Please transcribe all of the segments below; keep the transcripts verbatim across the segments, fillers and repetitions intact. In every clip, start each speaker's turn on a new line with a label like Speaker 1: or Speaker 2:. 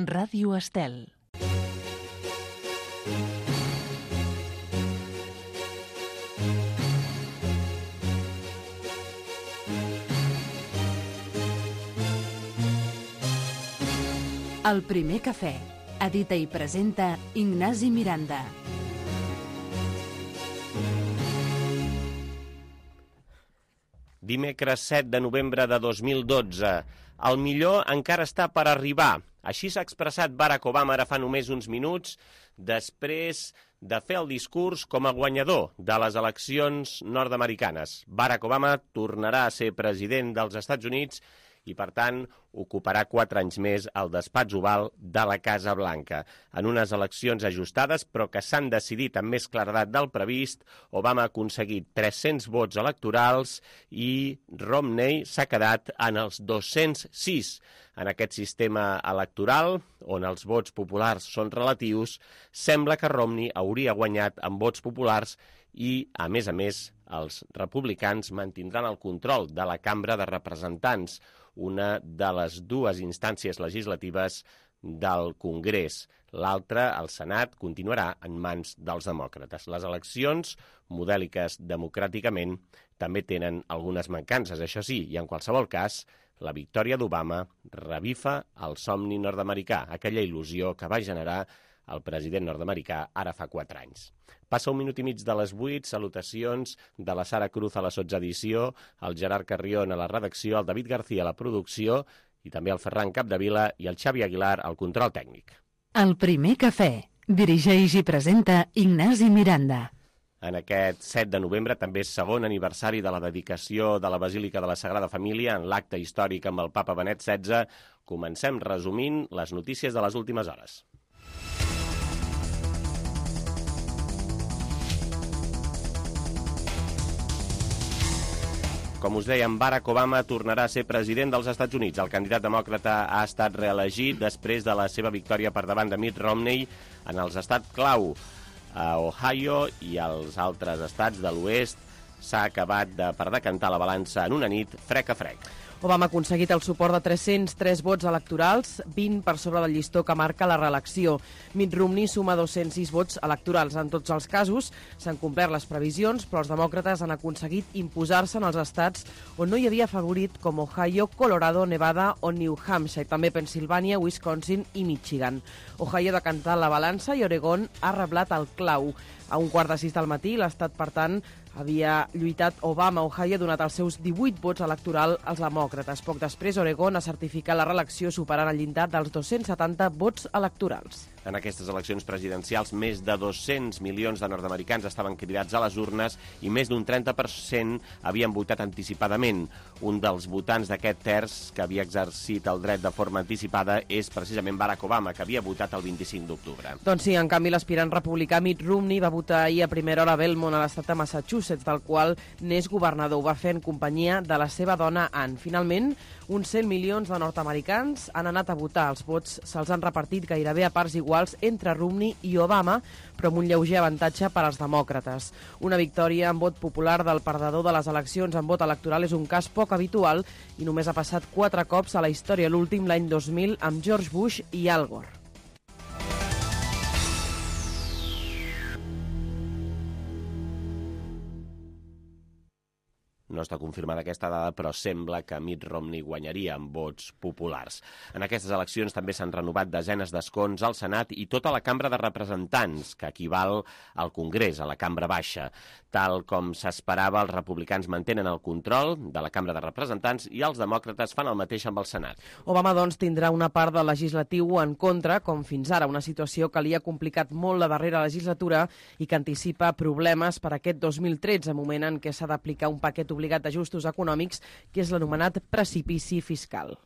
Speaker 1: Ràdio Estel. El primer cafè. Edita i presenta Ignasi Miranda.
Speaker 2: Dimecres set de novembre de dos mil dotze. El millor encara està per arribar. Així s'ha expressat Barack Obama ara fa només uns minuts, després de fer el discurs com a guanyador de les eleccions nord-americanes. Barack Obama tornarà a ser president dels Estats Units i, per tant, ocuparà quatre anys més al despatx oval de la Casa Blanca. En unes eleccions ajustades, però que s'han decidit amb més claredat del previst, Obama ha aconseguit tres-cents vots electorals i Romney s'ha quedat en els dos-cents sis. En aquest sistema electoral, on els vots populars són relatius, sembla que Romney hauria guanyat amb vots populars i, a més a més, els republicans mantindran el control de la Cambra de Representants, una de les dues instàncies legislatives del Congrés. L'altra, el Senat, continuarà en mans dels demòcrates. Les eleccions, modèliques democràticament, també tenen algunes mancances, això sí, i en qualsevol cas, la victòria d'Obama revifa el somni nord-americà, aquella il·lusió que va generar el president nord-americà ara fa quatre anys. Passa un minut i mig de les vuit, salutacions de la Sara Cruz a la sotsedició, el Gerard Carrión a la redacció, el David García a la producció i també el Ferran Capdevila i el Xavi Aguilar al control tècnic.
Speaker 1: El primer cafè. Dirigeix i presenta Ignasi Miranda.
Speaker 2: En aquest set de novembre també és segon aniversari de la dedicació de la Basílica de la Sagrada Família en l'acte històric amb el papa Benet setze. Comencem resumint les notícies de les últimes hores. Com us dèiem, Barack Obama tornarà a ser president dels Estats Units. El candidat demòcrata ha estat reelegit després de la seva victòria per davant de Mitt Romney en els estats clau. A Ohio i als altres estats de l'oest s'ha acabat de, per decantar la balança en una nit frec a frec.
Speaker 3: Obama ha aconseguit el suport de tres-cents tres vots electorals, vint per sobre del llistó que marca la reelecció. Mitt Romney suma dos-cents sis vots electorals. En tots els casos s'han complert les previsions, però els demòcrates han aconseguit imposar-se en els estats on no hi havia favorit, com Ohio, Colorado, Nevada o New Hampshire, i també Pensilvània, Wisconsin i Michigan. Ohio ha decantat la balança i Oregon ha reblat el clau. A un quart de sis del matí, l'estat, per tant, havia lluitat Obama. Ohio ha donat els seus divuit vots electorals als demòcrates. Poc després, Oregon ha certificat la reelecció superant el llindar dels dos-cents setanta vots electorals.
Speaker 2: En aquestes eleccions presidencials, més de dos-cents milions de nord-americans estaven cridats a les urnes i més d'un trenta per cent havien votat anticipadament. Un dels votants d'aquest terç que havia exercit el dret de forma anticipada és precisament Barack Obama, que havia votat el vint-i-cinc d'octubre.
Speaker 3: Doncs sí, en canvi, l'aspirant republicà Mitt Romney va votar ahir a primera hora a Belmont, a l'estat de Massachusetts, del qual n'és governador. Ho va fer en companyia de la seva dona Ann. Finalment, uns cent milions de nord-americans han anat a votar. Els vots se'ls han repartit gairebé a parts iguals entre Romney i Obama, però amb un lleuger avantatge per als demòcrates. Una victòria en vot popular del perdedor de les eleccions en vot electoral és un cas poc habitual i només ha passat quatre cops a la història, l'últim l'any dos mil amb George Bush i Al Gore.
Speaker 2: No està confirmada aquesta dada, però sembla que Mitt Romney guanyaria amb vots populars. En aquestes eleccions també s'han renovat desenes d'escons al Senat i tota la Cambra de Representants, que equival al Congrés, a la Cambra Baixa. Tal com s'esperava, els republicans mantenen el control de la Cambra de Representants i els demòcrates fan el mateix amb el Senat.
Speaker 3: Obama, doncs, tindrà una part del legislatiu en contra, com fins ara, una situació que li ha complicat molt la darrera legislatura i que anticipa problemes per aquest dos mil tretze, moment en què s'ha d'aplicar un paquet obligat d'ajustos econòmics, que és l'anomenat precipici fiscal.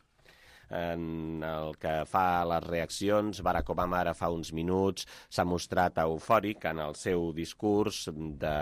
Speaker 2: En el que fa a les reaccions, Barack Obama ara fa uns minuts s'ha mostrat eufòric en el seu discurs de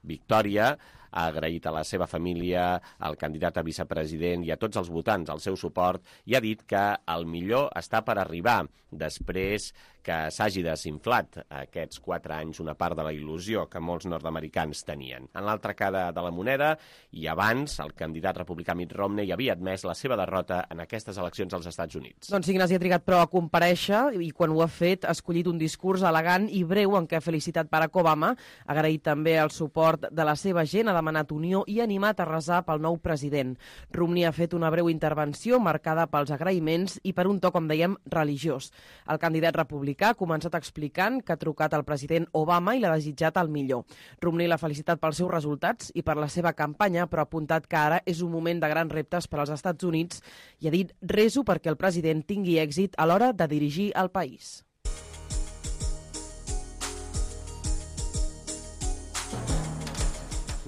Speaker 2: victòria, ha agraït a la seva família, al candidat a vicepresident i a tots els votants el seu suport i ha dit que el millor està per arribar després que s'hagi desinflat aquests quatre anys una part de la il·lusió que molts nord-americans tenien. En l'altra cara de la moneda, i abans, el candidat republicà Mitt Romney havia admès la seva derrota en aquestes eleccions eleccions als Estats Units.
Speaker 3: Doncs Ignasi ha trigat però a comparèixer i quan ho ha fet ha escollit un discurs elegant i breu en què ha felicitat Barack Obama, ha agraït també el suport de la seva gent, ha demanat unió i ha animat a resar pel nou president. Romney ha fet una breu intervenció marcada pels agraïments i per un to, com dèiem, religiós. El candidat republicà ha començat explicant que ha trucat al president Obama i l'ha desitjat el millor. Romney l'ha felicitat pels seus resultats i per la seva campanya, però ha apuntat que ara és un moment de grans reptes per als Estats Units i ha dit: reso perquè el president tingui èxit a l'hora de dirigir el país.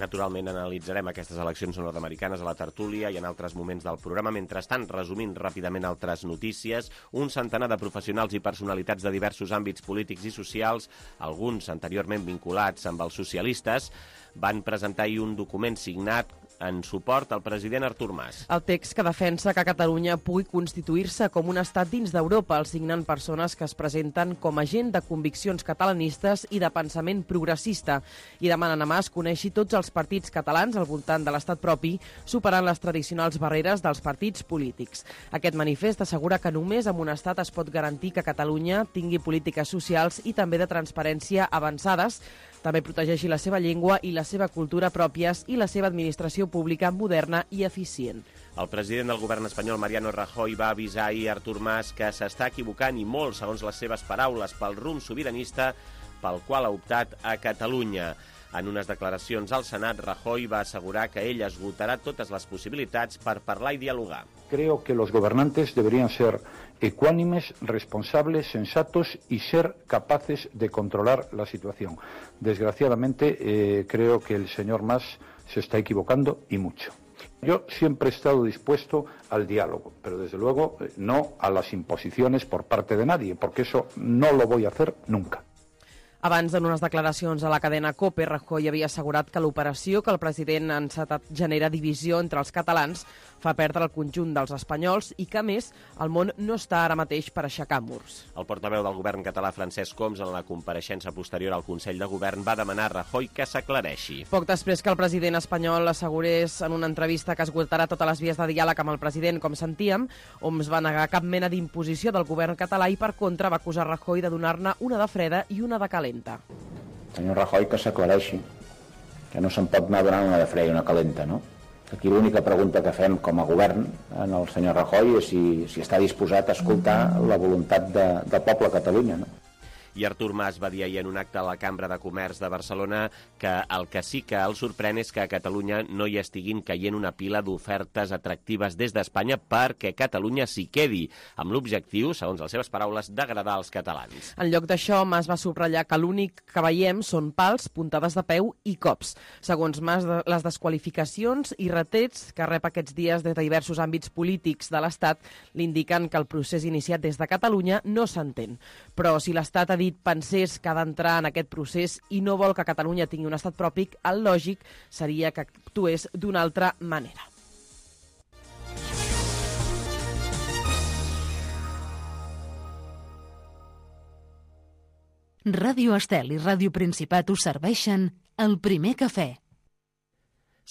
Speaker 2: Naturalment analitzarem aquestes eleccions nord-americanes a la tertúlia i en altres moments del programa. Mentrestant, resumint ràpidament altres notícies, un centenar de professionals i personalitats de diversos àmbits polítics i socials, alguns anteriorment vinculats amb els socialistes, van presentar ahir un document signat en suport al president Artur Mas.
Speaker 3: El text que defensa que Catalunya pugui constituir-se com un estat dins d'Europa, el signen persones que es presenten com a gent de conviccions catalanistes i de pensament progressista i demanen a Mas conèixer tots els partits catalans al voltant de l'estat propi, superant les tradicionals barreres dels partits polítics. Aquest manifest assegura que només amb un estat es pot garantir que Catalunya tingui polítiques socials i també de transparència avançades, també protegeixi la seva llengua i la seva cultura pròpies i la seva administració pública moderna i eficient.
Speaker 2: El president del govern espanyol, Mariano Rajoy, va avisar ahir a Artur Mas que s'està equivocant i molt, segons les seves paraules, pel rumb sobiranista pel qual ha optat a Catalunya. En unes declaracions al Senat, Rajoy va assegurar que ell esgotarà totes les possibilitats per parlar i dialogar.
Speaker 4: Creo que los gobernantes deberían ser ecuánimes, responsables, sensatos y ser capaces de controlar la situación. Desgraciadamente, eh, creo que el señor Mas se está equivocando y mucho. Yo siempre he estado dispuesto al diálogo, pero desde luego no a las imposiciones por parte de nadie, porque eso no lo voy a hacer nunca.
Speaker 3: Abans, en unes declaracions a la cadena COPE, Rajoy havia assegurat que l'operació que el president ha encetat genera divisió entre els catalans, fa perdre el conjunt dels espanyols i que, a més, el món no està ara mateix per aixecar murs.
Speaker 2: El portaveu del govern català, Francesc Homs, en la compareixença posterior al Consell de Govern, va demanar a Rajoy que s'aclareixi.
Speaker 3: Poc després que el president espanyol assegurés en una entrevista que esgotarà totes les vies de diàleg amb el president, com sentíem, Homs va negar cap mena d'imposició del govern català i, per contra, va acusar Rajoy de donar-ne una de freda i una de calenta.
Speaker 5: Senyor Rajoy, que s'aclareixi, que no se'n pot anar donant una de freda i una calenta, no? Aquí l'única pregunta que fem com a govern en el senyor Rajoy és si, si està disposat a escoltar la voluntat de, del poble de Catalunya, no?
Speaker 2: I Artur Mas va dir ahir en un acte a la Cambra de Comerç de Barcelona que el que sí que el sorprèn és que a Catalunya no hi estiguin caient una pila d'ofertes atractives des d'Espanya perquè Catalunya s'hi quedi, amb l'objectiu, segons les seves paraules, d'agradar als catalans.
Speaker 3: En lloc d'això, Mas va subratllar que l'únic que veiem són pals, puntades de peu i cops. Segons Mas, les desqualificacions i retrets que rep aquests dies des de diversos àmbits polítics de l'Estat l'indiquen que el procés iniciat des de Catalunya no s'entén. Però si l'Estat ha dit pensés que ha d'entrar en aquest procés i no vol que Catalunya tingui un estat propi, el lògic seria que actués d'una altra manera.
Speaker 1: Ràdio Estel i Ràdio Principat us serveixen el primer cafè.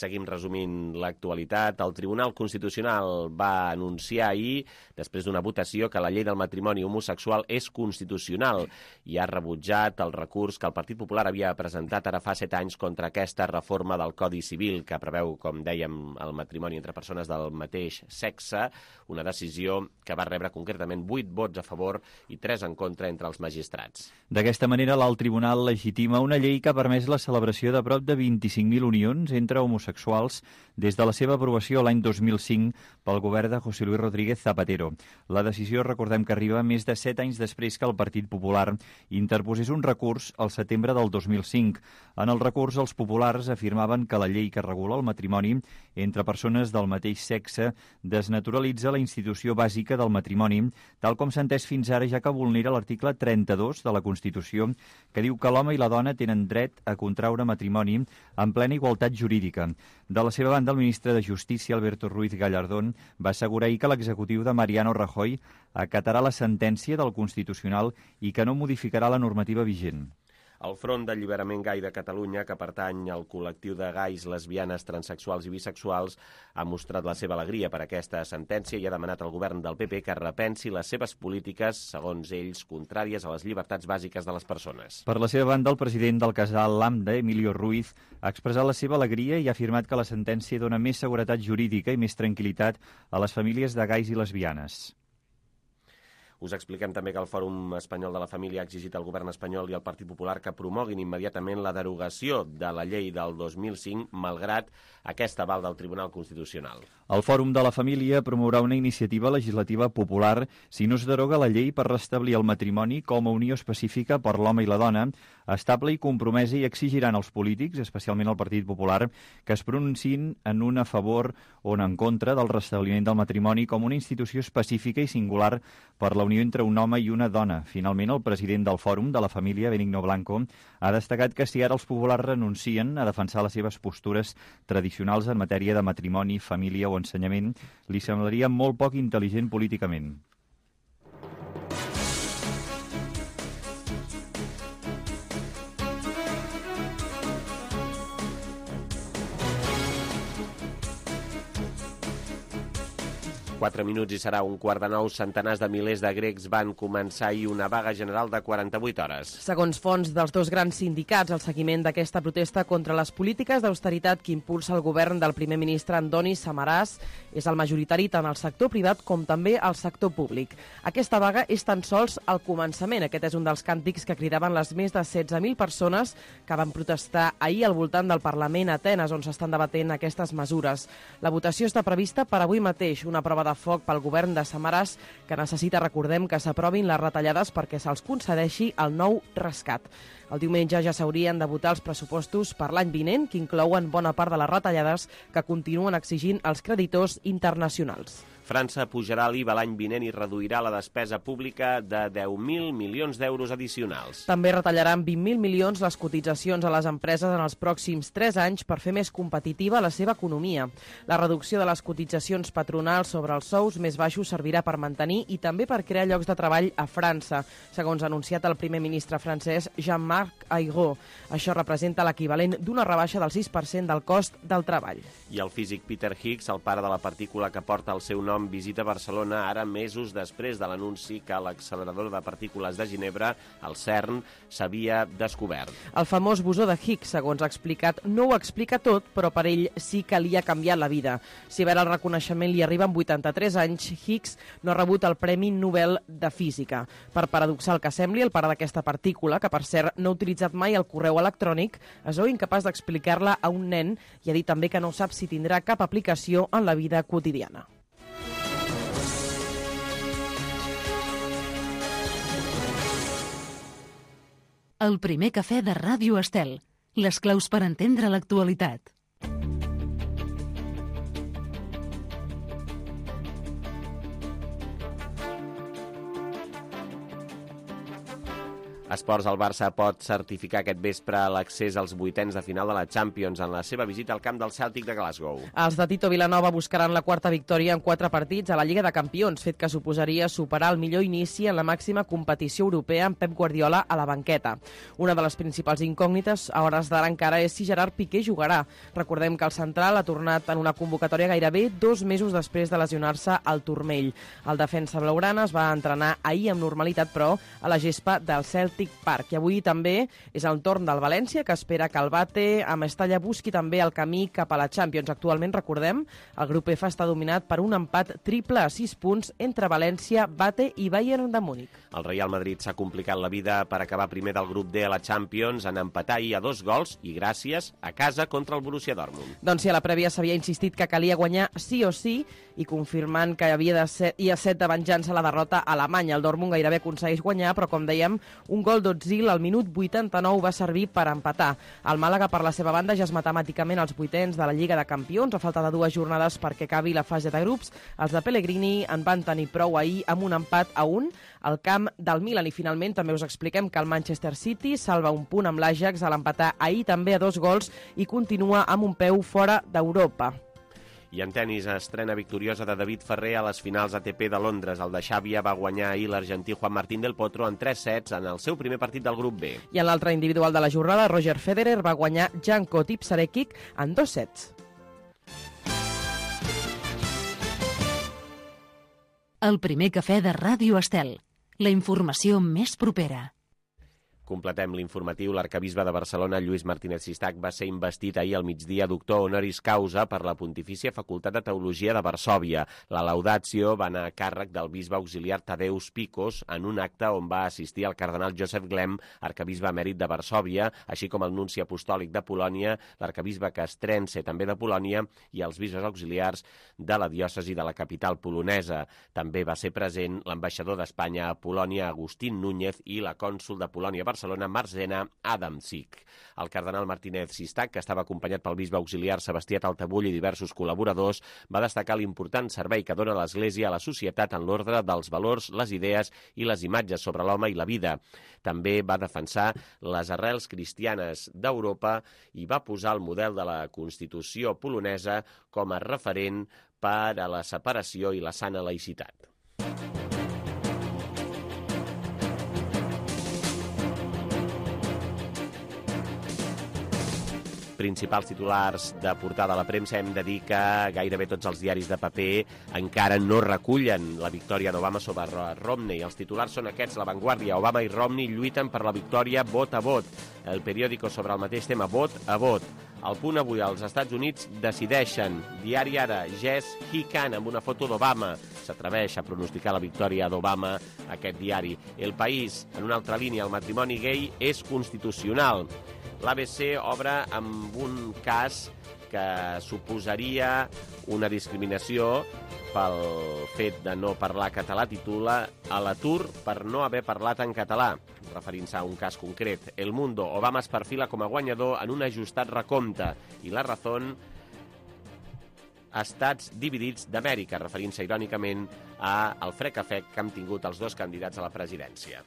Speaker 2: Seguim resumint l'actualitat. El Tribunal Constitucional va anunciar ahir, després d'una votació, que la llei del matrimoni homosexual és constitucional i ha rebutjat el recurs que el Partit Popular havia presentat ara fa set anys contra aquesta reforma del Codi Civil que preveu, com dèiem, el matrimoni entre persones del mateix sexe, una decisió que va rebre concretament vuit vots a favor i tres en contra entre els magistrats.
Speaker 6: D'aquesta manera, l'alt tribunal legitima una llei que ha permès la celebració de prop de vint-i-cinc mil unions entre homosexuals des de la seva aprovació l'any dos mil cinc pel govern de José Luis Rodríguez Zapatero. La decisió, recordem que arriba més de set anys després que el Partit Popular interposés un recurs al setembre del dos mil cinc. En el recurs, els populars afirmaven que la llei que regula el matrimoni entre persones del mateix sexe desnaturalitza la institució bàsica del matrimoni, tal com s'ha entès fins ara, ja que vulnera l'article trenta-dos de la Constitució, que diu que l'home i la dona tenen dret a contraure matrimoni en plena igualtat jurídica. De la seva banda, el ministre de Justícia, Alberto Ruiz Gallardón, va assegurar ahir que l'executiu de Mariano Rajoy acatarà la sentència del Constitucional i que no modificarà la normativa vigent.
Speaker 2: El Front d'Alliberament Gai de Catalunya, que pertany al col·lectiu de gais, lesbianes, transexuals i bisexuals, ha mostrat la seva alegria per aquesta sentència i ha demanat al govern del P P que repensi les seves polítiques, segons ells, contràries a les llibertats bàsiques de les persones.
Speaker 6: Per la seva banda, el president del casal Lambda, Emilio Ruiz, ha expressat la seva alegria i ha afirmat que la sentència dona més seguretat jurídica i més tranquil·litat a les famílies de gais i lesbianes.
Speaker 2: Us expliquem també que el Fòrum Espanyol de la Família ha exigit al govern espanyol i al Partit Popular que promoguin immediatament la derogació de la llei del dos mil cinc, malgrat aquest aval del Tribunal Constitucional.
Speaker 6: El Fòrum de la Família promourà una iniciativa legislativa popular si no es deroga la llei per restablir el matrimoni com a unió específica per l'home i la dona, estable i compromesa, i exigiran als polítics, especialment al Partit Popular, que es pronunciïn en un a favor o en contra del restabliment del matrimoni com una institució específica i singular per la unió entre un home i una dona. Finalment, el president del Fòrum de la Família, Benigno Blanco, ha destacat que si ara els populars renuncien a defensar les seves postures tradicionals en matèria de matrimoni, família o ensenyament, li semblaria molt poc intel·ligent políticament.
Speaker 2: Quatre minuts i serà un quart de nou. Centenars de milers de grecs van començar ahir una vaga general de quaranta-vuit hores.
Speaker 3: Segons fonts dels dos grans sindicats, el seguiment d'aquesta protesta contra les polítiques d'austeritat que impulsa el govern del primer ministre Andoni Samaras és el majoritari tant al sector privat com també al sector públic. Aquesta vaga és tan sols el començament. Aquest és un dels càntics que cridaven les més de setze mil persones que van protestar ahir al voltant del Parlament a Atenes, on s'estan debatent aquestes mesures. La votació està prevista per avui mateix, una prova de de foc pel govern de Samaras, que necessita, recordem, que s'aprovin les retallades perquè se'ls concedeixi el nou rescat. El diumenge ja s'haurien de votar els pressupostos per l'any vinent, que inclouen bona part de les retallades que continuen exigint els creditors internacionals.
Speaker 2: França pujarà l'I V A l'any vinent i reduirà la despesa pública de deu mil milions d'euros addicionals.
Speaker 3: També retallaran vint mil milions les cotitzacions a les empreses en els pròxims tres anys per fer més competitiva la seva economia. La reducció de les cotitzacions patronals sobre els sous més baixos servirà per mantenir i també per crear llocs de treball a França, segons ha anunciat el primer ministre francès Jean-Marc Ayrault. Això representa l'equivalent d'una rebaixa del sis per cent del cost del treball.
Speaker 2: I el físic Peter Higgs, el pare de la partícula que porta el seu nom, visita Barcelona ara mesos després de l'anunci que l'accelerador de partícules de Ginebra, el CERN, s'havia descobert.
Speaker 3: El famós bosó de Higgs, segons ha explicat, no ho explica tot, però per ell sí que li ha canviat la vida. Si bé el reconeixement li arriba amb vuitanta-tres anys, Higgs no ha rebut el Premi Nobel de Física. Per paradoxal que sembli, el pare d'aquesta partícula, que per cert no ha utilitzat mai el correu electrònic, es veu incapaç d'explicar-la a un nen i ha dit també que no sap si tindrà cap aplicació en la vida quotidiana.
Speaker 1: El primer cafè de Ràdio Estel. Les claus per entendre l'actualitat.
Speaker 2: Esports, el Barça pot certificar aquest vespre l'accés als vuitens de final de la Champions en la seva visita al camp del Celtic de Glasgow.
Speaker 3: Els de Tito Vilanova buscaran la quarta victòria en quatre partits a la Lliga de Campions, fet que suposaria superar el millor inici en la màxima competició europea amb Pep Guardiola a la banqueta. Una de les principals incògnites a hores d'ara encara és si Gerard Piqué jugarà. Recordem que el central ha tornat en una convocatòria gairebé dos mesos després de lesionar-se al turmell. El defensa blaugrana es va entrenar ahir amb normalitat, però, a la gespa del Celtic Park. I avui també és el torn del València, que espera que el Bate a Mestalla busqui també el camí cap a la Champions. Actualment, recordem, el grup F està dominat per un empat triple a sis punts entre València, Bate i Bayern de Múnich.
Speaker 2: El Real Madrid s'ha complicat la vida per acabar primer del grup D a la Champions en empatar ahir a dos gols i gràcies a casa contra el Borussia Dortmund.
Speaker 3: Doncs si a la prèvia s'havia insistit que calia guanyar sí o sí i confirmant que havia de ser, hi ha set de venjança la derrota alemanya. El Dortmund gairebé aconsegueix guanyar, però com dèiem, un gol d'Ozil al minut vuitanta-nou va servir per empatar. El Màlaga, per la seva banda, ja és matemàticament als vuitens de la Lliga de Campions, a falta de dues jornades perquè acabi la fase de grups. Els de Pellegrini en van tenir prou ahir amb un empat a un al camp del Milan. I finalment també us expliquem que el Manchester City salva un punt amb l'Ajax a l'empatar ahir també a dos gols i continua amb un peu fora d'Europa.
Speaker 2: I en tenis, estrena victoriosa de David Ferrer a les finals A T P de Londres. El de Xàbia va guanyar ahir l'argentí Juan Martín del Potro en tres sets en el seu primer partit del grup B.
Speaker 3: I en l'altre individual de la jornada, Roger Federer va guanyar Janko Tipsarevic en dos sets.
Speaker 1: El primer cafè de Ràdio Estel. La informació més propera.
Speaker 2: Completem l'informatiu. L'arcabisbe de Barcelona, Lluís Martínez Sistac, va ser investit ahir al migdia doctor honoris causa per la Pontifícia Facultat de Teologia de Varsòvia. La laudatio va anar a càrrec del bisbe auxiliar Tadeus Picos en un acte on va assistir el cardenal Joseph Glem, arcabisbe emèrit de Varsòvia, així com el nunci apostòlic de Polònia, l'arcabisbe Castrense, també de Polònia, i els bisbes auxiliars de la diòcesi de la capital polonesa. També va ser present l'ambaixador d'Espanya a Polònia, Agustín Núñez, i la cònsol de Polònia a Barcelona, Barcelona, Marzena Adamczyk. El cardenal Martínez Sistac, que estava acompanyat pel bisbe auxiliar Sebastià Taltabull i diversos col·laboradors, va destacar l'important servei que dona l'Església a la societat en l'ordre dels valors, les idees i les imatges sobre l'home i la vida. També va defensar les arrels cristianes d'Europa i va posar el model de la Constitució polonesa com a referent per a la separació i la sana laïcitat. Principals titulars de portada a la premsa, hem de dir que gairebé tots els diaris de paper encara no recullen la victòria d'Obama sobre Romney. Els titulars són aquests: La Vanguardia, Obama i Romney lluiten per la victòria vot a vot. El periòdico sobre el mateix tema, vot a vot. El Punt avui, als Estats Units decideixen. Diari Ara, Jess He Can, amb una foto d'Obama. S'atreveix a pronosticar la victòria d'Obama aquest diari. El País, en una altra línia, el matrimoni gay és constitucional. L'A B C obre amb un cas que suposaria una discriminació pel fet de no parlar català. Titula A l'atur per no haver parlat en català, referint-se a un cas concret. El Mundo, Obama es perfila com a guanyador en un ajustat recompte. I La Razón, Estats dividits d'Amèrica, referint-se irònicament al frec-a-frec que han tingut els dos candidats a la presidència.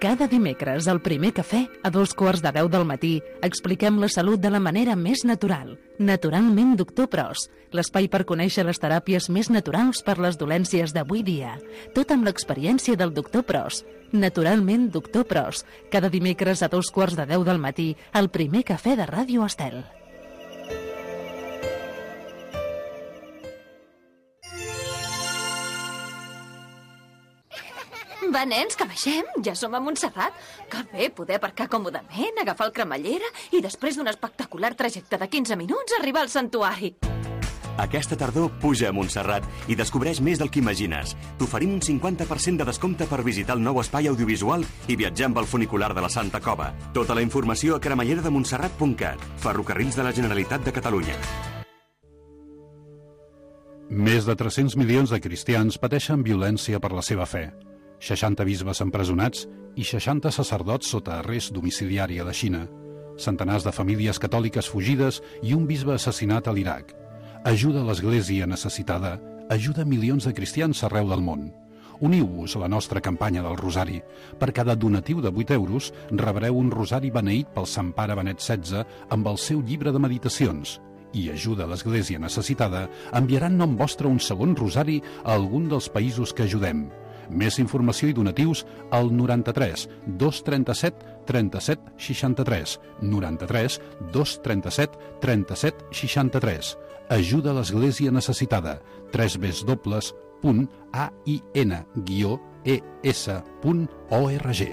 Speaker 1: Cada dimecres, al primer cafè, a dos quarts de deu del matí, expliquem la salut de la manera més natural. Naturalment, doctor Pros, l'espai per conèixer les teràpies més naturals per les dolències d'avui dia. Tot amb l'experiència del doctor Pros. Naturalment, doctor Pros, cada dimecres a dos quarts de deu del matí, al primer cafè de Ràdio Estel.
Speaker 7: Va, nens, que baixem. Ja som a Montserrat. Que bé poder aparcar còmodament, agafar el cremallera i després d'un espectacular trajecte de quinze minuts arribar al santuari.
Speaker 8: Aquesta tardor puja a Montserrat i descobreix més del que imagines. T'oferim un cinquanta per cent de descompte per visitar el nou espai audiovisual i viatjar amb el funicular de la Santa Cova. Tota la informació a cremallera de montserrat punt cat. Ferrocarrils de la Generalitat de Catalunya.
Speaker 9: Més de tres-cents milions de cristians pateixen violència per la seva fe. seixanta bisbes empresonats i seixanta sacerdots sota arrest domiciliari a la Xina. Centenars de famílies catòliques fugides i un bisbe assassinat a l'Iraq. Ajuda a l'Església necessitada, ajuda milions de cristians arreu del món. Uniu-vos a la nostra campanya del Rosari. Per cada donatiu de vuit euros rebreu un rosari beneït pel Sant Pare Benet setze amb el seu llibre de meditacions. I ajuda a l'Església necessitada enviarà en nom vostre un segon rosari a algun dels països que ajudem. Més informació i donatius al noranta-tres dos trenta-set trenta-set seixanta-tres, noranta-tres dos trenta-set trenta-set seixanta-tres. Ajuda a l'Església necessitada. tres w punt a i n guió e s punt org.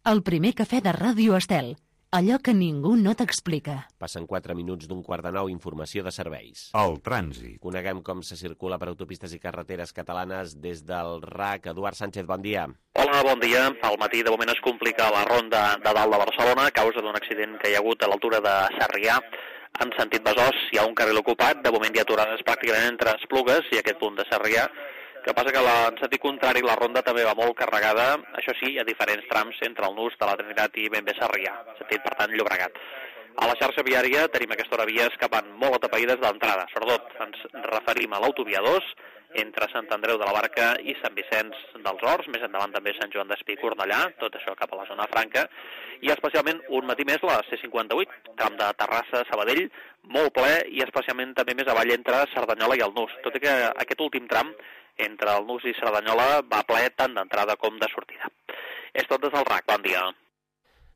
Speaker 1: El primer cafè de Ràdio Estel. Allò que ningú no t'explica.
Speaker 2: Passen quatre minuts d'un quart de nou, informació de serveis.
Speaker 10: El trànsit.
Speaker 2: Coneguem com se circula per autopistes i carreteres catalanes des del R A C. Eduard Sánchez, bon dia.
Speaker 11: Hola, bon dia. Al matí de moment es complica la ronda de dalt de Barcelona a causa d'un accident que hi ha hagut a l'altura de Sarrià. En sentit Besòs hi ha un carril ocupat, de moment hi ha aturades pràcticament entre Esplugues i aquest punt de Sarrià. El que passa que en sentit contrari la ronda també va molt carregada, això sí, hi ha diferents trams entre el Nus de la Trinitat i ben bé Sarrià, sentit per tant Llobregat. A la xarxa viària tenim aquesta hora vies que van molt atapeïdes d'entrada, sobretot ens referim a l'autovia dos entre Sant Andreu de la Barca i Sant Vicenç dels Horts, més endavant també Sant Joan d'Espí i Cornellà, tot això cap a la zona franca, i especialment un matí més la C cinquanta-vuit, tram de Terrassa-Sabadell, molt ple i especialment també més avall entre Cerdanyola i el Nus, tot i que aquest últim tram entre el Nus i Cerdanyola va ple tant d'entrada com de sortida. És tot des del R A C, bon dia.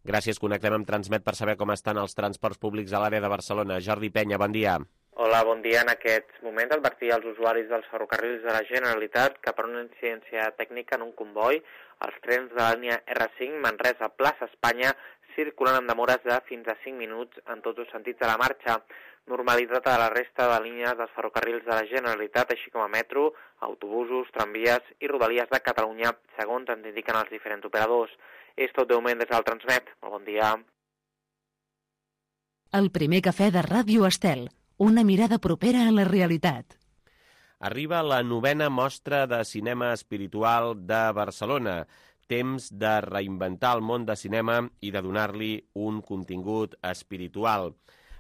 Speaker 2: Gràcies, connectem amb Transmet per saber com estan els transports públics a l'àrea de Barcelona. Jordi Penya, bon dia.
Speaker 10: Hola, bon dia. En aquest moment advertir als usuaris dels ferrocarrils de la Generalitat que per una incidència tècnica en un comboi, els trens de la línia R cinc Manresa-Plaça Espanya circulen amb demores de fins a cinc minuts en tots els sentits de la marxa. Normalitat a la resta de línies dels ferrocarrils de la Generalitat, així com a metro, autobusos, tramvies i rodalies de Catalunya, segons ens indiquen els diferents operadors. És tot de moment des del Transmet. Molt bon dia.
Speaker 1: El primer cafè de Ràdio Estel. Una mirada propera a la realitat.
Speaker 2: Arriba la novena mostra de cinema espiritual de Barcelona. Temps de reinventar el món de cinema i de donar-li un contingut espiritual.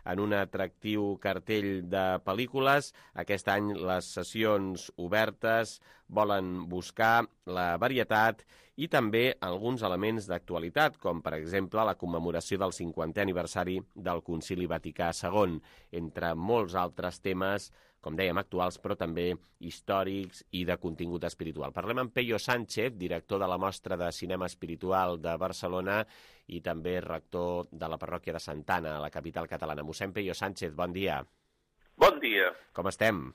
Speaker 2: En un atractiu cartell de pel·lícules, aquest any les sessions obertes volen buscar la varietat i també alguns elements d'actualitat, com per exemple la commemoració del cinquantè aniversari del Concili Vaticà segon, entre molts altres temes, com dèiem, actuals, però també històrics i de contingut espiritual. Parlem amb Peyo Sánchez, director de la Mostra de Cinema Espiritual de Barcelona i també rector de la parròquia de Santana, a la capital catalana. Mossèn Peyo Sánchez, bon dia.
Speaker 12: Bon dia.
Speaker 2: Com estem?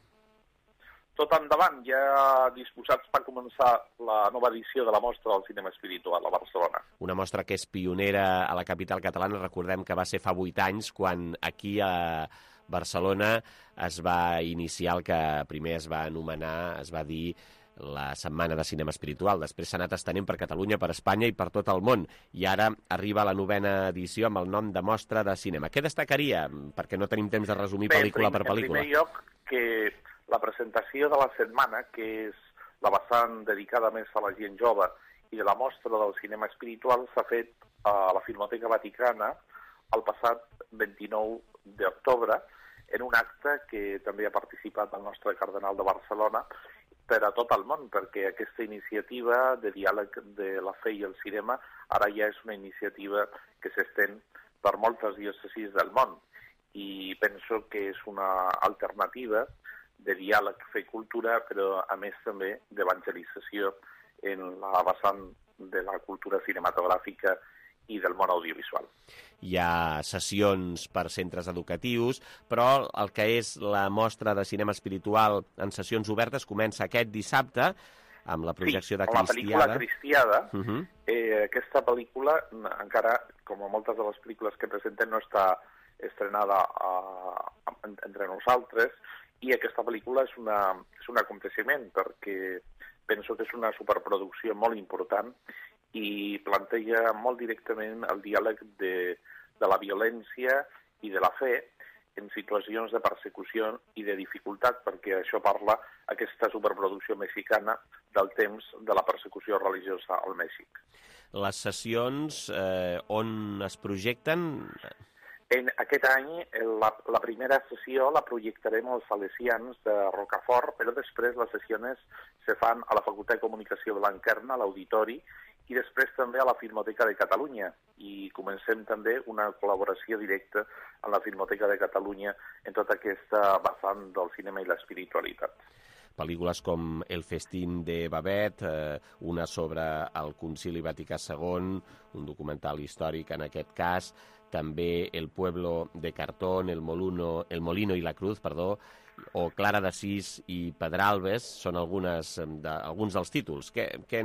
Speaker 12: Tot endavant, ja disposats per començar la nova edició de la Mostra del Cinema Espiritual a Barcelona.
Speaker 2: Una mostra que és pionera a la capital catalana. Recordem que va ser fa vuit anys quan aquí a Barcelona es va iniciar el que primer es va anomenar, es va dir la Setmana de Cinema Espiritual. Després s'ha anat estenent per Catalunya, per Espanya i per tot el món. I ara arriba la novena edició amb el nom de Mostra de Cinema. Què destacaria? Perquè no tenim temps de resumir Bé, pel·lícula
Speaker 12: prim,
Speaker 2: per pel·lícula.
Speaker 12: En primer lloc, que la presentació de la setmana, que és la vessant dedicada més a la gent jove, i de la Mostra del Cinema Espiritual s'ha fet a la Filmoteca Vaticana el passat vint-i-nou d'octubre, en un acte que també ha participat el nostre cardenal de Barcelona per a tot el món, perquè aquesta iniciativa de diàleg de la fe i el cinema ara ja és una iniciativa que s'estén per moltes diòcesis del món i penso que és una alternativa de diàleg, fe i cultura, però a més també d'evangelització en la vessant de la cultura cinematogràfica i del món audiovisual.
Speaker 2: Hi ha sessions per centres educatius, però el que és la mostra de cinema espiritual en sessions obertes comença aquest dissabte amb la projecció
Speaker 12: sí,
Speaker 2: de Cristiada.
Speaker 12: Sí, la pel·lícula Cristiada.
Speaker 2: Uh -huh.
Speaker 12: eh, aquesta pel·lícula encara, com moltes de les pel·lícules que presentem, no està estrenada a, a, entre nosaltres, i aquesta pel·lícula és, una, és un aconteciment perquè penso que és una superproducció molt important i planteja molt directament el diàleg de, de la violència i de la fe en situacions de persecució i de dificultat, perquè això parla aquesta superproducció mexicana del temps de la persecució religiosa al Mèxic.
Speaker 2: Les sessions eh, on es projecten?
Speaker 12: En aquest any, la, la primera sessió la projectarem als Salesians de Rocafort, però després les sessions se fan a la Facultat de Comunicació de Blanquerna, a l'Auditori, i després també a la Filmoteca de Catalunya. I comencem també una col·laboració directa amb la Filmoteca de Catalunya en tota aquesta vessant del cinema i l'espiritualitat.
Speaker 2: Pel·lícules com El festín de Babet, eh, una sobre el Concili Vaticà segon, un documental històric en aquest cas, també El pueblo de Cartón, El Moluno, El Molino i la Cruz, perdó, o Clara d'Assís i Pedralbes, són algunes de, alguns dels títols. Que, que,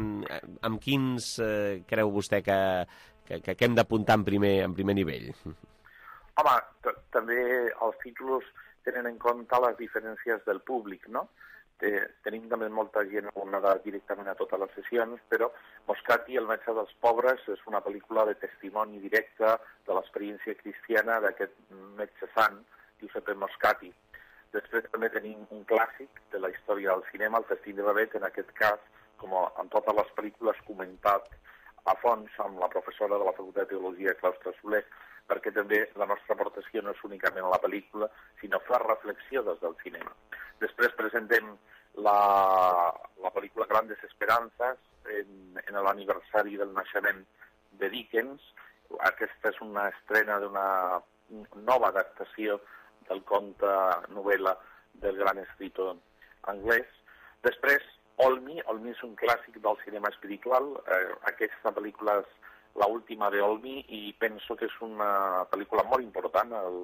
Speaker 2: amb quins eh, creu vostè que, que, que hem d'apuntar en primer, en primer nivell?
Speaker 12: Home, també els títols tenen en compte les diferències del públic, no? Tenim també molta gent abonada directament a totes les sessions, però Moscati, el metge dels pobres, és una pel·lícula de testimoni directe de l'experiència cristiana d'aquest metge sant, Giuseppe Moscati. Després també tenim un clàssic de la història del cinema, El festín de Babet, en aquest cas, com en totes les pel·lícules, comentat a fons amb la professora de la Facultat de Teologia, Claustre Soler, perquè també la nostra aportació no és únicament a la pel·lícula, sinó fer reflexió des del cinema. Després presentem la, la pel·lícula Grandes Esperanzas, en, en l'aniversari del naixement de Dickens. Aquesta és una estrena d'una nova adaptació del conte novel·la del gran escritor anglès. Després, Olmi. Olmi és un clàssic del cinema espiritual. Eh, aquesta pel·lícula és l'última de Olmi i penso que és una pel·lícula molt important, el,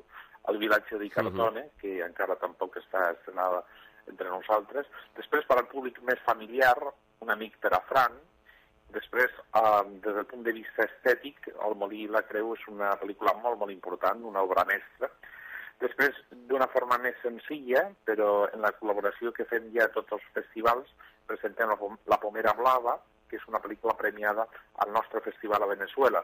Speaker 12: el vilatge de Cartone, uh-huh. que encara tampoc està estrenada entre nosaltres. Després, per al públic més familiar, Un amic per a Frank. Després, eh, des del punt de vista estètic, El molí i la creu és una pel·lícula molt, molt important, una obra mestra. Després, d'una forma més senzilla, però en la col·laboració que fem ja a tots els festivals, presentem la, la Pomera Blava, que és una pel·lícula premiada al nostre festival a Venezuela.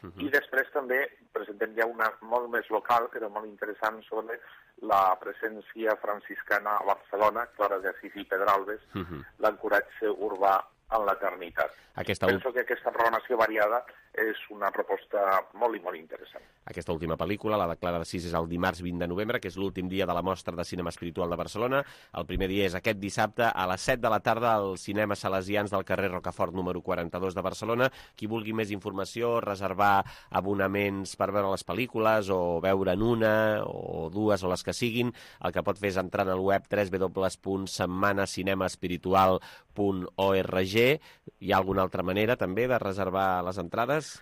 Speaker 12: Uh-huh. I després també presentem ja una molt més local, però molt interessant, sobre la presència franciscana a Barcelona, Clara d'Assís i Pedralbes, uh-huh. l'ancoratge urbà en l'eternitat.
Speaker 2: Aquesta...
Speaker 12: Penso que aquesta programació variada és una proposta molt i molt interessant.
Speaker 2: Aquesta última pel·lícula, la de Clara d'Assís, és el dimarts vint de novembre, que és l'últim dia de la Mostra de Cinema Espiritual de Barcelona. El primer dia és aquest dissabte a les set de la tarda al Cinema Salesians del carrer Rocafort número quaranta-dos de Barcelona. Qui vulgui més informació, reservar abonaments per veure les pel·lícules o veure'n una o dues o les que siguin, el que pot fer és entrar al web w w w punt setmana cinema espiritual punt org. Hi ha alguna altra manera també de reservar les entrades?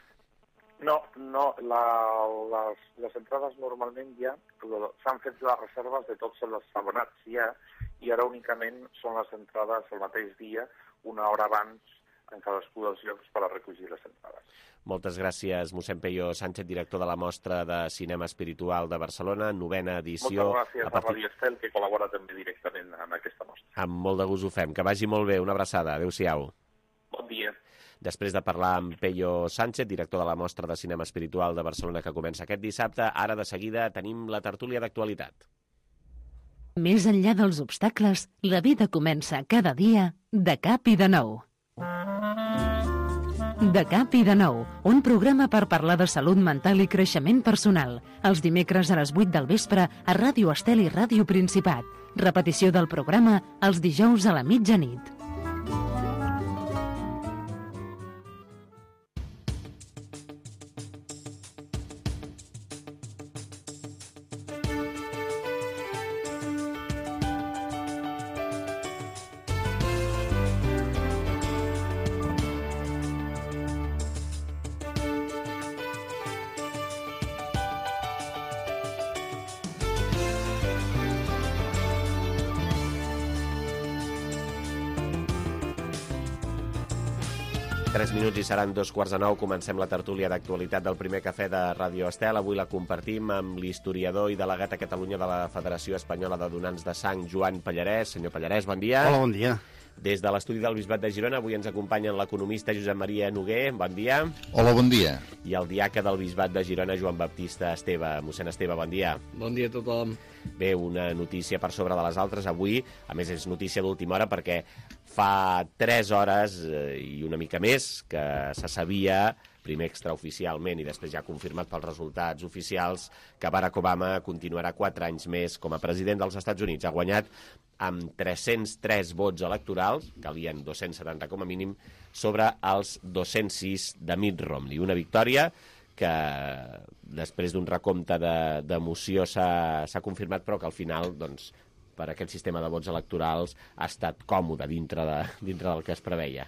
Speaker 12: No, no, la, les, les entrades normalment ja s'han fet les reserves de tots els abonats ja, i ara únicament són les entrades el mateix dia, una hora abans en cadascú dels llocs per a recollir les entrades.
Speaker 2: Moltes gràcies, mossèn Peyo Sánchez, director de la Mostra de Cinema Espiritual de Barcelona, novena edició.
Speaker 12: Moltes gràcies a, partir... a Radio Estel, que col·labora també directament en aquesta mostra.
Speaker 2: Amb molt de gust ho fem. Que vagi molt bé. Una abraçada. Adéu-siau.
Speaker 12: Bon dia.
Speaker 2: Després de parlar amb Peyo Sánchez, director de la Mostra de Cinema Espiritual de Barcelona, que comença aquest dissabte, ara de seguida tenim la tertúlia d'actualitat.
Speaker 1: Més enllà dels obstacles, la vida comença cada dia de cap i de nou. De cap i de nou, un programa per parlar de salut mental i creixement personal. Els dimecres a les vuit del vespre a Ràdio Estel i Ràdio Principat. Repetició del programa els dijous a la mitjanit.
Speaker 2: Tres minuts i seran dos quarts de nou. Comencem la tertúlia d'actualitat del primer cafè de Ràdio Estel. Avui la compartim amb l'historiador i delegat a Catalunya de la Federació Espanyola de Donants de Sang, Joan Pallarès. Senyor Pallarès, bon dia.
Speaker 13: Hola, bon dia.
Speaker 2: Des de l'estudi del Bisbat de Girona avui ens acompanyen l'economista Josep Maria Noguer. Bon dia.
Speaker 14: Hola, bon dia.
Speaker 2: I el diaca del Bisbat de Girona, Joan Baptista Esteve. Mossèn Esteve, bon dia.
Speaker 15: Bon dia a tothom.
Speaker 2: Bé, una notícia per sobre de les altres avui. A més, és notícia d'última hora perquè fa tres hores eh, i una mica més que se sabia, primer extraoficialment i després ja confirmat pels resultats oficials, que Barack Obama continuarà quatre anys més com a president dels Estats Units. Ha guanyat amb tres-cents tres vots electorals, calien dos-cents setanta com a mínim, sobre els dos-cents sis de Mitt Romney. Una victòria que després d'un recompte d'emoció s'ha confirmat, però que al final, doncs, per aquest sistema de vots electorals ha estat còmode dintre, de, dintre del que es preveia.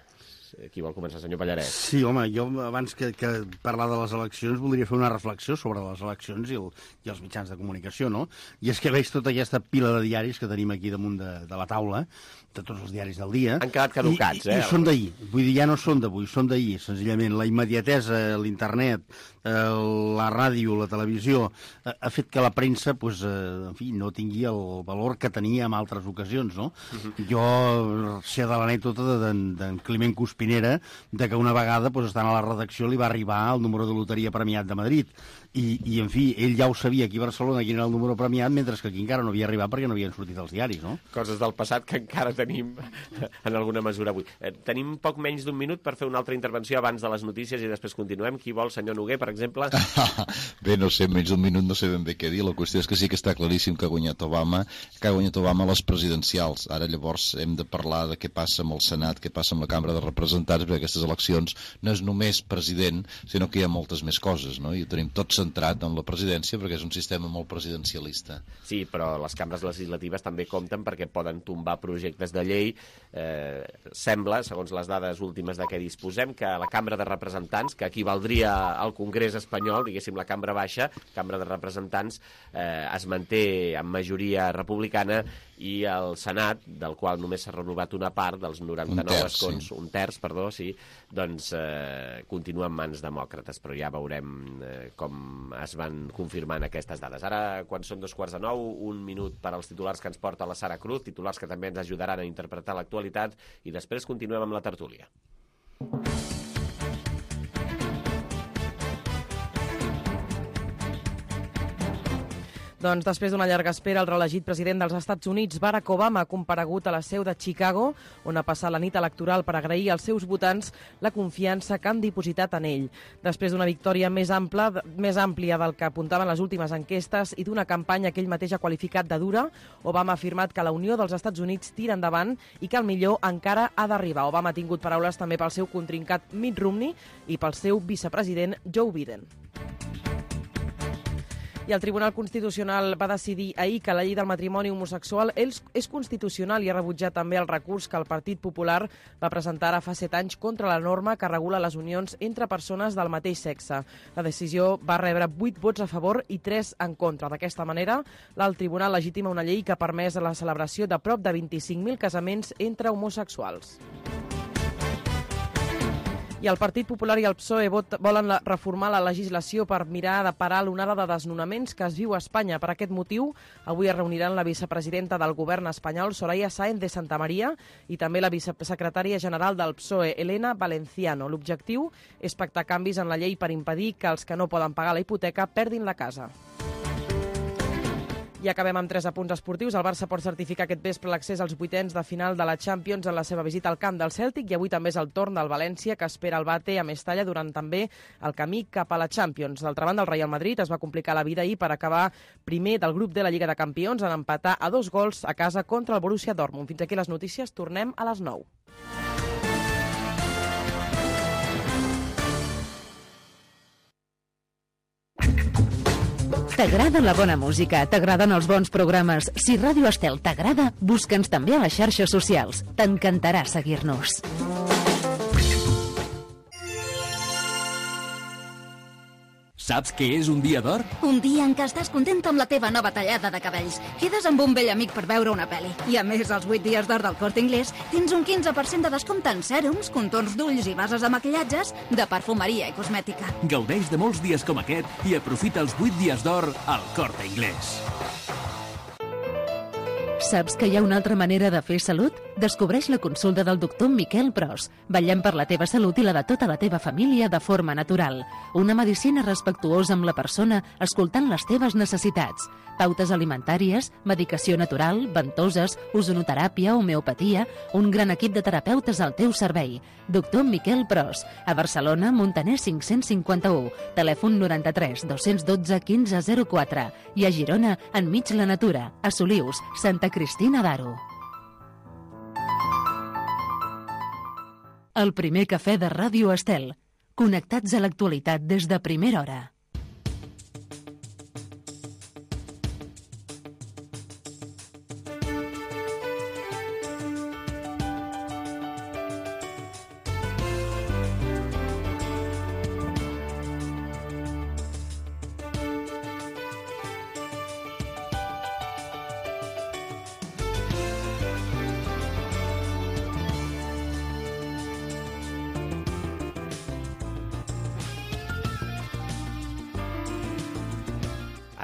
Speaker 2: Qui vol començar, senyor Pallarès?
Speaker 13: Sí, home, jo abans que, que parlar de les eleccions voldria fer una reflexió sobre les eleccions i, el, i els mitjans de comunicació, no? I és que veig tota aquesta pila de diaris que tenim aquí damunt de, de la taula, de tots els diaris del dia.
Speaker 2: Han quedat caducats,
Speaker 13: i, i,
Speaker 2: eh?
Speaker 13: I són d'ahir. Vull dir, ja no són d'avui, són d'ahir, senzillament. La immediatesa, l'internet, la ràdio, la televisió, ha fet que la premsa, pues, en fi, no tingui el valor que tenia en altres ocasions, no? Uh-huh. Jo sé de l'anècdota d'en Climent Cuspinera, de que una vegada, pues, estant a la redacció, li va arribar el número de loteria premiat de Madrid. I, i, en fi, ell ja ho sabia aquí a Barcelona quin era el número premiat, mentre que aquí encara no havia arribat perquè no havien sortit els diaris, no?
Speaker 2: Coses del passat que encara tenim en alguna mesura avui. Eh, tenim poc menys d'un minut per fer una altra intervenció abans de les notícies i després continuem. Qui vol, senyor Noguer, per exemple?
Speaker 14: Bé, no sé, menys d'un minut no sé ben bé què dir. La qüestió és que sí que està claríssim que ha guanyat Obama, que ha guanyat Obama les presidencials. Ara llavors hem de parlar de què passa amb el Senat, què passa amb la Cambra de Representants, perquè aquestes eleccions no és només president, sinó que hi ha moltes més coses, no? I ho tenim tot centrat en la presidència perquè és un sistema molt presidencialista.
Speaker 2: Sí, però les cambres legislatives també compten perquè poden tombar projectes de llei. Eh, sembla, segons les dades últimes de què disposem, que la Cambra de Representants, que equivaldria al Congrés espanyol, diguéssim la Cambra Baixa, Cambra de Representants, eh, es manté en majoria republicana, i el Senat, del qual només s'ha renovat una part dels noranta-nou
Speaker 14: terç,
Speaker 2: escons,
Speaker 14: sí.
Speaker 2: un terç, perdó, sí, doncs eh, continua en mans demòcrates, però ja veurem eh, com es van confirmant aquestes dades. Ara, quan són dos quarts de nou, un minut per als titulars que ens porta la Sara Cruz, titulars que també ens ajudaran a interpretar l'actualitat, i després continuem amb la tertúlia.
Speaker 3: Doncs després d'una llarga espera, el reelegit president dels Estats Units, Barack Obama, ha comparegut a la seu de Chicago, on ha passat la nit electoral per agrair als seus votants la confiança que han dipositat en ell. Després d'una victòria més ampla, més àmplia del que apuntaven les últimes enquestes i d'una campanya que ell mateix ha qualificat de dura, Obama ha afirmat que la Unió dels Estats Units tira endavant i que el millor encara ha d'arribar. Obama ha tingut paraules també pel seu contrincat Mitt Romney i pel seu vicepresident Joe Biden. I el Tribunal Constitucional va decidir ahir que la llei del matrimoni homosexual és constitucional i ha rebutjat també el recurs que el Partit Popular va presentar ara fa set anys contra la norma que regula les unions entre persones del mateix sexe. La decisió va rebre vuit vots a favor i tres en contra. D'aquesta manera, l'alt tribunal legitima una llei que ha permès la celebració de prop de vint-i-cinc mil casaments entre homosexuals. I el Partit Popular i el P S O E volen reformar la legislació per mirar de parar l'onada de desnonaments que es viu a Espanya. Per aquest motiu, avui es reuniran la vicepresidenta del govern espanyol, Soraya Sáenz de Santamaría, i també la vicesecretària general del P S O E, Elena Valenciano. L'objectiu és pactar canvis en la llei per impedir que els que no poden pagar la hipoteca perdin la casa. I acabem amb tres apunts esportius. El Barça pot certificar aquest vespre l'accés als vuitens de final de la Champions en la seva visita al camp del Cèltic, i avui també és el torn del València, que espera el bate a Mestalla durant també el camí cap a la Champions. D'altra banda, el Real Madrid es va complicar la vida ahir per acabar primer del grup de la Lliga de Campions en empatar a dos gols a casa contra el Borussia Dortmund. Fins aquí les notícies, tornem a les nou.
Speaker 1: T'agrada la bona música? T'agraden els bons programes? Si Ràdio Estel t'agrada, busca'ns també a les xarxes socials. T'encantarà seguir-nos.
Speaker 15: Saps què és un dia d'or?
Speaker 16: Un dia en què estàs content amb la teva nova tallada de cabells. Quedes amb un vell amic per veure una pel·li. I a més, als vuit dies d'or del Corte Inglés tens un quinze per cent de descompte en sèrums, contorns d'ulls i bases de maquillatges, de perfumeria i cosmètica.
Speaker 15: Gaudeix de molts dies com aquest i aprofita els vuit dies d'or al Corte Inglés.
Speaker 1: Saps que hi ha una altra manera de fer salut? Descobreix la consulta del doctor Miquel Pros. Vetllem per la teva salut i la de tota la teva família de forma natural. Una medicina respectuosa amb la persona, escoltant les teves necessitats. Pautes alimentàries, medicació natural, ventoses, ozonoteràpia, homeopatia, un gran equip de terapeutes al teu servei. Doctor Miquel Pros, a Barcelona, Montaner cinc-cents cinquanta-u, telèfon noranta-tres dos-cents dotze quinze zero quatre, i a Girona, enmig la natura, a Solius, Santa Cristina d'Aro. El primer cafè de Ràdio Estel. Connectats a l'actualitat des de primera hora.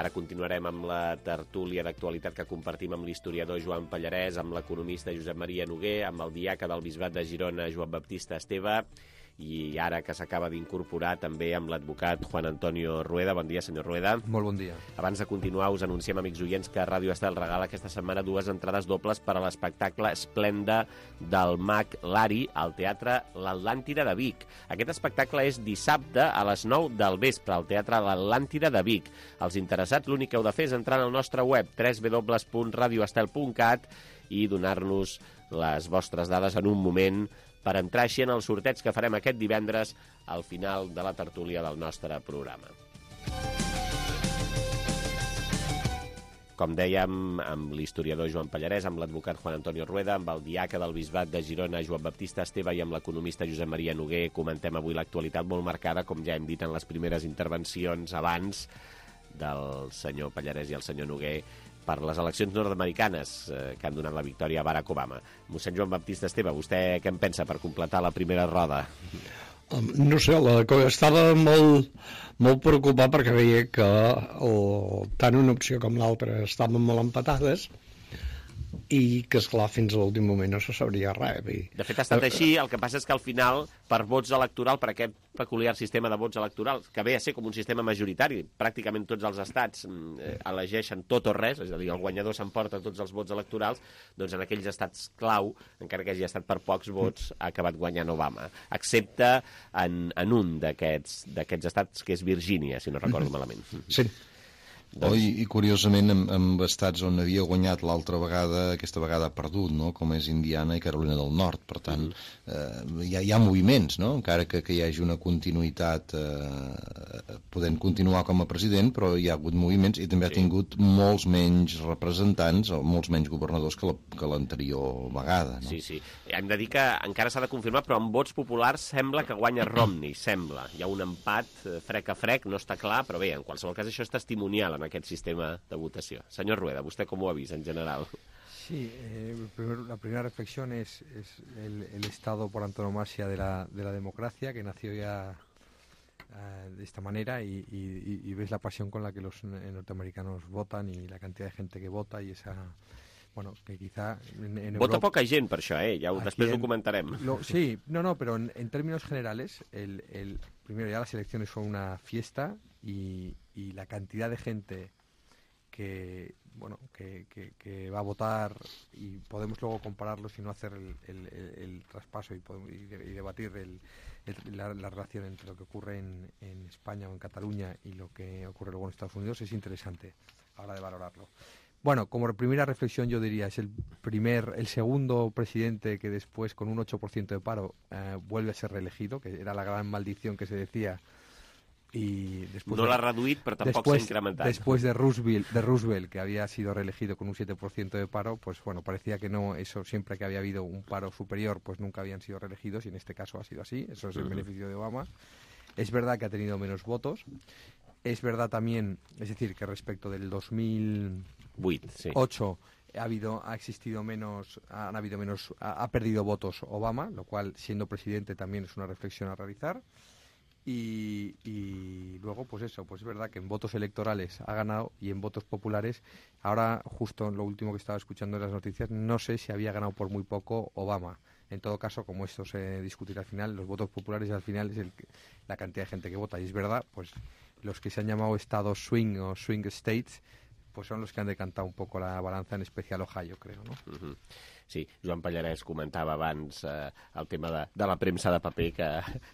Speaker 2: Ara continuarem amb la tertúlia d'actualitat que compartim amb l'historiador Joan Pallarès, amb l'economista Josep Maria Noguer, amb el diaca del Bisbat de Girona, Joan Baptista Esteve, i ara que s'acaba d'incorporar també amb l'advocat Juan Antonio Rueda. Bon dia, senyor Rueda.
Speaker 17: Molt bon dia.
Speaker 2: Abans de continuar, us anunciem, amics oients, que Ràdio Estel regala aquesta setmana dues entrades dobles per a l'espectacle Esplenda del mag Lari al Teatre L'Atlàntida de Vic. Aquest espectacle és dissabte a les nou del vespre al Teatre L'Atlàntida de Vic. Els interessats, l'únic que heu de fer és entrar al nostre web w w w punt radio estel punt cat i donar-nos les vostres dades en un moment per entrar així en el sorteig que farem aquest divendres al final de la tertúlia del nostre programa. Com dèiem, amb l'historiador Joan Pallarès, amb l'advocat Juan Antonio Rueda, amb el diaca del Bisbat de Girona, Joan Baptista Esteve, i amb l'economista Josep Maria Noguer, comentem avui l'actualitat molt marcada, com ja hem dit en les primeres intervencions abans del senyor Pallarès i el senyor Noguer, per les eleccions nord-americanes eh, que han donat la victòria a Barack Obama. Mossèn Joan Baptista Esteve, vostè què en pensa per completar la primera roda?
Speaker 18: No sé, la, estava molt, molt preocupat perquè veia que el, tant una opció com l'altra estaven molt empatades i que, esclar, fins a l'últim moment no se sabria res.
Speaker 2: De fet, ha estat així, el que passa és que al final, per vots electorals, per aquest peculiar sistema de vots electorals, que ve a ser com un sistema majoritari, pràcticament tots els estats eh, elegeixen tot o res, és a dir, el guanyador s'emporta tots els vots electorals, doncs en aquells estats clau, encara que hagi estat per pocs vots, ha acabat guanyant Obama, excepte en, en un d'aquests d'aquests estats, que és Virgínia, si no recordo malament.
Speaker 18: Sí.
Speaker 14: Doncs... Oh, i, I curiosament amb, amb estats on havia guanyat l'altra vegada, aquesta vegada ha perdut, no? Com és Indiana i Carolina del Nord. Per tant, eh, hi, ha, hi ha moviments, no? Encara que, que hi hagi una continuïtat eh, podent continuar com a president, però hi ha hagut moviments i també sí. Ha tingut molts menys representants o molts menys governadors que, la, que l'anterior vegada. No?
Speaker 2: Sí, sí. Hem de dir que encara s'ha de confirmar, però amb vots populars sembla que guanya Romney, sembla. Hi ha un empat frec a frec, no està clar, però bé, en qualsevol cas això és testimonial en aquest sistema de votació. Señor Rueda, ¿usted cómo ha visto en general?
Speaker 17: Sí, eh, primero, la primera reflexión es, es el, el estado por antonomasia de la, de la democracia, que nació ya uh, de esta manera y, y, y ves la pasión con la que los norteamericanos votan y la cantidad de gente que vota y esa... Bueno, que quizá en, en
Speaker 2: Vota
Speaker 17: Europa,
Speaker 2: poca gent per això, eh? Ja ho, després
Speaker 17: en,
Speaker 2: ho comentarem.
Speaker 17: Lo, sí, no, no, pero en, en términos generales, el, el, primero ya las elecciones son una fiesta y, y la cantidad de gente que bueno que, que, que va a votar, y podemos luego compararlos y no hacer el, el, el, el traspaso y, podemos, y, de, y debatir el, el, la, la relación entre lo que ocurre en, en España o en Cataluña y lo que ocurre luego en Estados Unidos, es interesante a la hora de valorarlo. Bueno, como primera reflexión yo diría, es el primer, el segundo presidente que después, con un ocho por ciento de paro, eh, vuelve a ser reelegido, que era la gran maldición que se decía. Y después
Speaker 2: no
Speaker 17: de,
Speaker 2: l'ha reduït, però tampoc
Speaker 17: después,
Speaker 2: s'ha incrementat.
Speaker 17: Después de Roosevelt, de Roosevelt, que había sido reelegido con un siete por ciento de paro, pues bueno, parecía que no, eso siempre que había habido un paro superior, pues nunca habían sido reelegidos, y en este caso ha sido así. Eso es el uh-huh. beneficio de Obama. Es verdad que ha tenido menos votos. Es verdad también, es decir, que respecto del dos mil ocho sí. ha habido, ha existido menos, han habido menos, ha, ha perdido votos Obama, lo cual, siendo presidente, también es una reflexión a realizar. Y, y luego, pues eso, pues es verdad que en votos electorales ha ganado, y en votos populares, ahora justo en lo último que estaba escuchando en las noticias, no sé si había ganado por muy poco Obama. En todo caso, como esto se discutirá al final, los votos populares al final es el, la cantidad de gente que vota. Y es verdad, pues los que se han llamado estados swing o swing states, pues son los que han decantado un poco la balanza, en especial Ohio, creo, ¿no?
Speaker 2: Uh-huh. Sí, Joan Pallarès comentava abans eh, el tema de, de la premsa de paper que,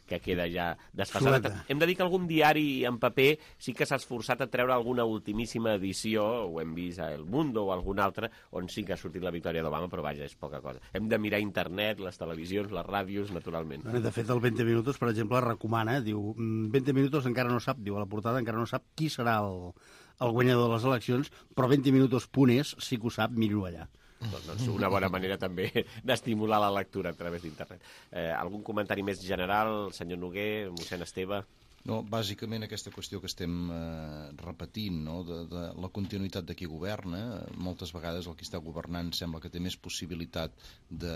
Speaker 2: que queda ja desfasada. Hem de dir que algun diari en paper sí que s'ha esforçat a treure alguna ultimíssima edició, ho hem vist a El Mundo o algun altre, on sí que ha sortit la victòria d'Obama, però vaja, és poca cosa. Hem de mirar internet, les televisions, les ràdios, naturalment.
Speaker 13: De fet, el veinte minutos, per exemple, recomana, diu, veinte minutos encara no sap, diu a la portada, encara no sap qui serà el, el guanyador de les eleccions, però veinte minutos punt es sí que ho sap, miro allà.
Speaker 2: Doncs una bona manera també d'estimular la lectura a través d'internet. Eh, algun comentari més general, senyor Noguer, mossèn Esteve?
Speaker 14: No, bàsicament aquesta qüestió que estem eh, repetint, no? de, de la continuïtat de qui governa. Moltes vegades el que està governant sembla que té més possibilitat de,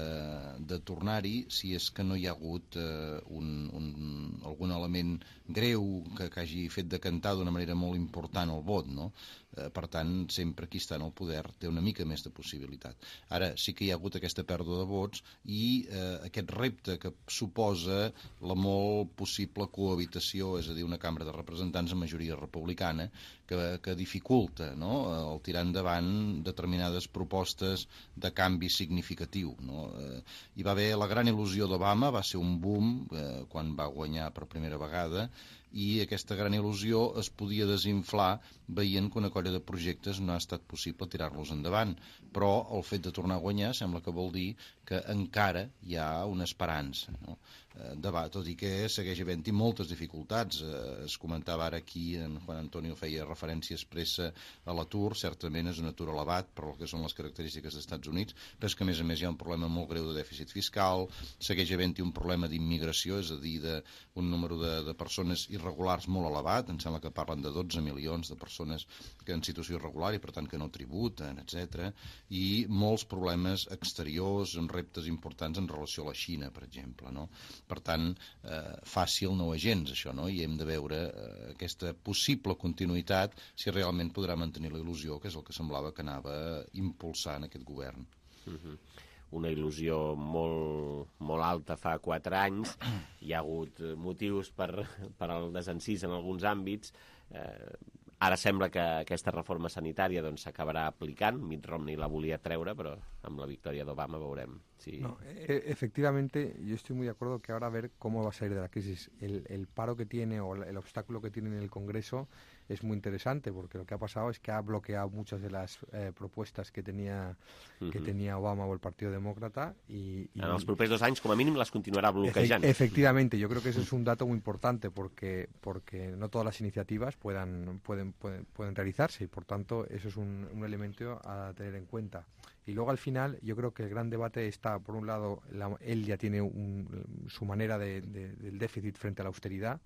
Speaker 14: de tornar-hi si és que no hi ha hagut eh, un, un, algun element greu que, que hagi fet decantar d'una manera molt important el vot, no? Per tant, sempre qui està en el poder té una mica més de possibilitat. Ara, sí que hi ha hagut aquesta pèrdua de vots i eh, aquest repte que suposa la molt possible cohabitació, és a dir, una cambra de representants amb majoria republicana, que, que dificulta, no?, el tirar endavant determinades propostes de canvi significatiu, no? Eh, hi va haver la gran il·lusió d'Obama, va ser un boom eh, quan va guanyar per primera vegada, i aquesta gran il·lusió es podia desinflar veient que una colla de projectes no ha estat possible tirar-los endavant, però el fet de tornar a guanyar sembla que vol dir que encara hi ha una esperança, no? Debat, tot i que segueix havent-hi moltes dificultats. Es comentava ara aquí, en Juan Antonio feia referència expressa a l'atur, certament és un atur elevat per el que són les característiques dels Estats Units, però és que a més a més hi ha un problema molt greu de dèficit fiscal, segueix havent-hi un problema d'immigració, és a dir, d'un número de, de persones irregulars molt elevat, em sembla que parlen de dotze milions de persones que en situació irregular i per tant que no tributen, etcètera, i molts problemes exteriors, amb reptes importants en relació a la Xina, per exemple, no? Per tant, eh, fàcil no és gens, això, no? I hem de veure eh, aquesta possible continuïtat si realment podrà mantenir la il·lusió, que és el que semblava que anava impulsant aquest govern.
Speaker 2: Uh-huh. Una il·lusió molt, molt alta fa quatre anys. Hi ha hagut motius per, per al desencís en alguns àmbits. Eh, ara sembla que aquesta reforma sanitària doncs, s'acabarà aplicant. Mitt Romney la volia treure, però amb la victòria d'Obama veurem si...
Speaker 17: No, e efectivamente, yo estoy muy de acuerdo que ahora a ver cómo va a salir de la crisis. El, el paro que tiene o el obstáculo que tiene en el Congreso es muy interesante, porque lo que ha pasado es que ha bloqueado muchas de las eh, propuestas que tenía, uh-huh. que tenía Obama o el Partido Demócrata. Y, y...
Speaker 2: En els propers dos anys, com a mínim, les continuarà bloquejant.
Speaker 17: Efe efectivamente, yo creo que ese es un dato muy importante, porque, porque no todas las iniciativas puedan, pueden, pueden, pueden realizarse, y por tanto eso es un, un elemento a tener en cuenta. Y luego al final yo creo que el gran debate está, por un lado, la, él ya tiene un, su manera de, de, del déficit frente a la austeridad,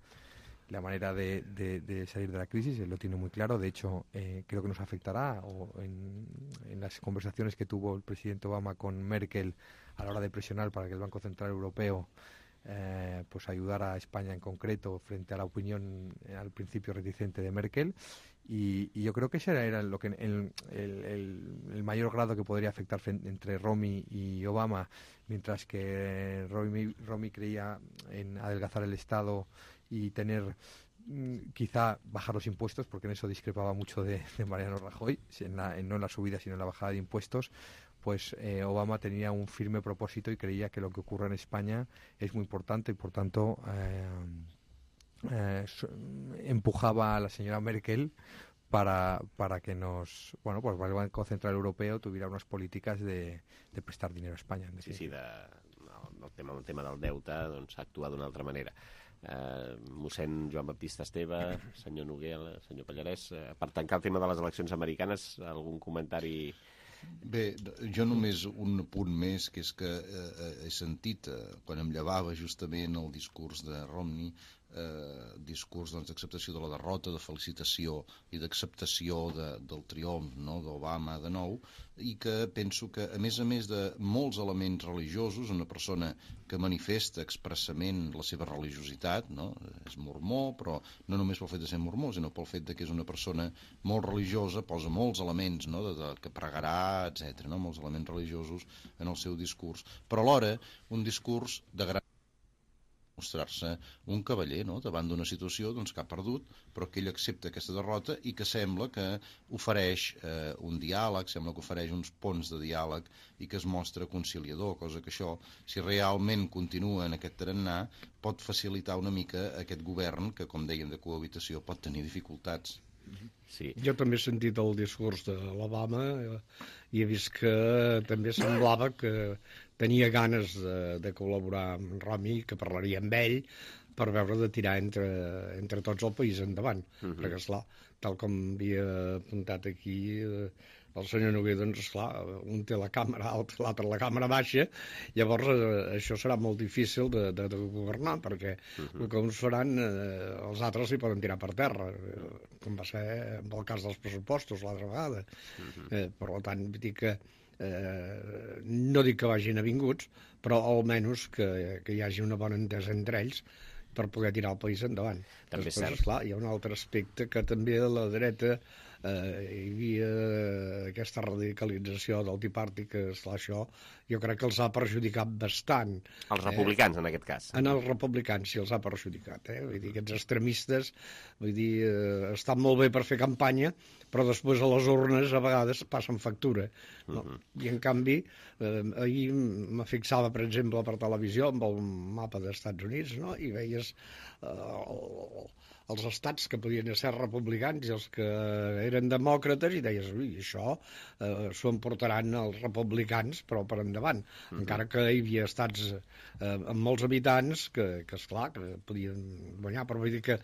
Speaker 17: la manera de, de, de salir de la crisis, él lo tiene muy claro. De hecho, eh, creo que nos afectará o en, en las conversaciones que tuvo el presidente Obama con Merkel a la hora de presionar para que el Banco Central Europeo eh, pues ayudara a España en concreto frente a la opinión eh, al principio reticente de Merkel. Y, y yo creo que ese era lo que el, el, el, el mayor grado que podría afectar entre Romney y Obama, mientras que Romney, Romney creía en adelgazar el Estado y tener quizá bajar los impuestos, porque en eso discrepaba mucho de, de Mariano Rajoy, en la, en, no en la subida sino en la bajada de impuestos. Pues eh, Obama tenía un firme propósito y creía que lo que ocurre en España es muy importante y por tanto eh, eh, empujaba a la señora Merkel para, para que nos, bueno, pues el Banco Central Europeo tuviera unas políticas de, de prestar dinero a España.
Speaker 2: Sí, sí, de, no, el, tema, el tema del deute doncs, actua d'una altra manera. Uh, mossèn Joan Baptista Esteve, senyor Noguera, senyor Pallarès, uh, per tancar el tema de les eleccions americanes, algun comentari?
Speaker 14: Bé, jo només un punt més, que és que eh, he sentit, eh, quan em llevava justament el discurs de Romney, eh, discurs d'acceptació doncs, de la derrota, de felicitació i d'acceptació de, del triomf, no?, d'Obama de nou, i que penso que, a més a més de molts elements religiosos, una persona que manifesta expressament la seva religiositat, no?, és mormó, però no només pel fet de ser mormó, sinó pel fet de que és una persona molt religiosa, posa molts elements, no?, de, de, que pregarà, etcètera, no?, molts elements religiosos en el seu discurs, però alhora un discurs de gran mostrar-se un cavaller, no?, davant d'una situació doncs, que ha perdut, però que ell accepta aquesta derrota i que sembla que ofereix eh, un diàleg, sembla que ofereix uns ponts de diàleg i que es mostra conciliador, cosa que això, si realment continua en aquest tarannà, pot facilitar una mica aquest govern que, com dèiem, de cohabitació pot tenir dificultats.
Speaker 2: Sí.
Speaker 18: Jo també he sentit el discurs de l'Obama i he vist que també semblava que tenia ganes de, de col·laborar amb Romney, que parlaria amb ell per veure de tirar entre, entre tots el país endavant. Uh-huh. Perquè, esclar, tal com havia apuntat aquí eh, el senyor Noguer, doncs, esclar, un té la càmera alta, l'altre la càmera baixa, llavors eh, això serà molt difícil de, de, de governar, perquè uh-huh. el que uns faran, eh, els altres s'hi poden tirar per terra, eh, com va ser amb el cas dels pressupostos l'altra vegada. Uh-huh. eh, per tant, dir que eh, no dic que vagin avinguts, però almenys que, que hi hagi una bona entesa entre ells per poder tirar el país endavant.
Speaker 2: També
Speaker 18: Després, esclar, hi ha un altre aspecte que també la dreta eh, hi havia aquesta radicalització del Tea Party, que és això, jo crec que els ha perjudicat bastant.
Speaker 2: Els republicans, eh? En aquest cas.
Speaker 18: En els republicans sí els ha perjudicat, eh? Vull dir, aquests extremistes, vull dir, eh, estan molt bé per fer campanya, però després a les urnes a vegades passen factura, no? Uh -huh. I en canvi, eh, ahir me fixava, per exemple, per televisió, amb el mapa dels Estats Units, no? I veies eh, els estats que podien ser republicans i els que eren demòcrates, i deies, ui, això eh, s'ho emportaran els republicans, però per endavant. Uh -huh. Encara que hi havia estats eh, amb molts habitants que, que esclar, que podien guanyar, però vull dir que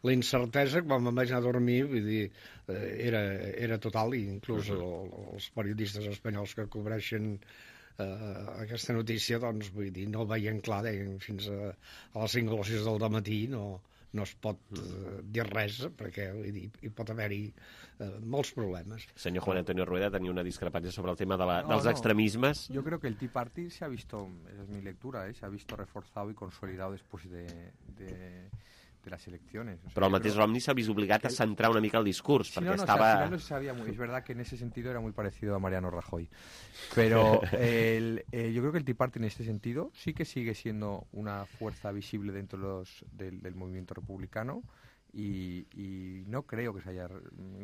Speaker 18: la incertesa, quan me'n vaig anar a dormir, vull dir, eh, era, era total, i inclús uh -huh. els periodistes espanyols que cobreixen Uh, aquesta notícia, doncs, vull dir, no veien clar, deien, fins a, a les cinc o les sis del dematí no, no es pot uh, dir res, perquè vull dir, hi pot haver-hi uh, molts problemes.
Speaker 2: Senyor Juan Antonio Rueda tenia una discrepància sobre el tema de la,
Speaker 17: no,
Speaker 2: dels
Speaker 17: no.
Speaker 2: extremismes.
Speaker 17: Yo creo que el Tea Party se ha visto, es mi lectura, ¿eh? Se ha visto reforzado y consolidado después de... de... de las elecciones. O sea,
Speaker 2: Però el mateix Romney s'ha vist obligat a centrar una mica el discurs,
Speaker 17: sí,
Speaker 2: perquè
Speaker 17: no, no,
Speaker 2: estava...
Speaker 17: O sea, al final no se sabía muy, es verdad que en ese sentido era muy parecido a Mariano Rajoy. Pero el, eh, yo creo que el Tea Party en este sentido sí que sigue siendo una fuerza visible dentro de los, del, del movimiento republicano, y, y no creo que se haya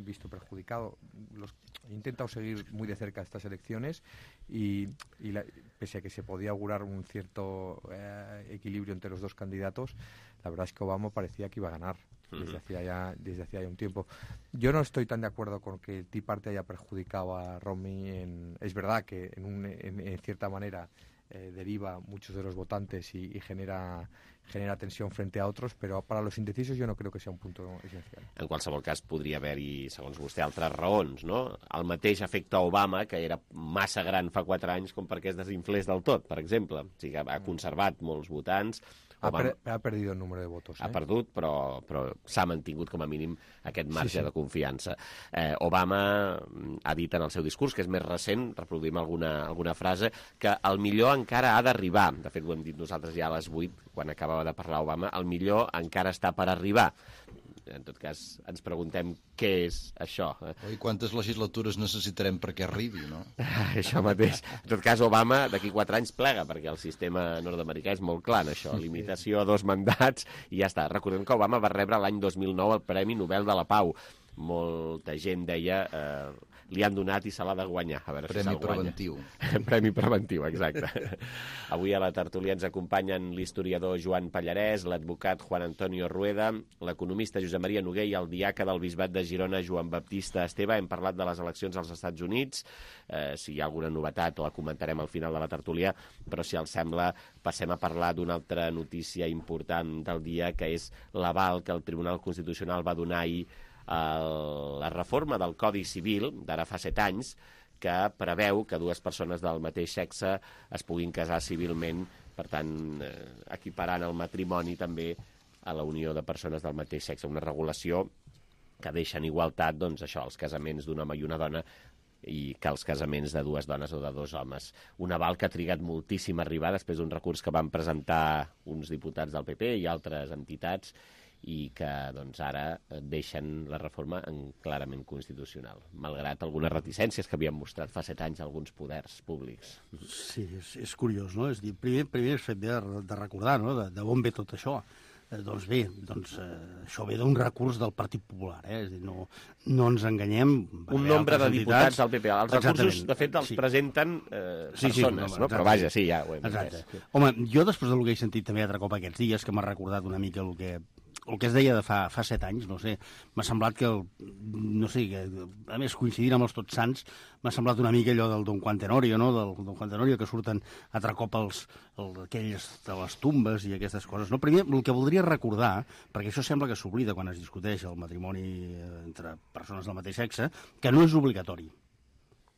Speaker 17: visto perjudicado. Los, he intentado seguir muy de cerca estas elecciones y, y la, pese a que se podía augurar un cierto eh, equilibrio entre los dos candidatos, la verdad es que Obama parecía que iba a ganar desde hacía ya, desde hacía ya un tiempo. Yo no estoy tan de acuerdo con que el Tea Party haya perjudicado a Romney. En, es verdad que en, un, en, en cierta manera eh, deriva muchos de los votantes y, y genera genera tensió frente a otros, però per a los indecisos jo no crec que sigui un punt essencial.
Speaker 2: En qualsevol cas, podria haver-hi, segons vostè, altres raons, no? El mateix efecte Obama, que era massa gran fa quatre anys com perquè es desinflés del tot, per exemple. O sigui, ha conservat molts votants.
Speaker 17: Ha, per, ha perdut el número de votos. Eh?
Speaker 2: Ha perdut, però, però s'ha mantingut com a mínim aquest marge sí, sí. de confiança. Eh, Obama ha dit en el seu discurs, que és més recent, reproduïm alguna, alguna frase, que el millor encara ha d'arribar. De fet, ho hem dit nosaltres ja a les vuit, quan acabava de parlar Obama, el millor encara està per arribar. En tot cas, ens preguntem què és això.
Speaker 14: I quantes legislatures necessitarem perquè arribi, no?
Speaker 2: Això mateix. En tot cas, Obama d'aquí quatre anys plega, perquè el sistema nord-americà és molt clar en això. Limitació a dos mandats i ja està. Recordem que Obama va rebre l'any dos mil nou el Premi Nobel de la Pau. Molta gent deia... Eh, li han donat i se l'ha de guanyar. A veure
Speaker 14: Premi
Speaker 2: si se'l guanya.
Speaker 14: preventiu.
Speaker 2: Premi preventiu, exacte. Avui a la tertúlia ens acompanyen l'historiador Joan Pallarès, l'advocat Juan Antonio Rueda, l'economista Josep Maria Noguer i el diaca del Bisbat de Girona, Joan Baptista Esteve. Hem parlat de les eleccions als Estats Units. Eh, si hi ha alguna novetat la comentarem al final de la tertúlia, però si els sembla passem a parlar d'una altra notícia important del dia, que és l'aval que el Tribunal Constitucional va donar ahir a la reforma del Codi Civil d'ara fa set anys, que preveu que dues persones del mateix sexe es puguin casar civilment, per tant, eh, equiparant el matrimoni també a la unió de persones del mateix sexe. Una regulació que deixa en igualtat, doncs, això, els casaments d'un home i una dona i que els casaments de dues dones o de dos homes. Un aval que ha trigat moltíssim a arribar després d'un recurs que van presentar uns diputats del P P i altres entitats, i que doncs, ara deixen la reforma en clarament constitucional, malgrat algunes reticències que havien mostrat fa set anys alguns poders públics.
Speaker 13: Sí, és, és curiós, no? És dir, primer, primer és fet de, de recordar, no?, de, de on ve tot això. Eh, doncs bé, doncs, eh, això ve d'un recurs del Partit Popular, eh? És dir, no, no ens enganyem.
Speaker 2: Un nombre de diputats del P P. Els recursos, de fet, els sí. presenten eh, persones, sí, sí, no, no, però vaja, sí, ja ho hem
Speaker 13: entès. Home, jo després del que he sentit també altre cop aquests dies, que m'ha recordat una mica el que el que es deia de fa, fa set anys, no sé, m'ha semblat que, el, no sé, que, a més, coincidint amb els Tots Sants, m'ha semblat una mica allò del Don Juan Tenorio, no?, del Don Juan Tenorio, que surten altre cop els, el, aquells de les tombes i aquestes coses. No, primer, el que voldria recordar, perquè això sembla que s'oblida quan es discuteix el matrimoni entre persones del mateix sexe, que no és obligatori.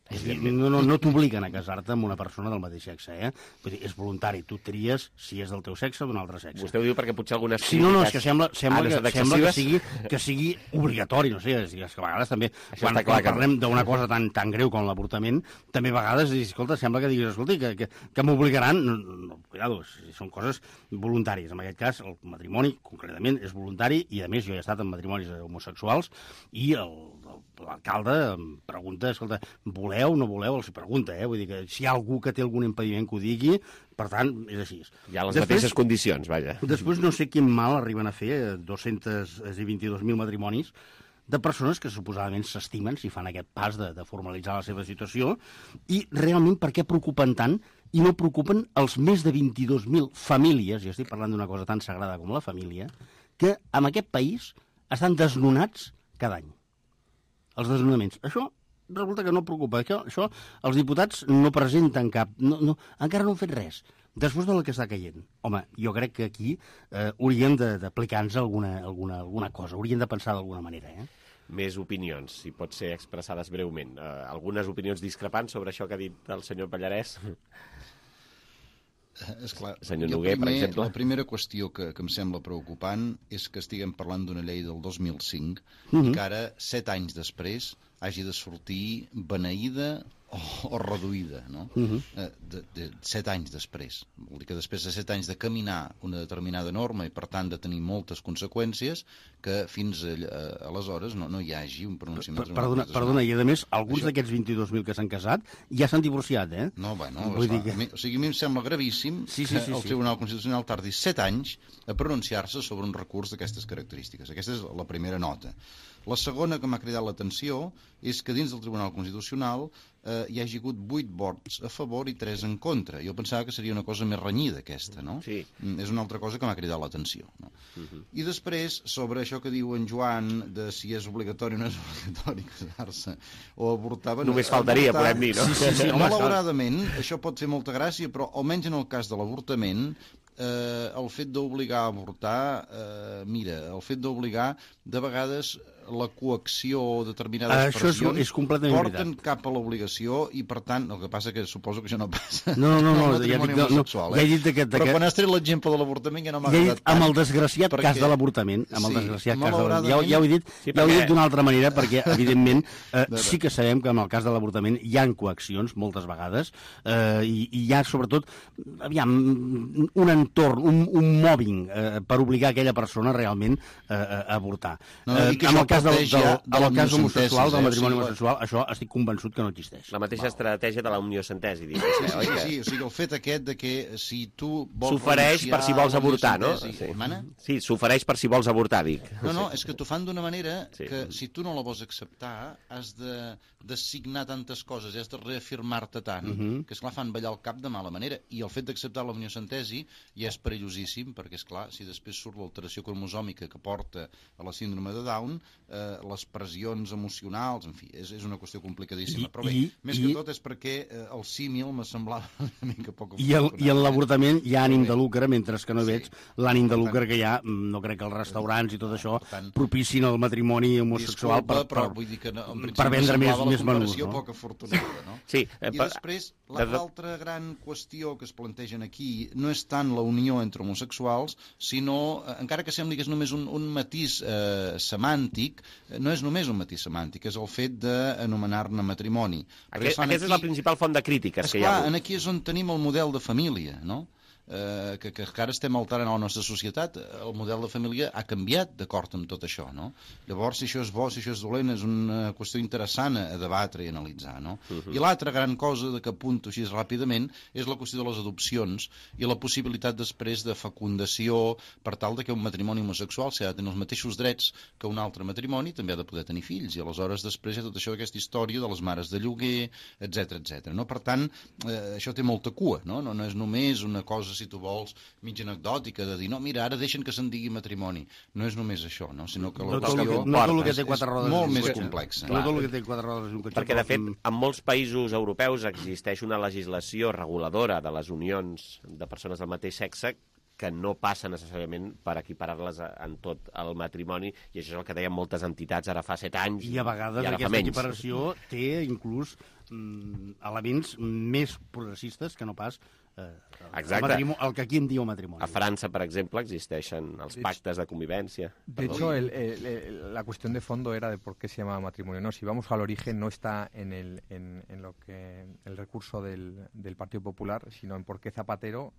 Speaker 13: És dir, no no, no t'obliguen a casar-te amb una persona del mateix sexe, eh? Vull dir, és voluntari, tu tries si és del teu sexe o d'un altre sexe.
Speaker 2: Vostè ho diu perquè potser algunes...
Speaker 13: Sí, no, no, és que sembla, sembla, que, sembla que, sigui, que sigui obligatori, no sé, és, és que a vegades també,
Speaker 2: això
Speaker 13: quan,
Speaker 2: clar,
Speaker 13: quan parlem d'una cosa tan, tan greu com l'avortament, també a vegades, escolta, sembla que diguis, escolta, que, que, que m'obligaran, no, no, cuidado, són coses voluntàries. En aquest cas, el matrimoni, concretament, és voluntari, i a més jo he estat en matrimonis homosexuals, i el, el l'alcalde em pregunta, escolta, voleu o no voleu? Els pregunta, eh? Vull dir que si hi ha algú que té algun impediment que ho digui, per tant, és així.
Speaker 2: Hi ha les després, mateixes condicions, vaja.
Speaker 13: Després no sé quin mal arriben a fer dos-cents vint-i-dos mil matrimonis de persones que suposadament s'estimen si fan aquest pas de, de formalitzar la seva situació, i realment per què preocupen tant i no preocupen els més de vint-i-dos mil famílies, i estic parlant d'una cosa tan sagrada com la família, que en aquest país estan desnonats cada any. Els desnonaments. Això resulta que no preocupa. Això, això els diputats no presenten cap... No, no, encara no han fet res. Després de la que està caient. Home, jo crec que aquí eh, hauríem d'aplicar-nos alguna, alguna, alguna cosa, hauríem de pensar d'alguna manera, eh?
Speaker 2: Més opinions, si pot ser expressades breument. Uh, algunes opinions discrepants sobre això que ha dit el senyor Pallarès?
Speaker 14: Esclar,
Speaker 2: senyor Noguer, primer, per exemple.
Speaker 14: La primera qüestió que, que em sembla preocupant és que estiguem parlant d'una llei del dos mil cinc
Speaker 13: Mhm.
Speaker 14: i que ara, set anys després, hagi de sortir beneïda o, o reduïda, no?
Speaker 13: Mhm.
Speaker 14: Eh, de, de set anys després. Vol dir que després de set anys de caminar una determinada norma i, per tant, de tenir moltes conseqüències, que fins a, a, aleshores no, no hi hagi un pronunciament...
Speaker 13: Perdona, perdona, i a més, alguns
Speaker 14: Això...
Speaker 13: d'aquests vint-i-dos mil que s'han casat ja s'han divorciat, eh?
Speaker 14: No, bueno,
Speaker 13: Vull dir
Speaker 14: que... o sigui, a mi em sembla gravíssim
Speaker 13: sí, sí, sí,
Speaker 14: que el
Speaker 13: sí.
Speaker 14: Tribunal Constitucional tardi set anys a pronunciar-se sobre un recurs d'aquestes característiques. Aquesta és la primera nota. La segona que m'ha cridat l'atenció és que dins del Tribunal Constitucional eh, hi hagi hagut vuit vots a favor i tres en contra. Jo pensava que seria una cosa més renyida, aquesta, no?
Speaker 2: Sí.
Speaker 14: Mm, és una altra cosa que m'ha cridat l'atenció. No?
Speaker 2: Uh-huh.
Speaker 14: I després, sobre això que diu en Joan, de si és obligatori o no és obligatori casar-se o avortar... Bueno,
Speaker 2: només faltaria,
Speaker 14: avortar...
Speaker 2: podem dir, no?
Speaker 14: Sí, sí, sí. Malauradament, això pot fer molta gràcia, però almenys en el cas de l'avortament, eh, el fet d'obligar a avortar, eh, mira, el fet d'obligar, de vegades la coacció o determinades
Speaker 13: Això és,
Speaker 14: pressions
Speaker 13: és completament
Speaker 14: porten
Speaker 13: veritat.
Speaker 14: cap a l'obligació i, per tant, el que passa que suposo que això no passa.
Speaker 13: No, no, no,
Speaker 14: amb el
Speaker 13: ja
Speaker 14: matrimoni
Speaker 13: dic, no,
Speaker 14: homosexual,
Speaker 13: no, ja he dit que-
Speaker 14: Però
Speaker 13: que-
Speaker 14: quan has tret l'exemple de l'avortament ja no m'ha
Speaker 13: Ja he
Speaker 14: agradat
Speaker 13: dit, amb
Speaker 14: tant,
Speaker 13: el desgraciat
Speaker 14: perquè-
Speaker 13: cas de l'avortament, amb el
Speaker 14: Sí,
Speaker 13: desgraciat cas de l'avortament, ja,
Speaker 14: malauradament-
Speaker 13: ja ho he dit,
Speaker 14: Sí,
Speaker 13: ja ho he
Speaker 14: perquè-
Speaker 13: dit d'una altra manera, perquè, evidentment, eh,
Speaker 14: De-
Speaker 13: sí que sabem que en el cas de l'avortament hi ha coaccions, moltes vegades, eh, i, i hi ha, sobretot, aviam, un entorn, un, un mobbing eh, per obligar aquella persona realment eh, a avortar.
Speaker 14: No, no,
Speaker 13: eh,
Speaker 14: i que
Speaker 13: en
Speaker 14: això
Speaker 13: el cas del,
Speaker 14: parteix
Speaker 13: del,
Speaker 14: ja
Speaker 13: del,
Speaker 14: de
Speaker 13: el cas
Speaker 14: l'homocentesis,
Speaker 13: homosexual, del
Speaker 14: eh?
Speaker 13: matrimoni
Speaker 14: O sigui,
Speaker 13: homosexual, això estic convençut que no existeix.
Speaker 2: La mateixa estratègia de la uniocentesi, dic.
Speaker 14: Sí, sí,
Speaker 2: oi que-
Speaker 14: sí, o sigui, el fet aquest de que si tu vols
Speaker 2: S'ofereix per si vols avortar, no?
Speaker 14: Sí. Mana?
Speaker 2: Sí, s'ofereix per si vols avortar, dic.
Speaker 14: No, no, és que t'ho fan d'una manera
Speaker 2: Sí.
Speaker 14: que si tu no la vols acceptar has de, de signar tantes coses i has de reafirmar-te tant
Speaker 13: Mhm.
Speaker 14: que, esclar, fan ballar el cap de mala manera. I el fet d'acceptar la uniocentesi ja és perillosíssim perquè, esclar, si després surt l'alteració cromosòmica que porta a la síndrome de Down, eh, les pressions emocionals, en fi, és, és una qüestió complicadíssima.
Speaker 13: I-
Speaker 14: Però bé,
Speaker 13: i-
Speaker 14: més
Speaker 13: i-
Speaker 14: que tot és perquè eh, el símil me semblava una mica poc
Speaker 13: I, el, I en l'avortament hi ha ànim
Speaker 14: Bé.
Speaker 13: de lucre, mentre que no veig l'ànim de lucre que hi ha, mm, no crec que els restaurants i tot això propicin el matrimoni homosexual
Speaker 14: Disculpa,
Speaker 13: per,
Speaker 14: però
Speaker 13: per,
Speaker 14: vull dir que no, en principi
Speaker 13: per vendre
Speaker 14: em
Speaker 13: més,
Speaker 14: semblava
Speaker 13: més
Speaker 14: la
Speaker 13: menús.
Speaker 14: comparació
Speaker 13: No?
Speaker 14: poc afortunada, no?
Speaker 2: Sí, eh,
Speaker 14: I
Speaker 2: per-
Speaker 14: després,
Speaker 2: de- de-
Speaker 14: l'altra gran qüestió que es plantegen aquí no és tant la unió entre homosexuals, sinó, eh, encara que sembli que és només un, un matís eh, semàntic, eh, no és només un matís semàntic, és el fet d'anomenar-ne matrimoni. Perquè,
Speaker 2: Aquest,
Speaker 14: esclar,
Speaker 2: aquesta és la principal font de crítiques que hi ha
Speaker 14: Esclar,
Speaker 2: hagut.
Speaker 14: aquí és on tenim el model de família, no? Eh, que, que encara estem alterant a la nostra societat. El model de família ha canviat d'acord amb tot això, no? Llavors, si això és bo, si això és dolent, és una qüestió interessant a debatre i analitzar, no?
Speaker 2: Uh -huh.
Speaker 14: I l'altra gran cosa de que apunto així ràpidament és la qüestió de les adopcions i la possibilitat després de fecundació per tal de que un matrimoni homosexual, si ha de tenir els mateixos drets que un altre matrimoni, també ha de poder tenir fills, i aleshores després hi ha tot això, aquesta història de les mares de lloguer, etc etc. No? Per tant, eh, això té molta cua, no? No, no és només una cosa, si tu vols, mig anecdòtica, de dir, no, mira, ara deixen que se'n digui matrimoni. No és només això, no? Sinó que la
Speaker 13: No tot el
Speaker 14: qüestió
Speaker 13: que- no tot el que té
Speaker 14: és-
Speaker 13: quatre
Speaker 14: és
Speaker 13: rodes
Speaker 14: molt
Speaker 13: és
Speaker 14: més
Speaker 13: un cotxe.
Speaker 14: complexa.
Speaker 13: No tot el que té quatre rodes és un cotxe.
Speaker 2: Perquè, de fet,
Speaker 13: però-
Speaker 2: en molts països europeus existeix una legislació reguladora de les unions de persones del mateix sexe que no passa necessàriament per equiparar-les a- en tot el matrimoni, i això és el que deien moltes entitats ara fa set anys
Speaker 13: I a vegades
Speaker 2: i ara fa
Speaker 13: aquesta
Speaker 2: menys.
Speaker 13: equiparació té inclús mm, elements més progressistes que no pas eh, el,
Speaker 2: Exacte.
Speaker 13: matrimo- el que aquí en diu matrimoni.
Speaker 2: A França, per exemple, existeixen els pactes de convivència.
Speaker 17: De hecho, el, el, el, la cuestión de fondo era de por qué se llama matrimonio. No, si vamos al origen, no está en el, en, en lo que el recurso del, del Partido Popular, sino en por qué Zapatero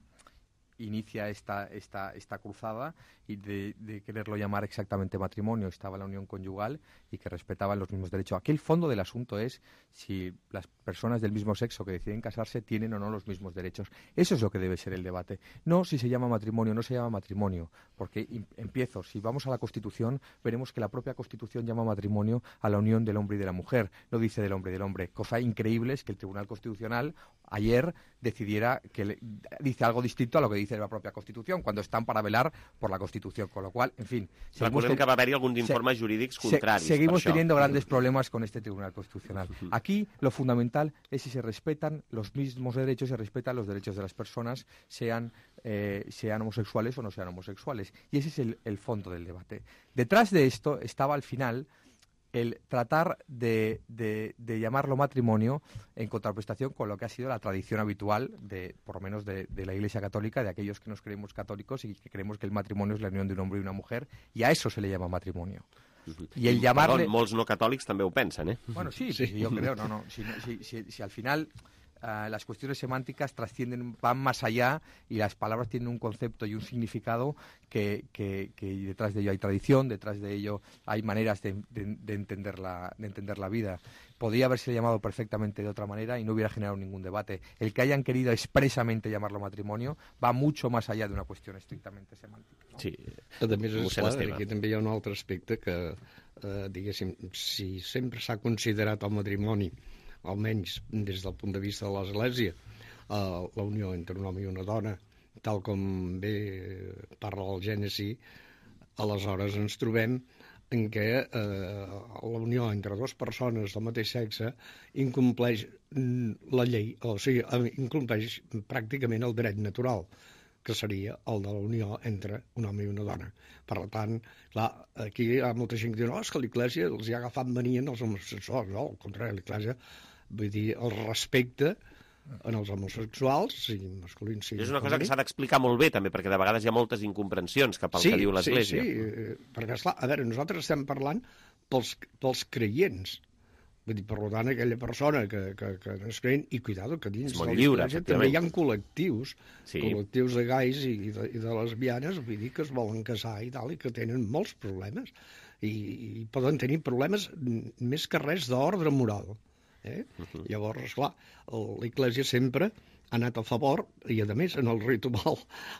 Speaker 17: inicia esta, esta, esta cruzada y de, de quererlo llamar exactamente matrimonio, estaba la unión conyugal y que respetaban los mismos derechos. Aquí el fondo del asunto es si las personas del mismo sexo que deciden casarse tienen o no los mismos derechos. Eso es lo que debe ser el debate. No si se llama matrimonio o no se llama matrimonio, porque empiezo, si vamos a la Constitución, veremos que la propia Constitución llama matrimonio a la unión del hombre y de la mujer, no dice del hombre y del hombre. Cosa increíble es que el Tribunal Constitucional ayer decidiera que le, dice algo distinto a lo que dice la propia Constitución, cuando están para velar por la Constitución, con lo cual, en fin...
Speaker 2: Recordem que va haver-hi alguns informes jurídics contraris.
Speaker 17: Se, seguimos teniendo grandes problemas con este Tribunal Constitucional. Aquí lo fundamental es si se respetan los mismos derechos, se respetan los derechos de las personas, sean, eh, sean homosexuales o no sean homosexuales. Y ese es el, el fondo del debate. Detrás de esto estaba al final el tratar de, de, de llamarlo matrimonio en contraprestación con lo que ha sido la tradición habitual, de, por lo menos de, de la Iglesia Católica, de aquellos que nos creemos católicos y que creemos que el matrimonio es la unión de un hombre y una mujer, y a eso se le llama matrimonio. Y el llamarle...
Speaker 2: Perdó, molts no catòlics també ho pensen, eh?
Speaker 17: Bueno, sí, sí. yo creo, no, no. Si, si, si, si al final... Uh, las cuestiones semánticas trascienden, van más allá y las palabras tienen un concepto y un significado que, que, que detrás de ello hay tradición, detrás de ello hay maneras de, de, de, entender la, de entender la vida. Podría haberse llamado perfectamente de otra manera y no hubiera generado ningún debate. El que hayan querido expresamente llamarlo matrimonio va mucho más allá de una cuestión estrictamente semántica.
Speaker 2: ¿no? Sí.
Speaker 18: A més, esclar, aquí també hi ha un altre aspecte que, eh, diguéssim, si sempre s'ha considerat el matrimoni, almenys des del punt de vista de l'Església, eh, la unió entre un home i una dona, tal com bé parla el Gènesi, aleshores ens trobem en què eh, la unió entre dues persones del mateix sexe incompleix la llei, o sigui, incompleix pràcticament el dret natural, que seria el de la unió entre un home i una dona. Per tant, clar, aquí hi ha molta gent que diu no, és que l'Església els hi ha agafat mania als homosexuals. No, al contrari, l'Església, vull dir, el respecte en els homosexuals, sigui masculins, sigui
Speaker 2: és una cosa que s'ha d'explicar molt bé, també, perquè de vegades hi ha moltes incomprensions cap al
Speaker 18: sí,
Speaker 2: que diu l'Església.
Speaker 18: Sí, sí, perquè, esclar, a veure, nosaltres estem parlant pels, pels creients. Vull dir, per tant, aquella persona que, que, que no és creient, i cuidado, que dins de l'Església també hi ha col·lectius, sí. col·lectius de gais i, i, de, i de lesbianes, vull dir, que es volen casar i tal, i que tenen molts problemes, i, i poden tenir problemes més que res d'ordre moral. Eh? Uh-huh. Llavors, esclar, l'Església sempre ha anat a favor, i a més, en el ritual,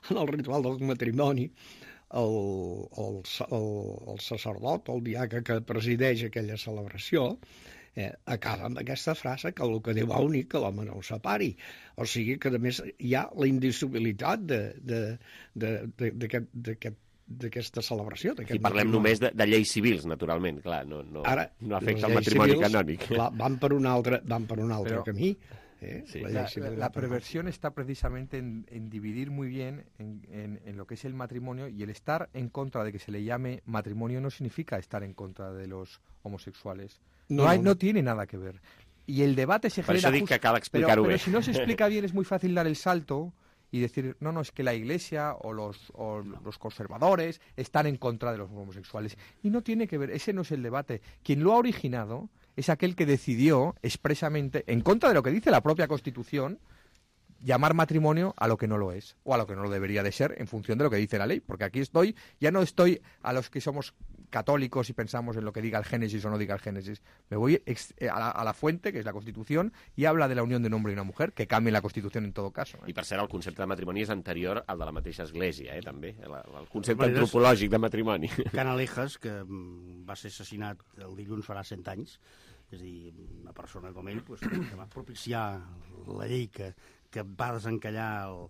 Speaker 18: en el ritual del matrimoni, el, el, el, el sacerdot, el diaca que presideix aquella celebració, eh, acaba amb aquesta frase que el que Déu ha unit que l'home no ho separi. O sigui que, a més, hi ha la indissolubilitat d'aquest d'aquesta celebració.
Speaker 2: I parlem només de, de lleis civils, naturalment, clar, no, no, Ara, no afecta el matrimoni civils, canònic.
Speaker 18: Clar, van per un altre, van per un altre Però, camí. ¿eh?
Speaker 17: Sí. La, la, la perversión está precisamente en, en dividir muy bien en, en, en lo que es el matrimonio, y el estar en contra de que se le llame matrimonio no significa estar en contra de los homosexuales. No, no, hay, no tiene nada que ver. Y el debate se genera...
Speaker 2: Por eso digo que cal explicar-ho
Speaker 17: bé.
Speaker 2: Pero
Speaker 17: si no se explica bien es muy fácil dar el salto y decir, no, no, es que la Iglesia o los, o los conservadores están en contra de los homosexuales. Y no tiene que ver, ese no es el debate. Quien lo ha originado es aquel que decidió expresamente, en contra de lo que dice la propia Constitución, llamar matrimonio a lo que no lo es, o a lo que no lo debería de ser, en función de lo que dice la ley. Porque aquí estoy, ya no estoy a los que somos católicos y pensamos en lo que diga el Génesis o no diga el Génesis. Me voy ex, a, la, a la fuente, que es la Constitución, y habla de la unión de un hombre y una mujer, que cambie la Constitución en todo caso. Eh?
Speaker 2: I per cert, el concepte de matrimoni és anterior al de la mateixa Església, eh, també, el, el concepte bueno, antropològic de matrimoni.
Speaker 13: Canalejas, que va ser assassinat el dilluns farà cent anys, és a dir, una persona com ell, pues, que va propiciar la llei que, que va desencallar el,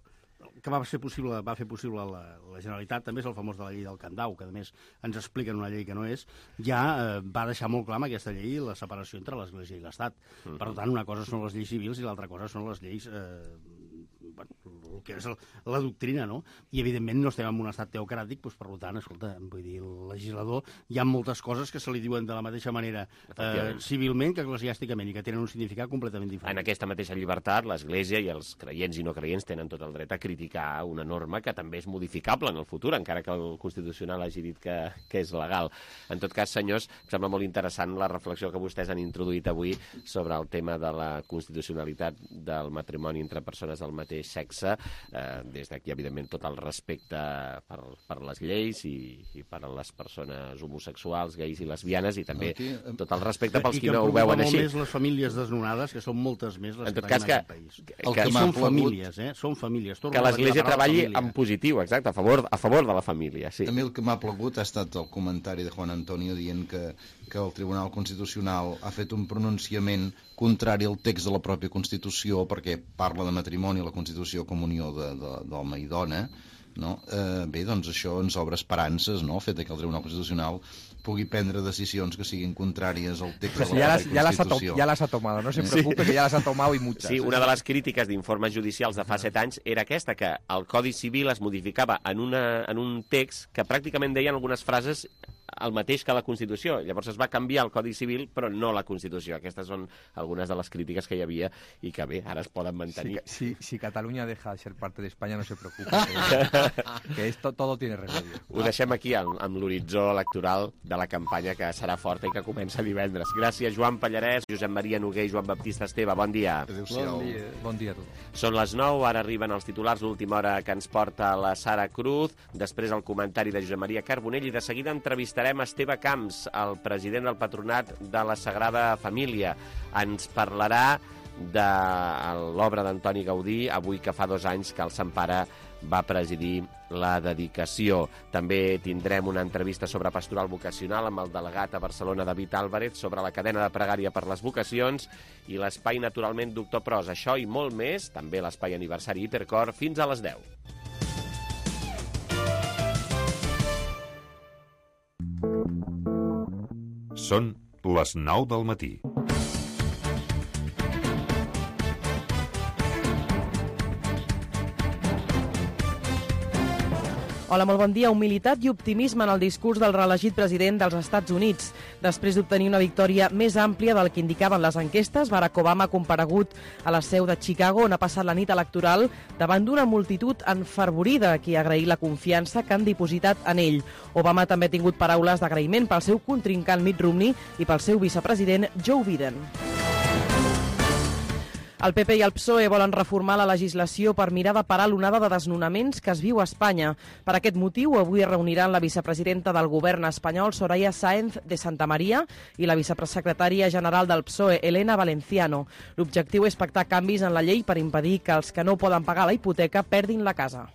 Speaker 13: que va ser possible, va fer possible la, la Generalitat, també és el famós de la llei del Candau, que a més ens expliquen una llei que no és, ja eh, va deixar molt clar amb aquesta llei la separació entre l'Església i l'Estat. Mm-hmm. Per tant, una cosa són les lleis civils i l'altra cosa són les lleis, eh, bueno, el que és el, la doctrina, no? I, evidentment, no estem en un estat teocràtic, doncs, per tant, escolta, vull dir, el legislador, hi ha moltes coses que se li diuen de la mateixa manera eh, civilment que eclesiàsticament i que tenen un significat completament diferent.
Speaker 2: En aquesta mateixa llibertat, l'Església i els creients i no creients tenen tot el dret a criticar una norma que també és modificable en el futur, encara que el Constitucional hagi dit que, que és legal. En tot cas, senyors, em sembla molt interessant la reflexió que vostès han introduït avui sobre el tema de la constitucionalitat del matrimoni entre persones del mateix sexe. eh, des d'aquí, evidentment, tot el respecte per, per les lleis i, i per a les persones homosexuals, gais i lesbianes, i també aquí, tot el respecte pels qui no ho veuen així.
Speaker 13: I que més les famílies desnonades, que són moltes més les
Speaker 2: en tot
Speaker 13: que
Speaker 2: cas,
Speaker 13: tenim
Speaker 2: que,
Speaker 13: en aquest país.
Speaker 2: Que, que,
Speaker 13: que són famílies, eh? Són famílies.
Speaker 2: Que l'Església treballi en positiu, exacte, a favor, a favor de la família, sí.
Speaker 14: A mi el que m'ha plagut ha estat el comentari de Juan Antonio dient que, que el Tribunal Constitucional ha fet un pronunciament contrari al text de la pròpia Constitució, perquè parla de matrimoni a la Constitució com unió d'home i dona, no? Eh, bé, doncs això ens obre esperances, no?, el fet que el Tribunal Constitucional pugui prendre decisions que siguin contràries al text
Speaker 17: pues
Speaker 14: de la
Speaker 17: ja
Speaker 14: pròpia Constitució.
Speaker 17: Ya las ha tomado, no se preocupe, sí. que ya las ha tomado y muchas.
Speaker 2: Sí, una de les crítiques d'informes judicials de fa set anys era aquesta, que el Codi Civil es modificava en, una, en un text que pràcticament deien algunes frases el mateix que la Constitució. Llavors es va canviar el Codi Civil, però no la Constitució. Aquestes són algunes de les crítiques que hi havia i que bé, ara es poden mantenir.
Speaker 17: Si, si, si Catalunya deja de ser parte de España, no se preocupe, que, que esto todo tiene remedio.
Speaker 2: Ho deixem aquí amb, amb l'horitzó electoral de la campanya, que serà forta i que comença divendres. Gràcies, Joan Pallarès, Josep Maria Noguer i Joan Baptista Esteve. Bon dia.
Speaker 17: Bon dia, bon dia a tots.
Speaker 2: Són les nou, ara arriben els titulars, l'última hora que ens porta la Sara Cruz, després el comentari de Josep Maria Carbonell i de seguida entrevistarem Esteve Camps, el president del Patronat de la Sagrada Família. Ens parlarà de l'obra d'Antoni Gaudí, avui que fa dos anys que el Sant Pare va presidir la dedicació. També tindrem una entrevista sobre pastoral vocacional amb el delegat a Barcelona, David Álvarez, sobre la cadena de pregària per les vocacions i l'espai, naturalment, Doctor Pros. Això i molt més, també l'espai aniversari Hipercor, fins a les deu.
Speaker 19: Són les nou del matí.
Speaker 3: Hola, molt bon dia. Humilitat i optimisme en el discurs del reelegit president dels Estats Units. Després d'obtenir una victòria més àmplia del que indicaven les enquestes, Barack Obama ha comparegut a la seu de Chicago, on ha passat la nit electoral davant d'una multitud enfervorida a qui ha agraït la confiança que han dipositat en ell. Obama també ha tingut paraules d'agraïment pel seu contrincant Mitt Romney i pel seu vicepresident Joe Biden. El P P i el P S O E volen reformar la legislació per mirar de parar l'onada de desnonaments que es viu a Espanya. Per aquest motiu, avui es reuniran la vicepresidenta del govern espanyol, Soraya Sáenz de Santamaría, i la vicepresecretària general del P S O E, Elena Valenciano. L'objectiu és pactar canvis en la llei per impedir que els que no poden pagar la hipoteca perdin la casa.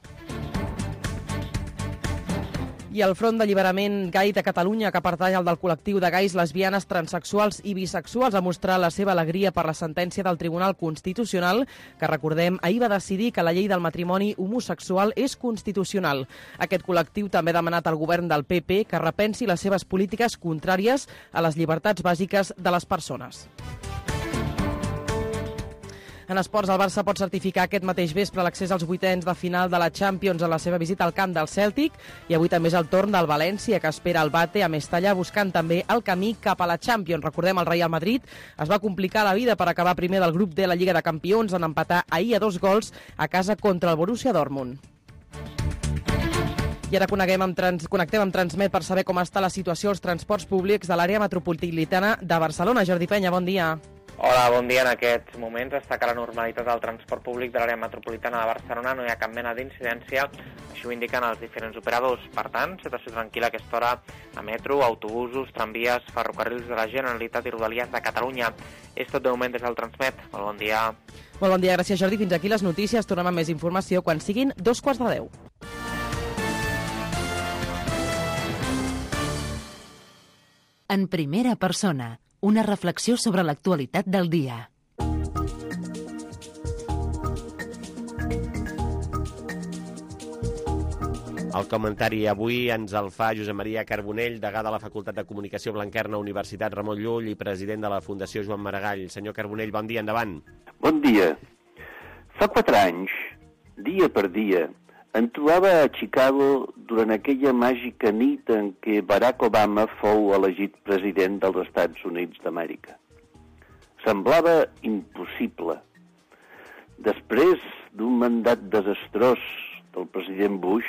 Speaker 3: I el Front d'Alliberament Gai de Catalunya, que pertany al del col·lectiu de gais, lesbianes, transexuals i bisexuals, ha mostrat la seva alegria per la sentència del Tribunal Constitucional, que, recordem, ahir va decidir que la llei del matrimoni homosexual és constitucional. Aquest col·lectiu també ha demanat al govern del P P que repensi les seves polítiques contràries a les llibertats bàsiques de les persones. En esports, el Barça pot certificar aquest mateix vespre l'accés als vuitens de final de la Champions en la seva visita al camp del Celtic, i avui també és el torn del València, que espera el Bate a Mestalla, buscant també el camí cap a la Champions. Recordem, el Real Madrid es va complicar la vida per acabar primer del grup de la Lliga de Campions en empatar ahir a dos gols a casa contra el Borussia Dortmund. I ara coneguem amb trans... connectem amb Transmet per saber com està la situació als transports públics de l'àrea metropolitana de Barcelona. Jordi Penya, bon dia.
Speaker 10: Hola, bon dia. En aquests moments destaca la normalitat del transport públic de l'àrea metropolitana de Barcelona. No hi ha cap mena d'incidència, així ho indiquen els diferents operadors. Per tant, situació tranquil·la a aquesta hora a metro, autobusos, tramvies, ferrocarrils de la Generalitat i Rodalies de Catalunya. És tot de moment des del Transmet. Molt bon dia.
Speaker 3: Molt bon dia, gràcies Jordi. Fins aquí les notícies. Tornem amb més informació quan siguin dos quarts de deu.
Speaker 1: En primera persona, una reflexió sobre l'actualitat del dia.
Speaker 2: El comentari avui ens el fa Josep Maria Carbonell, degà de la Facultat de Comunicació Blanquerna, Universitat Ramon Llull i president de la Fundació Joan Maragall. Senyor Carbonell, bon dia, endavant.
Speaker 20: Bon dia. Fa quatre anys, dia per dia, em trobava a Chicago durant aquella màgica nit en què Barack Obama fou elegit president dels Estats Units d'Amèrica. Semblava impossible. Després d'un mandat desastrós del president Bush,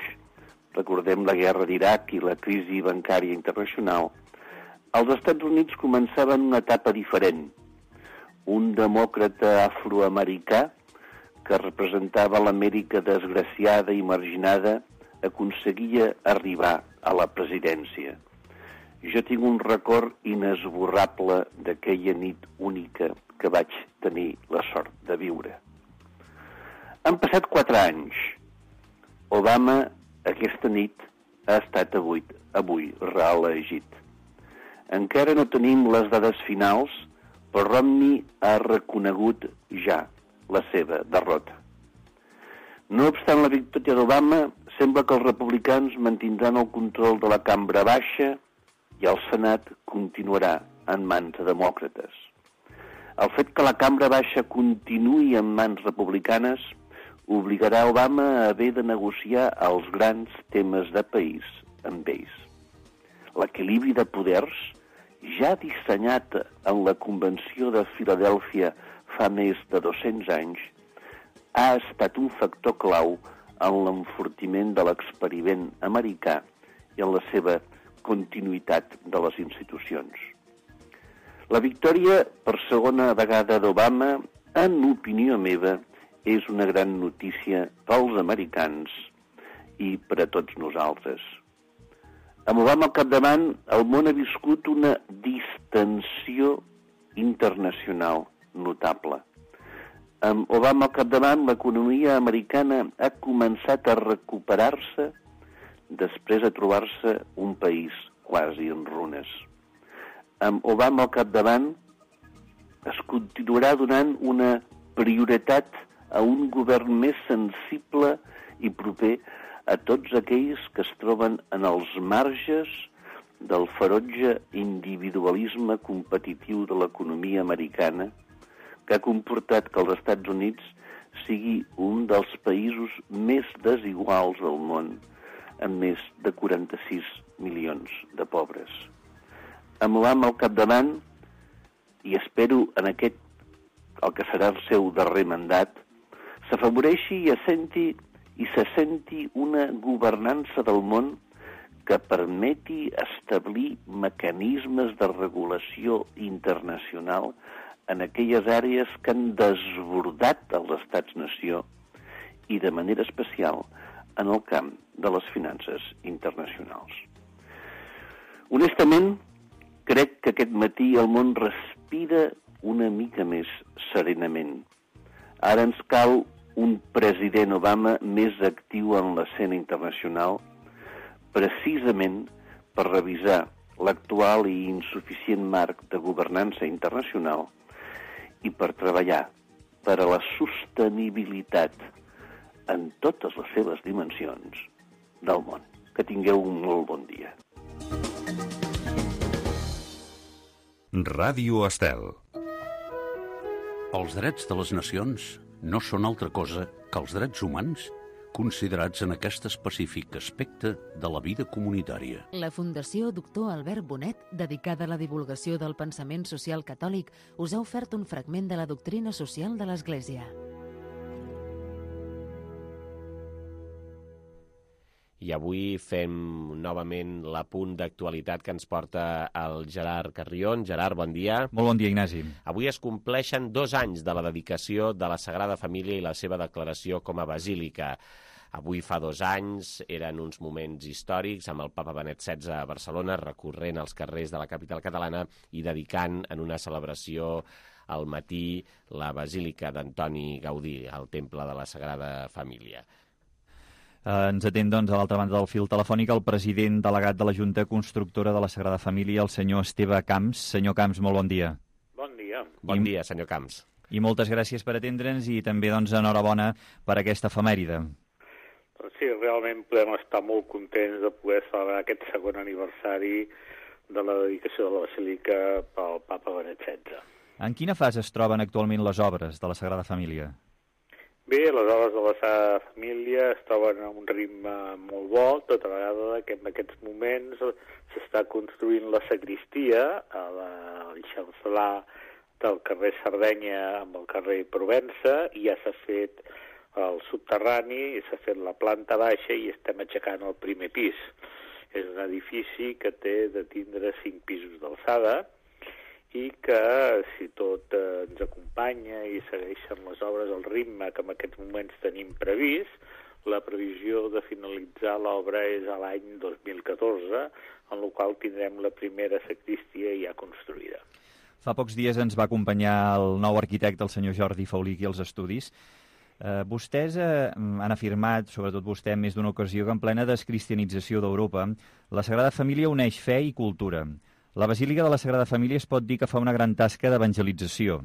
Speaker 20: recordem la guerra d'Iraq i la crisi bancària internacional, els Estats Units començaven una etapa diferent. Un demòcrata afroamericà que representava l'Amèrica desgraciada i marginada, aconseguia arribar a la presidència. Jo tinc un record inesborrable d'aquella nit única que vaig tenir la sort de viure. Han passat quatre anys. Obama, aquesta nit, ha estat avui, avui reelegit. Encara no tenim les dades finals, però Romney ha reconegut ja la seva derrota. No obstant la victòria d'Obama, sembla que els republicans mantindran el control de la cambra baixa i el Senat continuarà en mans de demòcrates. El fet que la cambra baixa continuï en mans republicanes obligarà Obama a haver de negociar els grans temes de país amb ells. L'equilibri de poders, ja dissenyat en la Convenció de Filadèlfia fa més de dos-cents anys, ha estat un factor clau en l'enfortiment de l'experiment americà i en la seva continuïtat de les institucions. La victòria per segona vegada d'Obama, en opinió meva, és una gran notícia pels americans i per a tots nosaltres. Amb Obama al capdavant, el món ha viscut una distensió internacional notable. Amb Obama al capdavant, l'economia americana ha començat a recuperar-se després de trobar-se un país quasi en runes. Amb Obama al capdavant, es continuarà donant una prioritat a un govern més sensible i proper a tots aquells que es troben en els marges del ferotge individualisme competitiu de l'economia americana, que ha comportat que els Estats Units sigui un dels països més desiguals del món, amb més de quaranta-sis milions de pobres. Amb Obama al capdavant, i espero en aquest, el que serà el seu darrer mandat, s'afavoreixi i assenti i se senti una governança del món que permeti establir mecanismes de regulació internacional en aquelles àrees que han desbordat els estats-nació i de manera especial en el camp de les finances internacionals. Honestament, crec que aquest matí el món respira una mica més serenament. Ara ens cal un president Obama més actiu en l'escena internacional, precisament per revisar l'actual i insuficient marc de governança internacional i per treballar per a la sostenibilitat en totes les seves dimensions del món. Que tingueu un molt bon dia.
Speaker 19: Ràdio Estel.
Speaker 21: Els drets de les nacions no són altra cosa que els drets humans considerats en aquest específic aspecte de la vida comunitària.
Speaker 1: La Fundació Doctor Albert Bonet, dedicada a la divulgació del pensament social catòlic, us ha ofert un fragment de la doctrina social de l'Església.
Speaker 2: I avui fem novament l'apunt d'actualitat que ens porta el Gerard Carrion. Gerard, bon dia.
Speaker 6: Molt bon dia, Ignasi.
Speaker 2: Avui es compleixen dos anys de la dedicació de la Sagrada Família i la seva declaració com a basílica. Avui fa dos anys, eren uns moments històrics amb el papa Benet setze a Barcelona, recorrent als carrers de la capital catalana i dedicant en una celebració al matí la basílica d'Antoni Gaudí, al Temple de la Sagrada Família.
Speaker 6: Eh, ens atén, doncs, a l'altra banda del fil telefònic el president delegat de la Junta Constructora de la Sagrada Família, el senyor Esteve Camps. Senyor Camps, molt bon dia.
Speaker 22: Bon dia.
Speaker 2: Bon
Speaker 6: I,
Speaker 2: dia, senyor Camps.
Speaker 6: I moltes gràcies per atendre'ns i també, doncs, enhorabona per aquesta efemèride.
Speaker 22: Doncs sí, realment podem estar molt contents de poder celebrar aquest segon aniversari de la dedicació de la Basílica pel papa Benet setze.
Speaker 6: En quina fase es troben actualment les obres de la Sagrada Família?
Speaker 22: Bé, les obres de la Sagrada Família es troben a un ritme molt bo, tota vegada que en aquests moments s'està construint la sagristia a l'eixamflar del carrer Sardenya amb el carrer Provença, i ja s'ha fet el subterrani, s'ha fet la planta baixa i estem aixecant el primer pis. És un edifici que té de tindre cinc pisos d'alçada i que si tot eh, ens acompanya i segueixen les obres al ritme que en aquests moments tenim previst, la previsió de finalitzar l'obra és a l'any dos mil catorze, en el qual tindrem la primera sagristia ja construïda.
Speaker 6: Fa pocs dies ens va acompanyar el nou arquitecte, el senyor Jordi Faulí, aquí als estudis. Eh, vostès eh, han afirmat, sobretot vostè en més d'una ocasió, que en plena descristianització d'Europa, la Sagrada Família uneix fe i cultura. La Basílica de la Sagrada Família es pot dir que fa una gran tasca d'evangelització.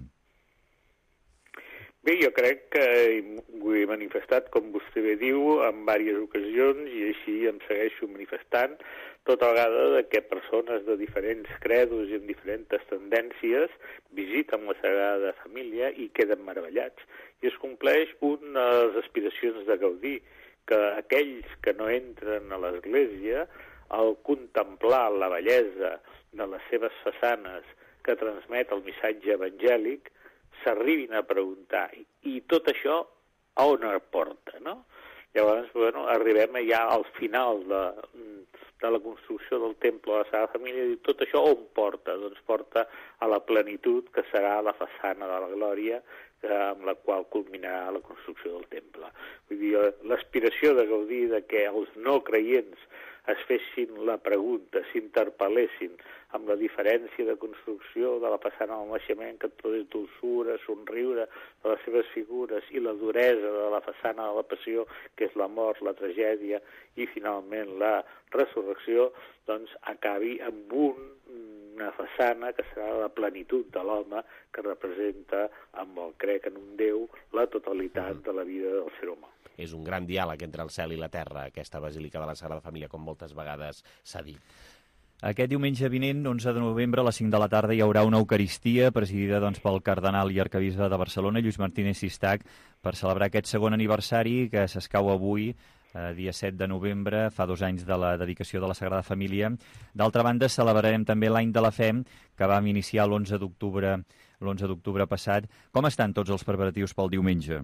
Speaker 22: Bé, jo crec que ho he manifestat, com vostè bé diu, en diverses ocasions, i així em segueixo manifestant, tota vegada de que persones de diferents credos i amb diferents tendències visiten la Sagrada Família i queden meravellats. I es compleix una de les aspiracions de Gaudí, que aquells que no entren a l'Església, al contemplar la bellesa de les seves façanes que transmet el missatge evangèlic, s'arribin a preguntar, i tot això a on es porta, no? Llavors, bueno, arribem ja al final de, de la construcció del temple de la Sagrada Família i tot això on porta? Doncs porta a la plenitud que serà la façana de la Glòria, que, amb la qual culminarà la construcció del temple. Vull dir, l'aspiració de Gaudí de que els no creients es fessin la pregunta, s'interpel·lessin amb la diferència de construcció de la façana del naixement, que tot és dolçura, somriure de les seves figures, i la duresa de la façana de la passió, que és la mort, la tragèdia i finalment la resurrecció, doncs acabi amb un, una façana que serà la plenitud de l'home, que representa, amb el crec en un Déu, la totalitat de la vida del ser humà.
Speaker 2: És un gran diàleg entre el cel i la terra, aquesta Basílica de la Sagrada Família, com moltes vegades s'ha dit.
Speaker 6: Aquest diumenge vinent, onze de novembre, a les cinc de la tarda, hi haurà una Eucaristia presidida doncs, pel cardenal i arquebisbe de Barcelona, Lluís Martínez Sistac, per celebrar aquest segon aniversari que s'escau avui, eh, dia set de novembre, fa dos anys de la dedicació de la Sagrada Família. D'altra banda, celebrarem també l'Any de la Fe, que vam iniciar l'onze d'octubre l'onze d'octubre passat. Com estan tots els preparatius pel diumenge?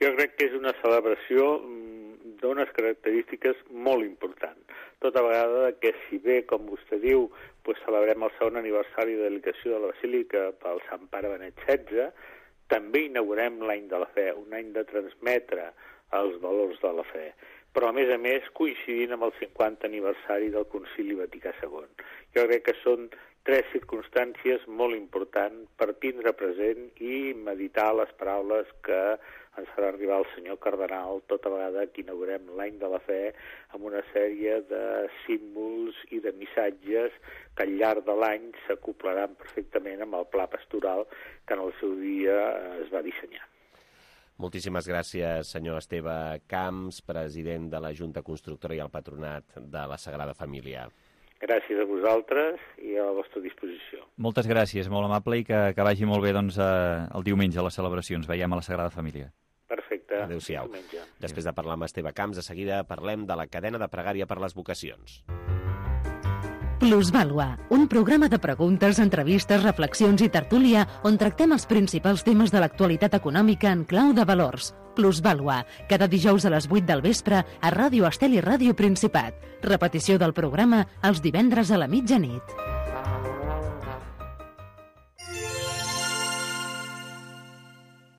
Speaker 22: Jo crec que és una celebració d'unes característiques molt importants. Tota vegada que, si bé, com vostè diu, pues, celebrem el segon aniversari de dedicació de la Basílica pel Sant Pare Benet setze, també inaugurem l'Any de la Fe, un any de transmetre els valors de la fe. Però, a més a més, coincidint amb el cinquanta aniversari del Concili Vaticà segon. Jo crec que són tres circumstàncies molt importants per tindre present i meditar les paraules que ens farà arribar el senyor cardenal tota vegada que inaugurem l'Any de la Fe amb una sèrie de símbols i de missatges que al llarg de l'any s'acoplaran perfectament amb el pla pastoral que en el seu dia es va dissenyar.
Speaker 2: Moltíssimes gràcies, senyor Esteve Camps, president de la Junta Constructora i el Patronat de la Sagrada Família.
Speaker 22: Gràcies a vosaltres i a la vostra disposició.
Speaker 6: Moltes gràcies, molt amable, i que, que vagi molt bé doncs, eh, el diumenge a les celebracions. Veiem a la Sagrada Família.
Speaker 22: Perfecte.
Speaker 2: Adéu-siau. Després de parlar amb Esteve Camps, de seguida parlem de la cadena de pregària per les vocacions.
Speaker 1: Plusvàlua, un programa de preguntes, entrevistes, reflexions i tertúlia on tractem els principals temes de l'actualitat econòmica en clau de valors. Plusvàlua, cada dijous a les vuit del vespre a Ràdio Estel i Ràdio Principat. Repetició del programa els divendres a la mitjanit.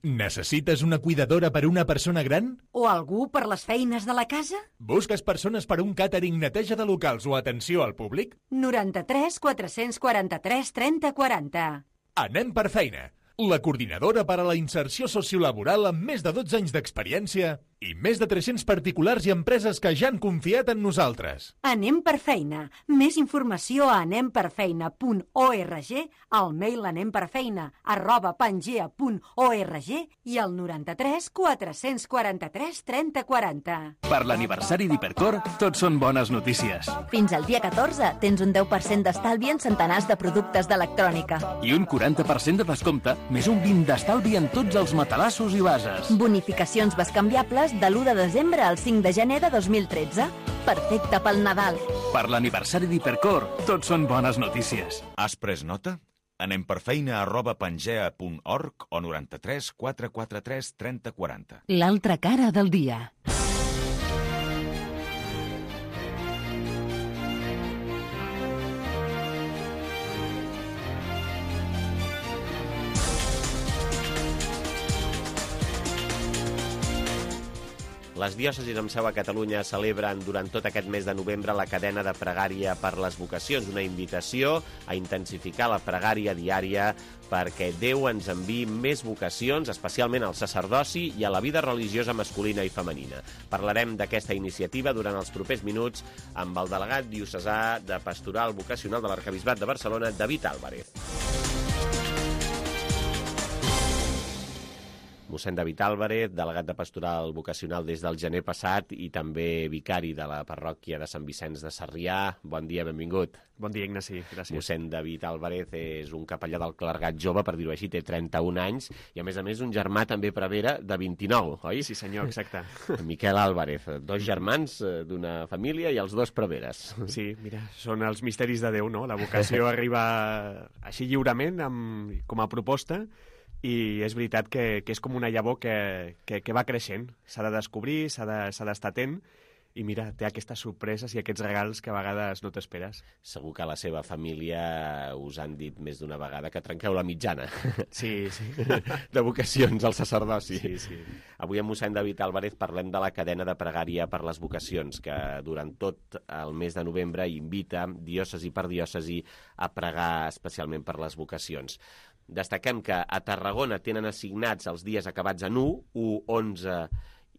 Speaker 4: Necessites una cuidadora per una persona gran?
Speaker 5: O algú per les feines de la casa?
Speaker 4: Busques persones per un càtering, neteja de locals o atenció al públic?
Speaker 5: noranta-tres quatre-cents quaranta-tres trenta quaranta.
Speaker 4: Anem per feina. La coordinadora per a la inserció sociolaboral amb més de dotze anys d'experiència i més de tres-cents particulars i empreses que ja han confiat en nosaltres.
Speaker 5: Anem per feina. Més informació a anem per feina punt org, al mail anemperfeina arroba pangea punt org i al noranta-tres quatre-cents quaranta-tres trenta quaranta.
Speaker 15: Per l'aniversari d'Hipercor, tot són bones notícies.
Speaker 23: Fins al dia catorze tens un deu per cent d'estalvi en centenars de productes d'electrònica.
Speaker 15: I un quaranta per cent de descompte, més un vint d'estalvi en tots els matalassos i bases.
Speaker 23: Bonificacions bescanviables de l'u de desembre al cinc de gener de dos mil tretze. Perfecte pel Nadal.
Speaker 15: Per l'aniversari d'Hipercor, tot són bones notícies.
Speaker 24: Has pres nota? Anem per feina arroba pangea punt org o noranta-tres quatre quaranta-tres trenta quaranta.
Speaker 1: L'altra cara del dia.
Speaker 2: Les diòcesis amb seu a Catalunya celebren durant tot aquest mes de novembre la cadena de pregària per les vocacions, una invitació a intensificar la pregària diària perquè Déu ens enviï més vocacions, especialment al sacerdoci i a la vida religiosa masculina i femenina. Parlarem d'aquesta iniciativa durant els propers minuts amb el delegat diocesà de Pastoral Vocacional de l'Arquebisbat de Barcelona, David Álvarez. Mossèn David Álvarez, delegat de Pastoral Vocacional des del gener passat i també vicari de la parròquia de Sant Vicenç de Sarrià. Bon dia, benvingut.
Speaker 7: Bon dia, Ignasi, gràcies.
Speaker 2: Mossèn David Álvarez és un capellà del clergat jove, per dir-ho així, té trenta-un anys, i a més a més un germà també prevera de vint-i-nou, oi?
Speaker 7: Sí, senyor, exacte.
Speaker 2: Miquel Álvarez, dos germans d'una família i els dos preveres.
Speaker 7: Sí, mira, són els misteris de Déu, no? La vocació arriba així lliurement, amb, com a proposta, i és veritat que, que és com una llavor que, que, que va creixent. S'ha de descobrir, s'ha d'estar atent, i mira, té aquestes sorpreses i aquests regals que a vegades no t'esperes.
Speaker 2: Segur que a la seva família us han dit més d'una vegada que trenqueu la mitjana.
Speaker 7: Sí, sí.
Speaker 2: De vocacions al sacerdoci.
Speaker 7: Sí, sí.
Speaker 2: Avui amb mossèn David Álvarez parlem de la cadena de pregària per les vocacions, que durant tot el mes de novembre invita, diòcesi per diòcesi, a pregar especialment per les vocacions. Destaquem que a Tarragona tenen assignats els dies acabats en u, u, onze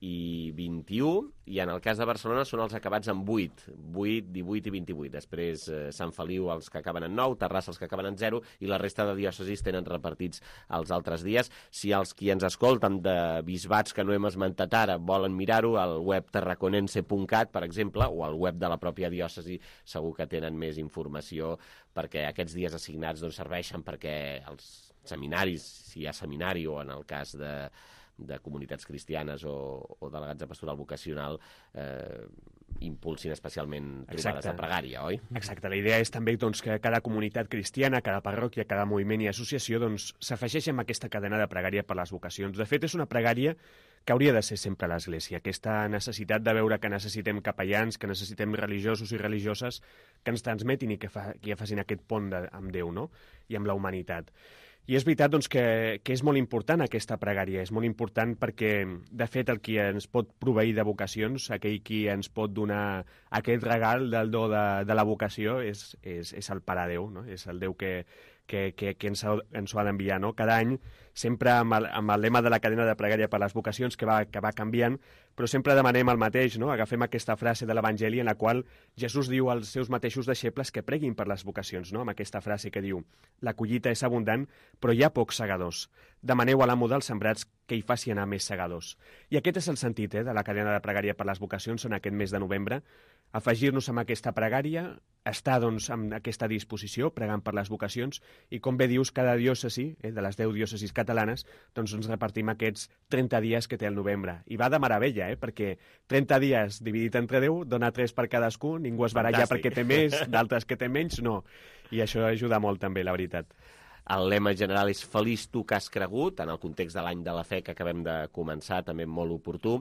Speaker 2: i vint-i-u, i en el cas de Barcelona són els acabats en vuit, vuit, divuit i vint-i-vuit. Després eh, Sant Feliu els que acaben en nou, Terrassa els que acaben en zero, i la resta de diòcesis tenen repartits els altres dies. Si els qui ens escolten de bisbats que no hem esmentat ara volen mirar-ho, al web tarraconense punt cat, per exemple, o al web de la pròpia diòcesi, segur que tenen més informació, perquè aquests dies assignats doncs, serveixen perquè els seminaris, si hi ha seminari, o en el cas de de comunitats cristianes o, o delegats de pastoral vocacional, eh, impulsin especialment trobades de pregària, oi?
Speaker 7: Exacte. La idea és també doncs, que cada comunitat cristiana, cada parròquia, cada moviment i associació doncs, s'afegeixi amb aquesta cadena de pregària per les vocacions. De fet, és una pregària que hauria de ser sempre a l'Església. Aquesta necessitat de veure que necessitem capellans, que necessitem religiosos i religioses que ens transmetin i que, fa, que facin aquest pont de, amb Déu, no? I amb la humanitat. I és veritat doncs, que, que és molt important aquesta pregària, és molt important perquè, de fet, el qui ens pot proveir de vocacions, aquell qui ens pot donar aquest regal del do de, de la vocació, és, és, és el Pare Déu, no? És el Déu que, que, que, que ens, ha, ens ho ha d'enviar, no? Cada any, sempre amb el, amb el lema de la cadena de pregària per les vocacions, que va, que va canviant, però sempre demanem el mateix, no? Agafem aquesta frase de l'Evangeli en la qual Jesús diu als seus mateixos deixebles que preguin per les vocacions, no? Amb aquesta frase que diu: la collita és abundant, però hi ha pocs segadors. Demaneu a l'amo dels sembrats que hi faci anar més segadors. I aquest és el sentit eh, de la cadena de pregària per les vocacions en aquest mes de novembre, afegir-nos amb aquesta pregària, estar doncs, amb aquesta disposició, pregant per les vocacions, i com bé dius, cada diòcesi, eh, de les deu diòcesis catalanes, doncs ens repartim aquests trenta dies que té el novembre. I va de meravella, eh, perquè trenta dies dividit entre deu dona tres per cadascú, ningú es baralla perquè té més, d'altres que té menys, no. I això ajuda molt també, la veritat.
Speaker 2: El lema general és Feliç tu que has cregut, en el context de l'any de la fe que acabem de començar, també molt oportú.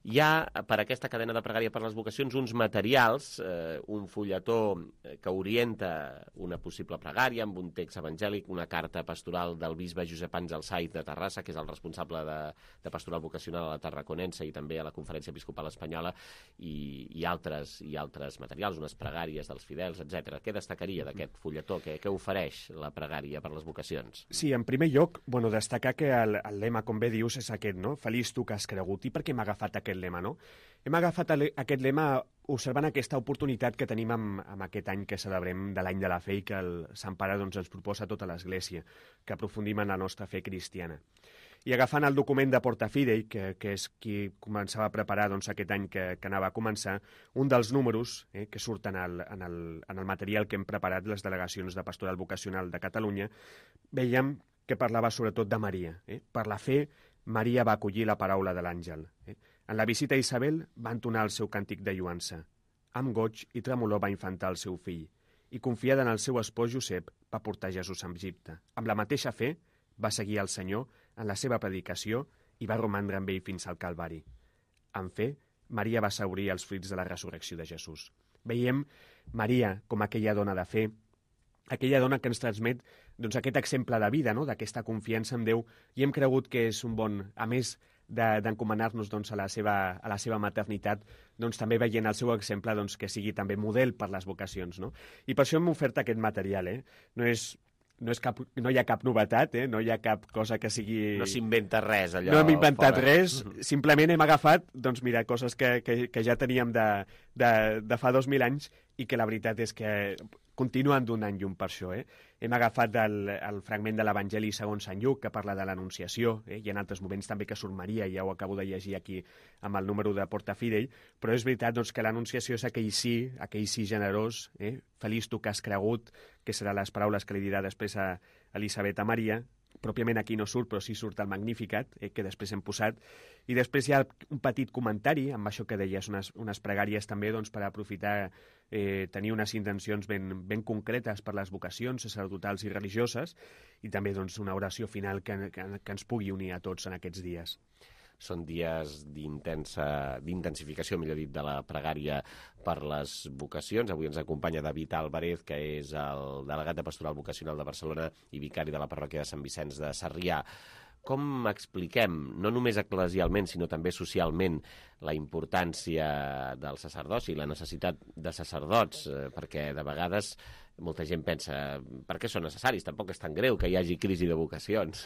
Speaker 2: Hi ha, per aquesta cadena de pregària per les vocacions, uns materials, eh, un fulletó que orienta una possible pregària amb un text evangèlic, una carta pastoral del bisbe Josep Àngel Saiz de Terrassa, que és el responsable de, de pastoral vocacional a la Tarraconense i també a la Conferència Episcopal Espanyola, i, i, altres, i altres materials, unes pregàries dels fidels, etcètera. Què destacaria d'aquest fulletó? Què, què ofereix la pregària per les vocacions?
Speaker 7: Sí, en primer lloc, bueno, destacar que el, el lema, com bé dius, és aquest, no? Feliç tu que has cregut. I per què m'ha agafat aquest lema, no? Hem agafat aquest lema observant aquesta oportunitat que tenim amb, amb aquest any que celebrem de l'any de la fe i que el Sant Pare doncs, ens proposa a tota l'Església, que aprofundim en la nostra fe cristiana. I agafant el document de Portafidei, que, que és qui començava a preparar doncs, aquest any que, que anava a començar, un dels números eh, que surten en el, en, el, en el material que hem preparat les delegacions de Pastoral Vocacional de Catalunya, veiem que parlava sobretot de Maria. Eh? Per la fe, Maria va acollir la paraula de l'àngel. Eh? En la visita a Isabel va entonar el seu càntic de lluança. Amb goig i tremolor va infantar el seu fill, i confiada en el seu espòs Josep va portar Jesús a Egipte. Amb la mateixa fe va seguir el Senyor en la seva predicació i va romandre amb ell fins al Calvari. En fe, Maria va assaurir els fruits de la resurrecció de Jesús. Veiem Maria com aquella dona de fe, aquella dona que ens transmet doncs, aquest exemple de vida, no? D'aquesta confiança en Déu, i hem cregut que és un bon... A més, d'encomanar-nos doncs, a, la seva, a la seva maternitat, doncs, també veient el seu exemple doncs, que sigui també model per les vocacions. No? I per això hem ofert aquest material. Eh? No, és, no, és cap, no hi ha cap novetat, eh? no hi ha cap cosa que sigui...
Speaker 2: No s'inventa res, allò.
Speaker 7: No hem inventat
Speaker 2: fora.
Speaker 7: res, simplement hem agafat doncs, mira, coses que, que, que ja teníem de, de, de fa dos mil anys i que la veritat és que continuen donant llum per això. Eh? Hem agafat el, el fragment de l'Evangeli segons Sant Lluc, que parla de l'Anunciació, eh? i en altres moments també que surt Maria, ja ho acabo de llegir aquí amb el número de Porta Fidei, però és veritat doncs, que l'Anunciació és aquell sí, aquell sí generós, eh? Feliç tu que has cregut, que seran les paraules que li dirà després a Elisabet a Maria. Pròpiament aquí no surt, però sí surt el Magnificat, eh, que després hem posat. I després hi ha un petit comentari, amb això que deies, unes, unes pregàries també doncs, per aprofitar, eh, tenir unes intencions ben, ben concretes per les vocacions sacerdotals i religioses, i també doncs, una oració final que, que, que ens pugui unir a tots en aquests dies.
Speaker 2: Són dies d'intensificació, millor dit, de la pregària per les vocacions. Avui ens acompanya David Álvarez, que és el delegat de Pastoral Vocacional de Barcelona i vicari de la parròquia de Sant Vicenç de Sarrià. Com expliquem, no només eclesialment, sinó també socialment, la importància del sacerdoci, la necessitat de sacerdots, eh, perquè de vegades molta gent pensa, per què són necessaris? Tampoc és tan greu que hi hagi crisi de vocacions.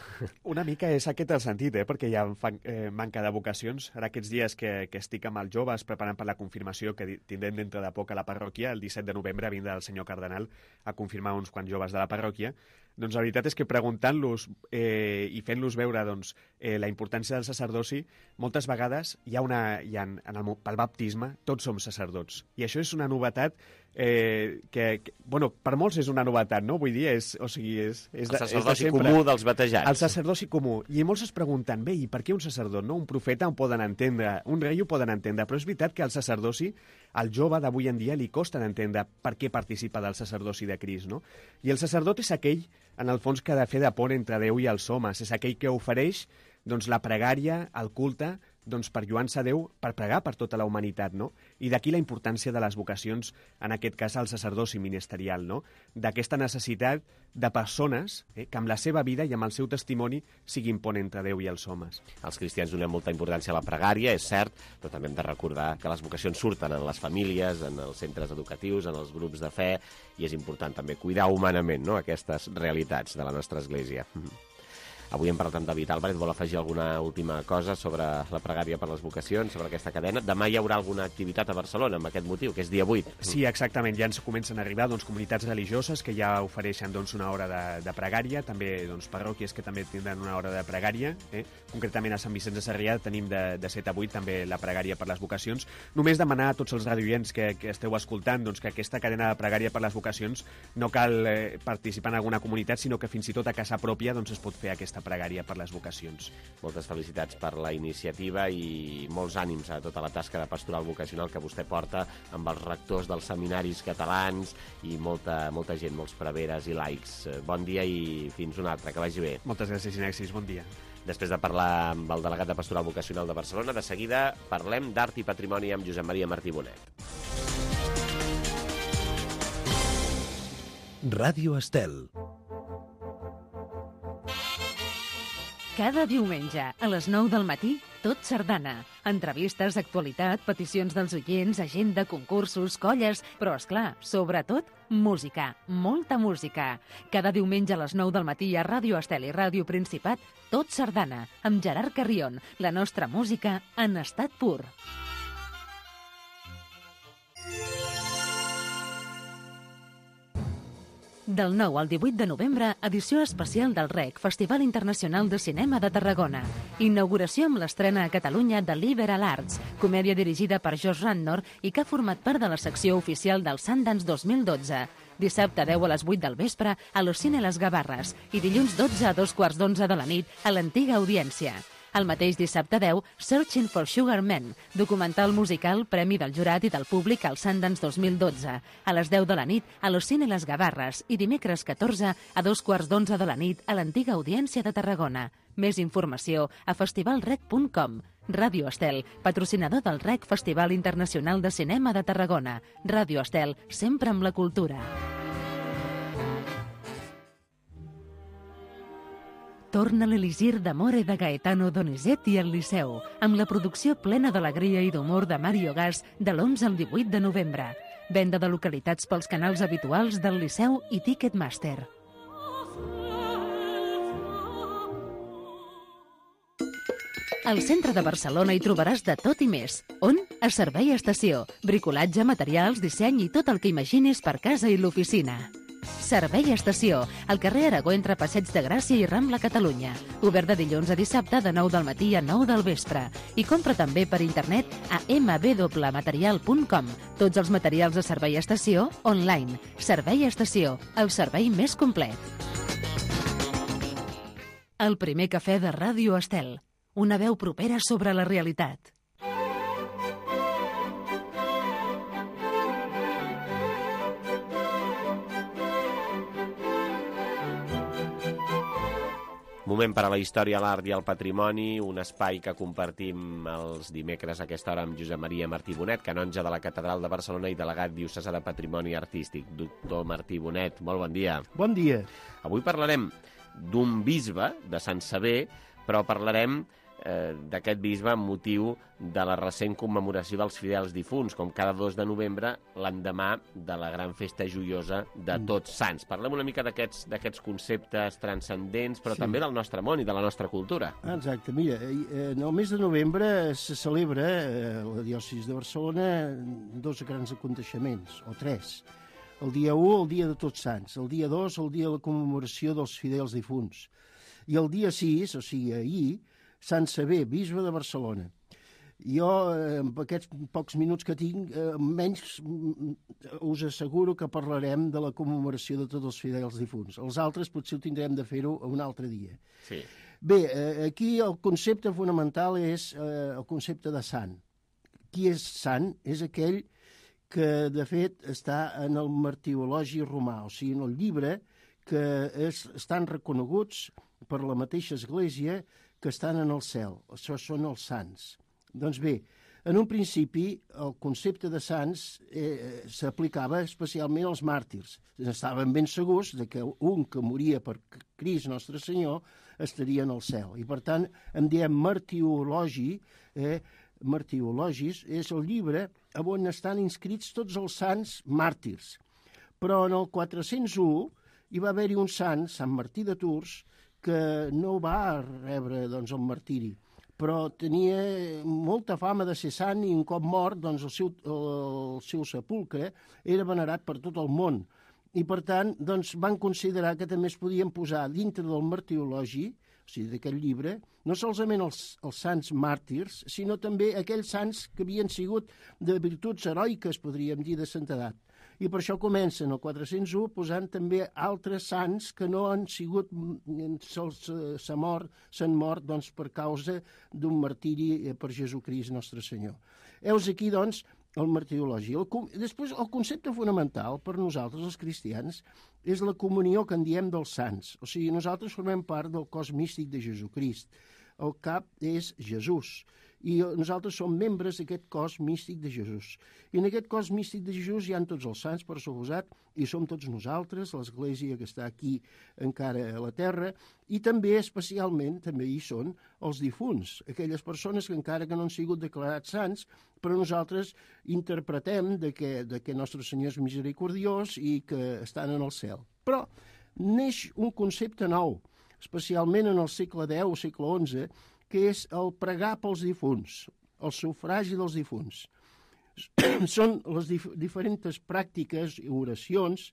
Speaker 7: Una mica és aquest el sentit, eh? perquè hi ha eh, manca de vocacions. Ara aquests dies que, que estic amb els joves preparant per la confirmació que tindrem dintre de poc a la parròquia, el disset de novembre vindrà el senyor cardenal a confirmar uns quants joves de la parròquia, doncs la veritat és que preguntant-los eh, i fent-los veure doncs, eh, la importància del sacerdoci, moltes vegades hi ha una, hi ha, en el, pel baptisme tots som sacerdots. I això és una novetat eh, que, que, bueno, per molts és una novetat, no? Vull dir, és, o sigui, és, és
Speaker 2: el sacerdoci comú dels batejats.
Speaker 7: El sacerdoci comú. I molts es pregunten, bé, i per què un sacerdot, no? Un profeta ho poden entendre, un rei ho poden entendre, però és veritat que el sacerdoci, al jove d'avui en dia li costa d'entendre per què participa del sacerdoci de Crist, no? I el sacerdot és aquell, en el fons, que ha de fer de pont entre Déu i els homes. És aquell que ofereix doncs, la pregària, el culte, doncs, per lluar-se a Déu, per pregar per tota la humanitat, no? I d'aquí la importància de les vocacions, en aquest cas el sacerdoci ministerial, no? D'aquesta necessitat de persones eh, que amb la seva vida i amb el seu testimoni siguin pont entre Déu i els homes.
Speaker 2: Els cristians donem molta importància a la pregària, és cert, però també hem de recordar que les vocacions surten en les famílies, en els centres educatius, en els grups de fe, i és important també cuidar humanament, no?, aquestes realitats de la nostra Església. Avui hem parlat amb David Álvarez. Vol afegir alguna última cosa sobre la pregària per les vocacions, sobre aquesta cadena? Demà hi haurà alguna activitat a Barcelona amb aquest motiu, que és dia vuit.
Speaker 7: Sí, exactament. Ja ens comencen a arribar doncs, comunitats religioses que ja ofereixen doncs, una hora de, de pregària, també doncs, parròquies que també tindran una hora de pregària. Eh? Concretament a Sant Vicenç de Sarrià tenim de, de set a vuit també la pregària per les vocacions. Només demanar a tots els radioients que, que esteu escoltant doncs, que aquesta cadena de pregària per les vocacions no cal eh, participar en alguna comunitat, sinó que fins i tot a casa pròpia doncs, es pot fer aquesta pregària per les vocacions.
Speaker 2: Moltes felicitats per la iniciativa i molts ànims a tota la tasca de pastoral vocacional que vostè porta amb els rectors dels seminaris catalans i molta, molta gent, molts preveres i laics. Bon dia i fins un altre, que vagi bé.
Speaker 7: Moltes gràcies, Inexis, bon dia.
Speaker 2: Després de parlar amb el delegat de pastoral vocacional de Barcelona, de seguida parlem d'art i patrimoni amb Josep Maria Martí Bonet.
Speaker 8: Ràdio Estel.
Speaker 1: Cada diumenge, a les nou del matí, Tot Sardana. Entrevistes, actualitat, peticions dels oients, agenda, concursos, colles, però, esclar, sobretot, música, molta música. Cada diumenge a les nou del matí a Ràdio Estel i Ràdio Principat, Tot Sardana, amb Gerard Carrion, la nostra música en estat pur. Del nou al divuit de novembre, edició especial del R E C, Festival Internacional de Cinema de Tarragona. Inauguració amb l'estrena a Catalunya de Liberal Arts, comèdia dirigida per Josh Radnor i que ha format part de la secció oficial del Sundance dos mil dotze. Dissabte deu a les vuit del vespre a l'Ocine Les Gavarres i dilluns dotze a dos quarts d'onze de la nit a l'Antiga Audiència. El mateix dissabte deu, Searching for Sugar Man, documental musical, premi del jurat i del públic al Sundance dos mil dotze, a les deu de la nit a l'Ocine Les Gavarres i dimecres catorze a dos quarts d'onze de la nit a l'Antiga Audiència de Tarragona. Més informació a festival rec punt com. Ràdio Estel, patrocinador del R E C Festival Internacional de Cinema de Tarragona. Ràdio Estel, sempre amb la cultura. Torna l'Elisir d'Amore de Gaetano Donizetti al Liceu, amb la producció plena d'alegria i d'humor de Mario Gas de l'onze al divuit de novembre. Venda de localitats pels canals habituals del Liceu i Ticketmaster. Al centre de Barcelona hi trobaràs de tot i més. On? A Servei Estació. Bricolatge, materials, disseny i tot el que imaginis per casa i l'oficina. Servei Estació, al carrer Aragó entre Passeig de Gràcia i Rambla, Catalunya. Obert de dilluns a dissabte de nou del matí a nou del vespre. I compra també per internet a m w material punt com. Tots els materials de Servei Estació online. Servei Estació, el servei més complet. El primer cafè de Ràdio Estel. Una veu propera sobre la realitat.
Speaker 2: Moment per a la història, l'art i el patrimoni, un espai que compartim els dimecres a aquesta hora amb Josep Maria Martí Bonet, canonge de la Catedral de Barcelona i delegat diocesà de Patrimoni Artístic. Doctor Martí Bonet, molt bon dia.
Speaker 8: Bon dia.
Speaker 2: Avui parlarem d'un bisbe de Sant Sever, però parlarem eh, d'aquest bisbe amb motiu de la recent commemoració dels fidels difunts, com cada dos de novembre, l'endemà de la gran festa joiosa de Tots Sants. Parlem una mica d'aquests d'aquests conceptes transcendents, però
Speaker 8: Sí.
Speaker 2: també del nostre món i de la nostra cultura.
Speaker 8: Exacte, mira, eh, en el mes de novembre se celebra eh, a la diòcesi de Barcelona dos grans aconteixements, o tres. El dia u, el dia de Tots Sants. El dia dos, el dia de la commemoració dels fidels difunts. I el dia sis, o sigui, ahir, Sant Sever, bisbe de Barcelona. Jo, eh, amb aquests pocs minuts que tinc, eh, menys mm, us asseguro que parlarem de la commemoració de tots els fidels difunts. Els altres potser ho tindrem de fer-ho un altre dia.
Speaker 2: Sí.
Speaker 8: Bé, eh, aquí el concepte fonamental és eh, el concepte de sant. Qui és sant? És aquell que, de fet, està en el martirologi romà, o sigui, en el llibre que és, estan reconeguts per la mateixa Església que estan en el cel. Això són els sants. Doncs bé, en un principi el concepte de sants eh, s'aplicava especialment als màrtirs. Estaven ben segurs de que un que moria per Crist Nostre Senyor estaria en el cel. I per tant, en diem martirologi, eh, martirologis, és el llibre on estan inscrits tots els sants màrtirs. Però en el quatre-cents u hi va haver-hi un sant, Sant Martí de Tours, que no va rebre doncs, el martiri, però tenia molta fama de ser sant i un cop mort doncs, el, seu, el seu sepulcre era venerat per tot el món. I per tant doncs, van considerar que també es podien posar dintre del martirologi, o sigui, d'aquest llibre, no solament els, els sants màrtirs, sinó també aquells sants que havien sigut de virtuts heroiques, podríem dir, de santedat. I per això comencen el quatre-cents u posant també altres sants que no han sigut, s'han mort, s'han mort doncs, per causa d'un martiri per Jesucrist Nostre Senyor. Heus aquí, doncs, el martirologi. El, després, el concepte fonamental per nosaltres, els cristians, és la comunió que en diem dels sants. O sigui, nosaltres formem part del cos místic de Jesucrist. El cap és Jesús. I nosaltres som membres d'aquest cos místic de Jesús. I en aquest cos místic de Jesús hi ha tots els sants, per suposat, i som tots nosaltres, l'Església que està aquí encara a la terra, i també, especialment, també hi són els difunts, aquelles persones que encara que no han sigut declarats sants, però nosaltres interpretem de que, de que Nostre Senyor és misericordiós i que estan en el cel. Però neix un concepte nou, especialment en el segle deu o segle onze, que és el pregar pels difunts, el sufragi dels difunts. Són les dif diferents pràctiques i oracions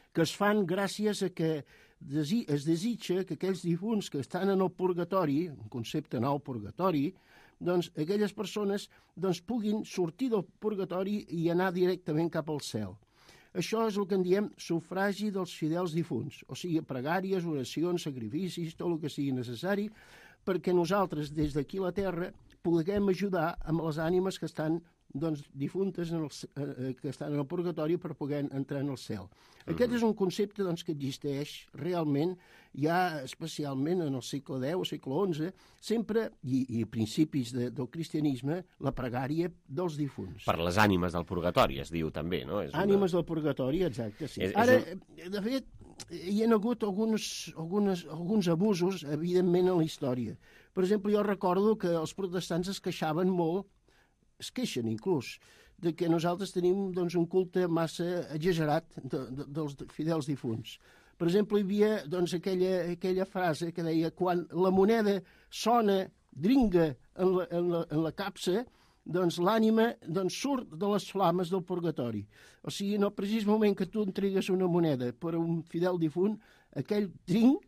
Speaker 8: que es fan gràcies a que desi es desitja que aquells difunts que estan en el purgatori, un concepte nou, purgatori, doncs aquelles persones doncs, puguin sortir del purgatori i anar directament cap al cel. Això és el que en diem sufragi dels fidels difunts, o sigui, pregàries, oracions, sacrificis, tot el que sigui necessari, perquè nosaltres, des d'aquí a la Terra, puguem ajudar amb les ànimes que estan doncs, difuntes en el, eh, que estan en el purgatori per poder entrar en el cel. Uh-huh. Aquest és un concepte doncs, que existeix realment ja especialment en el segle deu o segle onze, sempre, i, i a principis de, del cristianisme, la pregària dels difunts.
Speaker 2: Per les ànimes del purgatori, es diu també, no? És
Speaker 8: Ànimes
Speaker 2: una...
Speaker 8: del purgatori, exacte, sí.
Speaker 2: És, és
Speaker 8: Ara,
Speaker 2: un...
Speaker 8: de fet, hi ha hagut alguns, algunes, alguns abusos, evidentment, en la història. Per exemple, jo recordo que els protestants es queixaven molt, es queixen inclús, de que nosaltres tenim doncs, un culte massa exagerat de, de, dels fidels difunts. Per exemple, hi havia doncs, aquella, aquella frase que deia quan la moneda sona, dringa en la, en la, en la capsa, doncs l'ànima doncs, surt de les flames del purgatori. O sigui, en el precís moment que tu entregues una moneda per a un fidel difunt, aquell drinc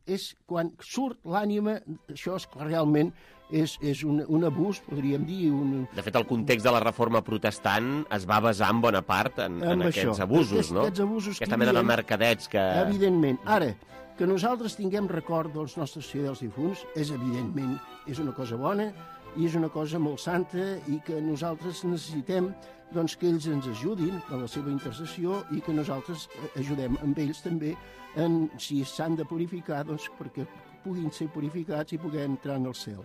Speaker 8: és quan surt l'ànima, això és realment és, és un, un abús, podríem dir. Un...
Speaker 2: De fet, el context de la reforma protestant es va basar en bona part en, en aquests abusos,
Speaker 8: Aquest,
Speaker 2: no?
Speaker 8: Aquests abusos
Speaker 2: Aquesta mena de mercadets que...
Speaker 8: Evidentment. Ara, que nosaltres tinguem record dels nostres fidels difunts és evidentment, és una cosa bona i és una cosa molt santa i que nosaltres necessitem doncs, que ells ens ajudin a la seva intercessió i que nosaltres ajudem amb ells també en, si s'han de purificar, doncs, perquè puguin ser purificats i puguem entrar en el cel.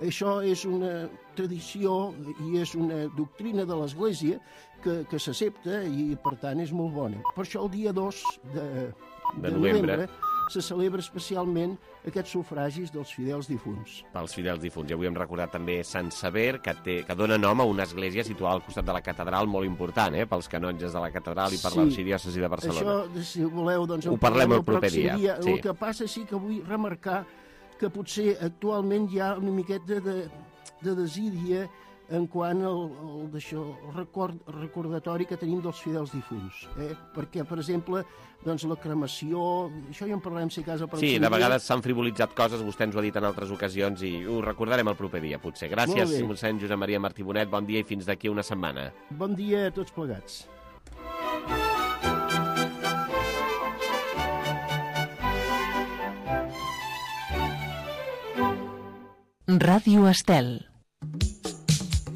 Speaker 8: Això és una tradició i és una doctrina de l'Església que, que s'accepta i, per tant, és molt bona. Per això el dia dos de, de, de novembre, novembre se celebra especialment aquests sufragis dels fidels difunts.
Speaker 2: Pels fidels difunts. I avui hem recordat també Sant Sever, que, té, que dona nom a una església situada al costat de la catedral, molt important, eh, pels canonges de la catedral i per sí, l'arxidiòcesi de Barcelona.
Speaker 8: Això, si voleu, doncs...
Speaker 2: Ho parlem el proper dia. dia.
Speaker 8: Sí. El que passa sí que vull remarcar que potser actualment hi ha una miqueta de, de desídia en quant al, al, d'això, el record, recordatori que tenim dels fidels difunts. Eh? Perquè, per exemple, doncs, la cremació... Això ja en parlarem, si a casa...
Speaker 2: Sí, de vegades s'han frivolitzat coses, vostè ens ho ha dit en altres ocasions i ho recordarem el proper dia, potser. Gràcies, mossèn Josep Maria Martí Bonet, bon dia i fins d'aquí una setmana.
Speaker 8: Bon dia a tots plegats.
Speaker 1: Ràdio Estel.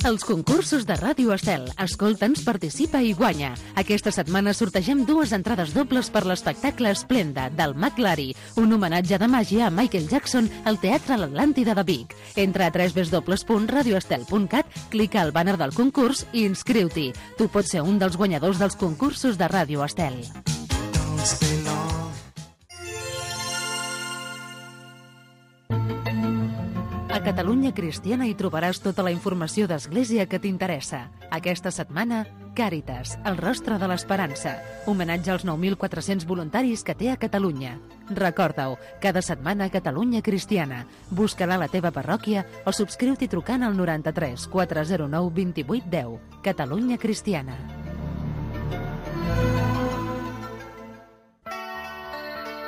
Speaker 1: Els concursos de Ràdio Estel. Escolta'ns, participa i guanya. Aquesta setmana sortegem dues entrades dobles per l'espectacle Esplenda, del McLary, un homenatge de màgia a Michael Jackson al Teatre L'Atlàntida de Vic. Entra a w w w punt radio estel punt cat, clica al banner del concurs i inscriu-t'hi. Tu pots ser un dels guanyadors dels concursos de Ràdio Estel. A Catalunya Cristiana hi trobaràs tota la informació d'Església que t'interessa. Aquesta setmana, Càritas, el rostre de l'esperança. Homenatge als nou mil quatre-cents voluntaris que té a Catalunya. Recorda-ho, cada setmana Catalunya Cristiana. Busca-la a la teva parròquia o subscriu-t'hi trucant al noranta-tres quatre zero nou vint vuit deu. Catalunya Cristiana.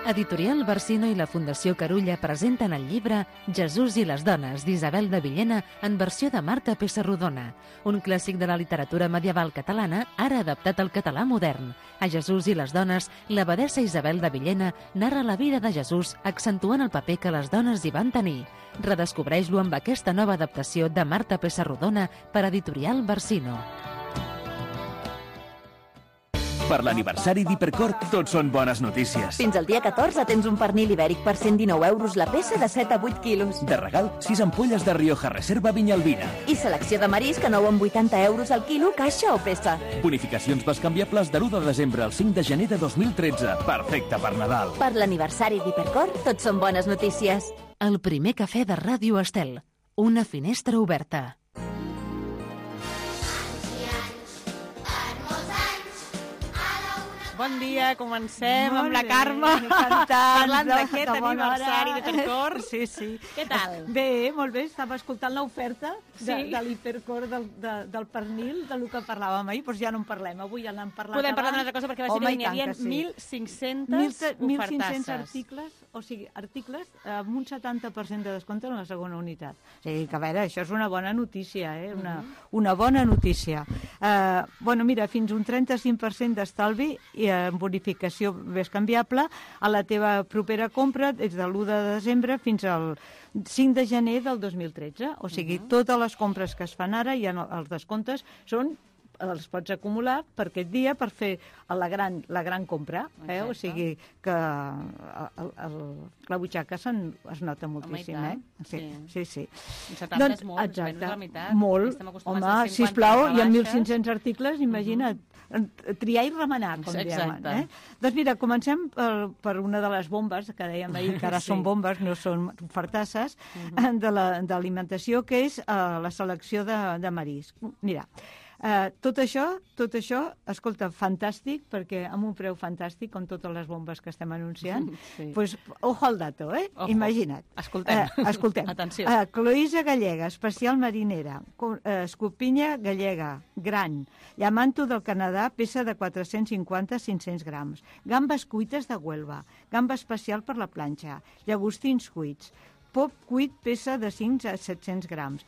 Speaker 1: Editorial Barsino i la Fundació Carulla presenten el llibre Jesús i les dones, d'Isabel de Villena, en versió de Marta Pessarrodona, un clàssic de la literatura medieval catalana, ara adaptat al català modern. A Jesús i les dones, l'abadessa Isabel de Villena narra la vida de Jesús, accentuant el paper que les dones hi van tenir. Redescobreix-lo amb aquesta nova adaptació de Marta Pessarrodona per Editorial Barsino.
Speaker 15: Per l'aniversari d'Hipercor, tot són bones notícies.
Speaker 23: Fins al dia catorze tens un pernil ibèric per cent dinou euros la peça de set a vuit quilos.
Speaker 15: De regal, sis ampolles de Rioja Reserva Vinyalbina.
Speaker 23: I selecció de marisc a nou amb vuitanta euros al quilo, caixa o peça.
Speaker 15: Bonificacions bescanviables de l'u de desembre al cinc de gener de dos mil tretze. Perfecte per Nadal.
Speaker 23: Per l'aniversari d'Hipercor, tot són bones notícies.
Speaker 1: El primer cafè de Ràdio Estel. Una finestra oberta.
Speaker 9: Bon dia, comencem
Speaker 11: Molt
Speaker 9: amb la
Speaker 11: bé,
Speaker 9: Carme,
Speaker 11: cantant,
Speaker 9: parlant
Speaker 11: de-
Speaker 9: d'aquest
Speaker 11: de bona
Speaker 9: aniversari
Speaker 11: hora.
Speaker 9: d'Hipercor.
Speaker 11: Sí, sí.
Speaker 9: Què tal?
Speaker 11: Bé, molt bé, estava escoltant l'oferta de,
Speaker 9: Sí.
Speaker 11: de l'Hipercor del, de, del pernil, del que parlàvem ahir, doncs ja no en parlem, avui ja n'hem parlat
Speaker 9: Podem parlar
Speaker 11: abans.
Speaker 9: d'una altra cosa, perquè va ser
Speaker 11: Home,
Speaker 9: que
Speaker 11: i
Speaker 9: n'hi havia
Speaker 11: tant que sí.
Speaker 9: mil cinc-centes
Speaker 11: mil cinc-cents
Speaker 9: ofertasses.
Speaker 11: articles, o sigui, articles amb un setanta per cent de descompte en la segona unitat. O sigui, que a veure, això és una bona notícia, eh? Una, una bona notícia. Uh, bueno, mira, fins un trenta-cinc per cent d'estalvi i en bonificació més canviable a la teva propera compra des de l'u de desembre fins al cinc de gener del dos mil tretze. O sigui, totes les compres que es fan ara i els descomptes són els pots acumular per aquest dia per fer la gran, la gran compra. Eh? O sigui que el, el, la butxaca se'n, es nota moltíssim.
Speaker 9: Home, i
Speaker 11: eh?
Speaker 9: tant,
Speaker 11: Sí, sí. sí.
Speaker 9: Un setanta
Speaker 11: doncs,
Speaker 9: és molt, és
Speaker 11: exacte,
Speaker 9: menys de la meitat.
Speaker 11: Molt.
Speaker 9: Estem acostumats
Speaker 11: Home,
Speaker 9: a cinquanta
Speaker 11: sisplau, hi ha
Speaker 9: rebaixes.
Speaker 11: mil cinc-cents articles, imagina't. triar i remenar, com
Speaker 9: Exacte.
Speaker 11: diuen. Eh? Doncs mira, comencem per, per una de les bombes, que dèiem ahir, que ara
Speaker 9: Sí.
Speaker 11: són bombes, no són fartasses, uh-huh. de la- d'alimentació, que és uh, la selecció de, de marisc. Mira, Uh, tot això, tot això, escolta, fantàstic, perquè amb un preu fantàstic, com totes les bombes que estem anunciant,
Speaker 9: Sí.
Speaker 11: pues, ojo al dato, eh?
Speaker 9: Ojo.
Speaker 11: Imagina't.
Speaker 9: Escoltem.
Speaker 11: Uh, escoltem.
Speaker 9: Atenció.
Speaker 11: Uh, cloïssa gallega, especial marinera, co- uh, escopinya gallega, gran, llamanto del Canadà, peça de quatre-cents cinquanta a cinc-cents grams, gambes cuites de Huelva, gamba especial per la planxa, llagostins cuits, pop cuit, peça de cinc a set-cents grams,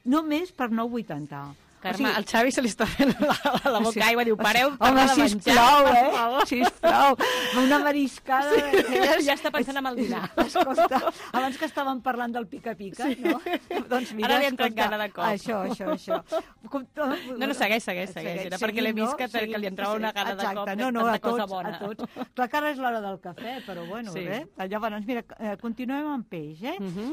Speaker 11: només per nou vuitanta.
Speaker 9: Carme, al Xavi se li està fent la, la, la boca
Speaker 11: Sí.
Speaker 9: aigua, diu, pareu,
Speaker 11: Home,
Speaker 9: parla de menjar,
Speaker 11: sisplau,
Speaker 9: per
Speaker 11: eh?
Speaker 9: favor.
Speaker 11: Sisplau, una mariscada.
Speaker 9: Sí,
Speaker 11: d'aquelles-
Speaker 9: ja està pensant en el dinar.
Speaker 11: Escolta, abans que estàvem parlant del pica-pica,
Speaker 9: Sí.
Speaker 11: no? Doncs mira,
Speaker 9: Ara li ha entrat
Speaker 11: escolta,
Speaker 9: gana de cop.
Speaker 11: Això, això, això. Com to...
Speaker 9: No, no, segueix, segueix, segueix. Era perquè l'he vist que, que li entrava una gana de
Speaker 11: Exacte.
Speaker 9: cop de
Speaker 11: no, no,
Speaker 9: tanta
Speaker 11: a tots,
Speaker 9: cosa bona.
Speaker 11: A tots. Clar que ara és l'hora del cafè, però bueno,
Speaker 9: Sí.
Speaker 11: eh? Llavors, mira, eh, continuem amb peix, eh?
Speaker 9: Uh -huh.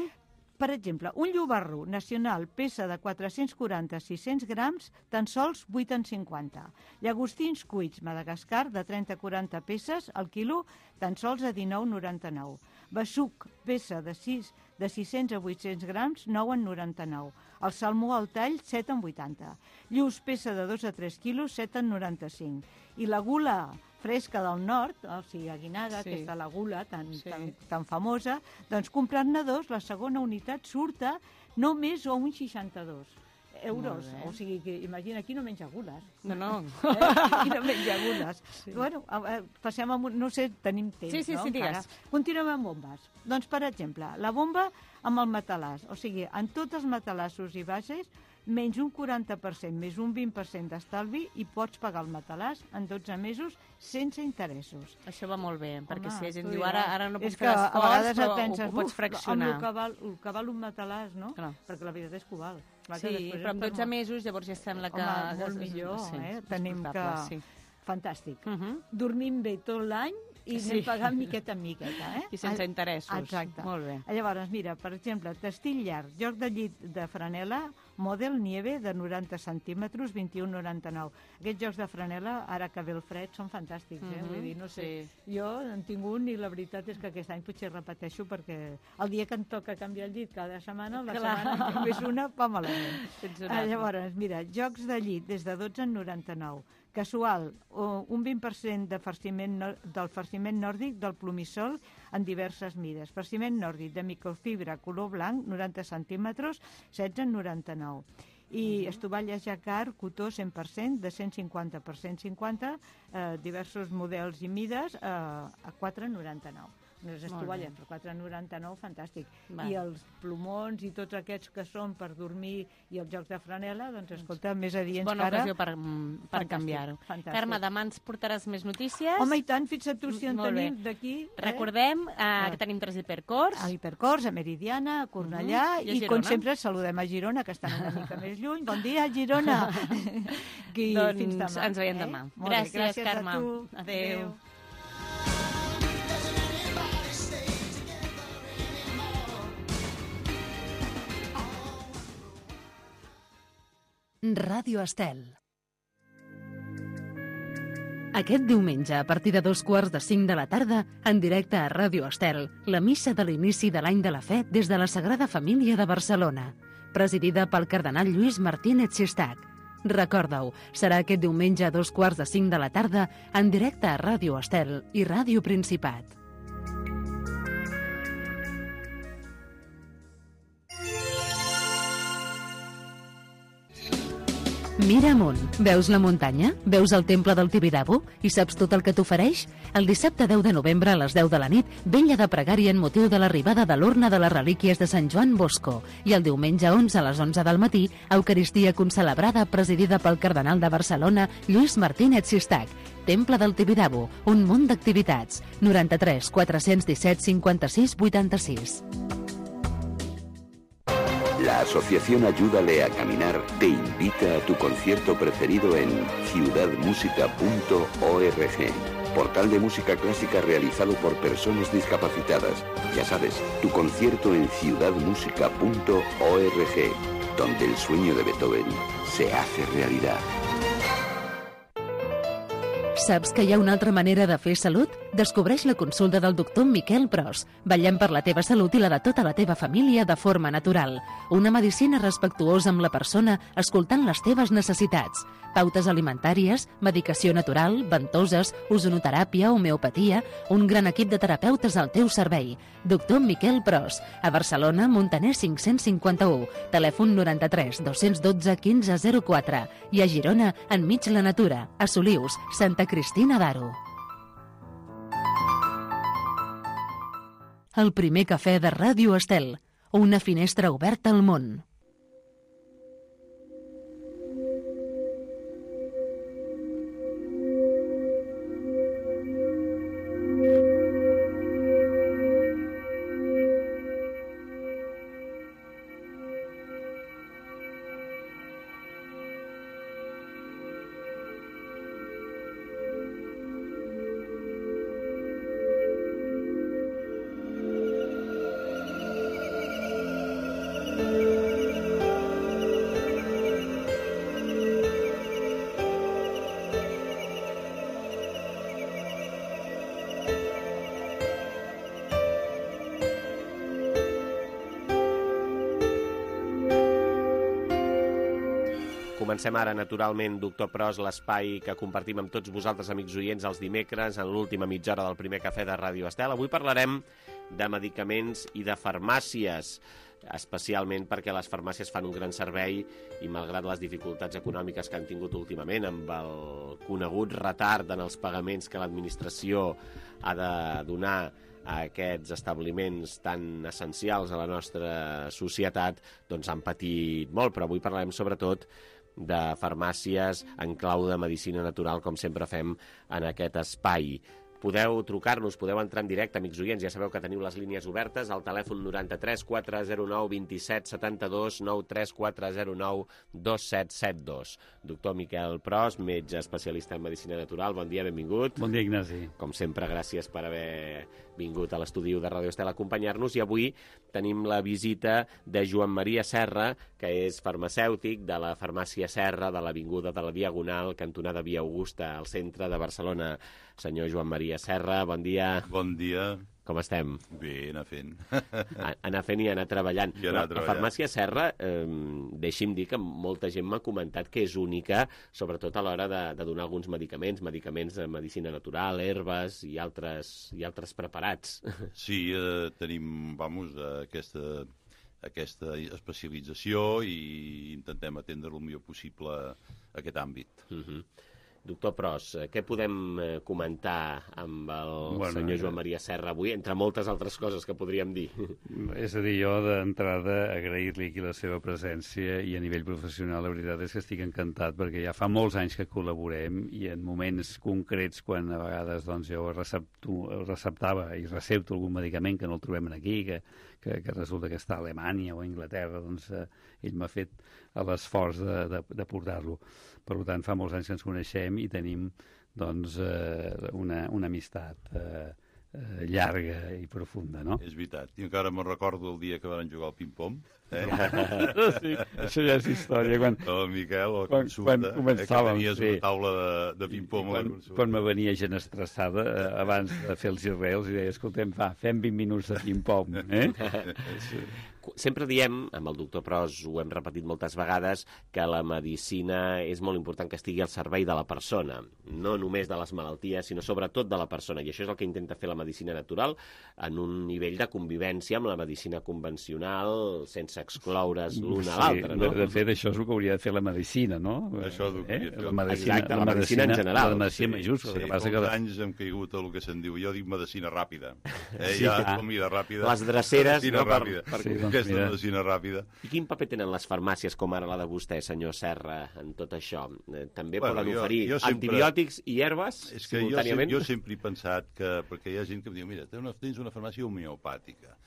Speaker 11: Per exemple, un llobarro nacional pesa de quatre-cents quaranta a sis-cents grams, tan sols vuit coma cinquanta. Llagostins cuits Madagascar de trenta a quaranta peces, al quilo, tan sols a dinou coma noranta-nou. Besuc, peça de sis de sis-cents a vuit-cents grams, nou coma noranta-nou. El salmó al tall, set coma vuitanta. Lluç, peça de dos a tres quilos, set coma noranta-cinc. I la gula fresca del nord, o sigui, aguinada,
Speaker 9: Sí.
Speaker 11: aquesta la gula tan,
Speaker 9: Sí.
Speaker 11: tan, tan famosa, doncs comprant-ne dos, la segona unitat surta només a uns seixanta-dos euros.
Speaker 9: Molt bé.
Speaker 11: O sigui, que imagina, aquí no menja gules.
Speaker 9: No, no.
Speaker 11: Eh? Aquí no menja gules.
Speaker 9: Sí.
Speaker 11: Bueno, a- a- passem amb... un- No sé, tenim temps,
Speaker 9: Sí, sí,
Speaker 11: no?
Speaker 9: sí, digues.
Speaker 11: Encara. Continuem amb bombes. Doncs, per exemple, la bomba amb el matalàs. O sigui, en tots els matalassos i bases, menys un quaranta per cent més un vint per cent d'estalvi i pots pagar el matalàs en dotze mesos sense interessos.
Speaker 9: Això va molt bé, perquè
Speaker 11: Home,
Speaker 9: si la gent
Speaker 11: tu
Speaker 9: diu
Speaker 11: diràs.
Speaker 9: ara, ara no puc
Speaker 11: És
Speaker 9: fer
Speaker 11: que a
Speaker 9: l'esforç,
Speaker 11: vegades
Speaker 9: però
Speaker 11: et penses,
Speaker 9: ho, ho pots
Speaker 11: "Uf,
Speaker 9: fraccionar.
Speaker 11: amb el que val, el que val un matalàs, no?
Speaker 9: Clar.
Speaker 11: Perquè la veritat és que ho val. Clar que
Speaker 9: Sí,
Speaker 11: després
Speaker 9: però en
Speaker 11: és per
Speaker 9: dotze
Speaker 11: molt-
Speaker 9: mesos llavors ja sembla que...
Speaker 11: Home, molt millor,
Speaker 9: sí,
Speaker 11: eh?
Speaker 9: és
Speaker 11: Tenim que...
Speaker 9: portable, sí.
Speaker 11: Fantàstic.
Speaker 9: Uh -huh.
Speaker 11: Dormim bé tot l'any i
Speaker 9: Sí.
Speaker 11: anem pagant miqueta en miqueta, eh?
Speaker 9: I sense interessos.
Speaker 11: Exacte.
Speaker 9: Molt bé.
Speaker 11: Llavors, mira, per exemple, testill llarg, joc de llit de franela, model nieve de noranta centímetres, vint-i-un coma noranta-nou. Aquests jocs de franela, ara que ve el fred, són fantàstics, eh?
Speaker 9: Mhm,
Speaker 11: Vull dir, no sé, jo en tinc un i la veritat és que aquest any potser repeteixo perquè el dia que em toca canviar el llit cada setmana, la
Speaker 9: Clar.
Speaker 11: setmana només una va malament.
Speaker 9: Tens un
Speaker 11: Ah,
Speaker 9: altre.
Speaker 11: llavors, mira, jocs de llit des de dotze coma noranta-nou. Casual, o un vint per cent de farciment nor- del farciment nòrdic del plomissol en diverses mides. Farciment nòrdic de microfibra color blanc, noranta centímetres, setze coma noranta-nou. I uh-huh. estovalles jacquard, cotó cent per cent, de cent cinquanta per cent cinquanta, eh, diversos models i mides, eh, a quatre coma noranta-nou. Les
Speaker 9: Molt
Speaker 11: estovalles
Speaker 9: bé.
Speaker 11: per quatre coma noranta-nou, fantàstic.
Speaker 9: Val.
Speaker 11: I els plomons i tots aquests que són per dormir i els jocs de franela, doncs escolta, més adients
Speaker 9: Bona
Speaker 11: que ara...
Speaker 9: ocasió per, mm, per
Speaker 11: Fantàstic,
Speaker 9: canviar-ho.
Speaker 11: fantàstic.
Speaker 9: Carme, demà ens portaràs més notícies.
Speaker 11: Home, i tant, fins a tu si en
Speaker 9: Molt bé.
Speaker 11: tenim d'aquí. Eh?
Speaker 9: Recordem eh, que tenim tres hipercors.
Speaker 11: A Hipercors, a Meridiana, a Cornellà,
Speaker 9: Uh-huh. I a
Speaker 11: i,
Speaker 9: Girona.
Speaker 11: com sempre saludem a Girona, que estan una mica més lluny. Bon dia, Girona! I
Speaker 9: Doncs
Speaker 11: fins demà.
Speaker 9: ens veiem
Speaker 11: eh?
Speaker 9: demà.
Speaker 11: Molt bé,
Speaker 9: Gràcies,
Speaker 11: gràcies
Speaker 9: Carme.
Speaker 11: a tu.
Speaker 9: Adéu.
Speaker 1: Ràdio Estel. Aquest diumenge, a partir de dos quarts de cinc de la tarda, en directe a Ràdio Estel, la missa de l'inici de l'any de la fe des de la Sagrada Família de Barcelona, presidida pel cardenal Lluís Martínez Sistac. Recorda-ho, serà aquest diumenge a dos quarts de cinc de la tarda, en directe a Ràdio Estel i Ràdio Principat. Mira amunt. Veus la muntanya? Veus el temple del Tibidabo? I saps tot el que t'ofereix? El dissabte deu de novembre a les deu de la nit, vella de pregària en motiu de l'arribada de l'urna de les relíquies de Sant Joan Bosco. I el diumenge onze a les onze del matí, Eucaristia concelebrada presidida pel cardenal de Barcelona, Lluís Martínez Sistac. Temple del Tibidabo, un munt d'activitats. noranta-tres quatre-cents disset cinquanta-sis vuitanta-sis.
Speaker 12: La Asociación Ayúdale a Caminar te invita a tu concierto preferido en ciudad música punto org, portal de música clásica realizado por personas discapacitadas. Ya sabes, tu concierto en ciudad música punto org, donde el sueño de Beethoven se hace realidad.
Speaker 1: Saps que hi ha una altra manera de fer salut? Descobreix la consulta del doctor Miquel Pros. Vetllem per la teva salut i la de tota la teva família de forma natural. Una medicina respectuosa amb la persona, escoltant les teves necessitats. Pautes alimentàries, medicació natural, ventoses, ozonoteràpia, homeopatia, un gran equip de terapeutes al teu servei. Doctor Miquel Pros, a Barcelona, Montaner cinc-cents cinquanta-u, telèfon noranta-tres dos-cents dotze quinze zero quatre i a Girona, enmig la natura, a Solius, Santa Cristina d'Aro. El primer cafè de Ràdio Estel, una finestra oberta al món.
Speaker 2: Comencem ara, naturalment, Doctor Pros, l'espai que compartim amb tots vosaltres, amics oients, els dimecres, en l'última mitja hora del primer cafè de Ràdio Estel. Avui parlarem de medicaments i de farmàcies, especialment perquè les farmàcies fan un gran servei i, malgrat les dificultats econòmiques que han tingut últimament, amb el conegut retard en els pagaments que l'administració ha de donar a aquests establiments tan essencials a la nostra societat, doncs han patit molt. Però avui parlarem sobretot de farmàcies en clau de medicina natural, com sempre fem en aquest espai. Podeu trucar-nos, podeu entrar en directe, amics oients, ja sabeu que teniu les línies obertes, al telèfon noranta-tres quatre zero nou dos set set dos, nou tres quatre zero nou dos set set dos. Doctor Miquel Pros, metge especialista en medicina natural, bon dia, benvingut.
Speaker 13: Bon dia, Ignasi.
Speaker 2: Com sempre, gràcies per haver vingut a l'estudi de Ràdio Estel a acompanyar-nos, i avui tenim la visita de Joan Maria Serra, que és farmacèutic de la farmàcia Serra de l'Avinguda de la Diagonal, cantonada Via Augusta, al centre de Barcelona. Senyor Joan Maria Serra, bon dia.
Speaker 14: Bon dia.
Speaker 2: Com estem?
Speaker 14: Bé, anar fent.
Speaker 2: Anar fent i anar treballant.
Speaker 14: I anar
Speaker 2: la,
Speaker 14: treballant.
Speaker 2: La farmàcia Serra, eh, deixi'm dir que molta gent m'ha comentat que és única, sobretot a l'hora de, de donar alguns medicaments, medicaments de medicina natural, herbes i altres, i altres preparats.
Speaker 14: Sí, eh, tenim, vamos, aquesta, aquesta especialització i intentem atendre el millor possible aquest àmbit.
Speaker 2: Uh-huh. Doctor Pros, què podem comentar amb el bueno, senyor Joan Maria Serra avui, entre moltes altres coses que podríem dir?
Speaker 13: És a dir, jo d'entrada agrair-li aquí la seva presència, i a nivell professional la veritat és que estic encantat, perquè ja fa molts anys que col·laborem i en moments concrets, quan a vegades doncs, jo recepto, receptava i recepto algun medicament que no el trobem aquí, que, que, que resulta que està a Alemanya o a Anglaterra, doncs eh, ell m'ha fet l'esforç de, de, de portar-lo. Per tant, fa molts anys que ens coneixem i tenim doncs, eh, una, una amistat eh, eh, llarga i profunda, no?
Speaker 14: És veritat. I encara me'n recordo el dia que van jugar al ping-pong. Eh?
Speaker 13: Sí, això ja és història. Quan,
Speaker 14: el Miquel, a la
Speaker 13: quan,
Speaker 14: consulta,
Speaker 13: quan començàvem,
Speaker 14: eh, que tenies
Speaker 13: sí.
Speaker 14: una taula de, de ping-pong a la consulta.
Speaker 13: Quan me venia gent estressada, eh, abans de fer els girreus, i deia, escoltem, va, fem vint minuts de ping-pong. Eh?
Speaker 2: Sí. Sempre diem, amb el doctor Pros ho hem repetit moltes vegades, que la medicina és molt important que estigui al servei de la persona, no només de les malalties, sinó sobretot de la persona, i això és el que intenta fer la medicina natural en un nivell de convivència amb la medicina convencional, sense excloure's l'una a l'altra, no?
Speaker 13: De, de fet, això és el que hauria de fer la medicina, no?
Speaker 14: Això és el que
Speaker 13: eh?
Speaker 14: fer.
Speaker 13: La medicina,
Speaker 2: Exacte, la, la medicina, medicina en general.
Speaker 13: La medicina
Speaker 14: sí,
Speaker 13: majúscula.
Speaker 14: Sí,
Speaker 13: que passa
Speaker 14: que...
Speaker 13: que...
Speaker 14: anys hem caigut a el que se'n diu, jo dic medicina ràpida. Eh?
Speaker 13: Sí,
Speaker 14: ja,
Speaker 13: clar.
Speaker 14: comida ràpida.
Speaker 2: Les dreceres,
Speaker 14: medicina
Speaker 2: no?
Speaker 14: Ràpida.
Speaker 2: Per, per...
Speaker 14: Sí, doncs, aquesta mira. Medicina ràpida.
Speaker 2: I quin paper tenen les farmàcies, com ara la de vostè, senyor Serra, en tot això? També
Speaker 14: bueno,
Speaker 2: poden
Speaker 14: jo,
Speaker 2: oferir
Speaker 14: jo sempre...
Speaker 2: antibiòtics i herbes
Speaker 14: és que
Speaker 2: simultàniament?
Speaker 14: Jo, jo sempre he pensat que... Perquè hi ha gent que em diu, mira, tens una, tens una farmàcia homeopàtica.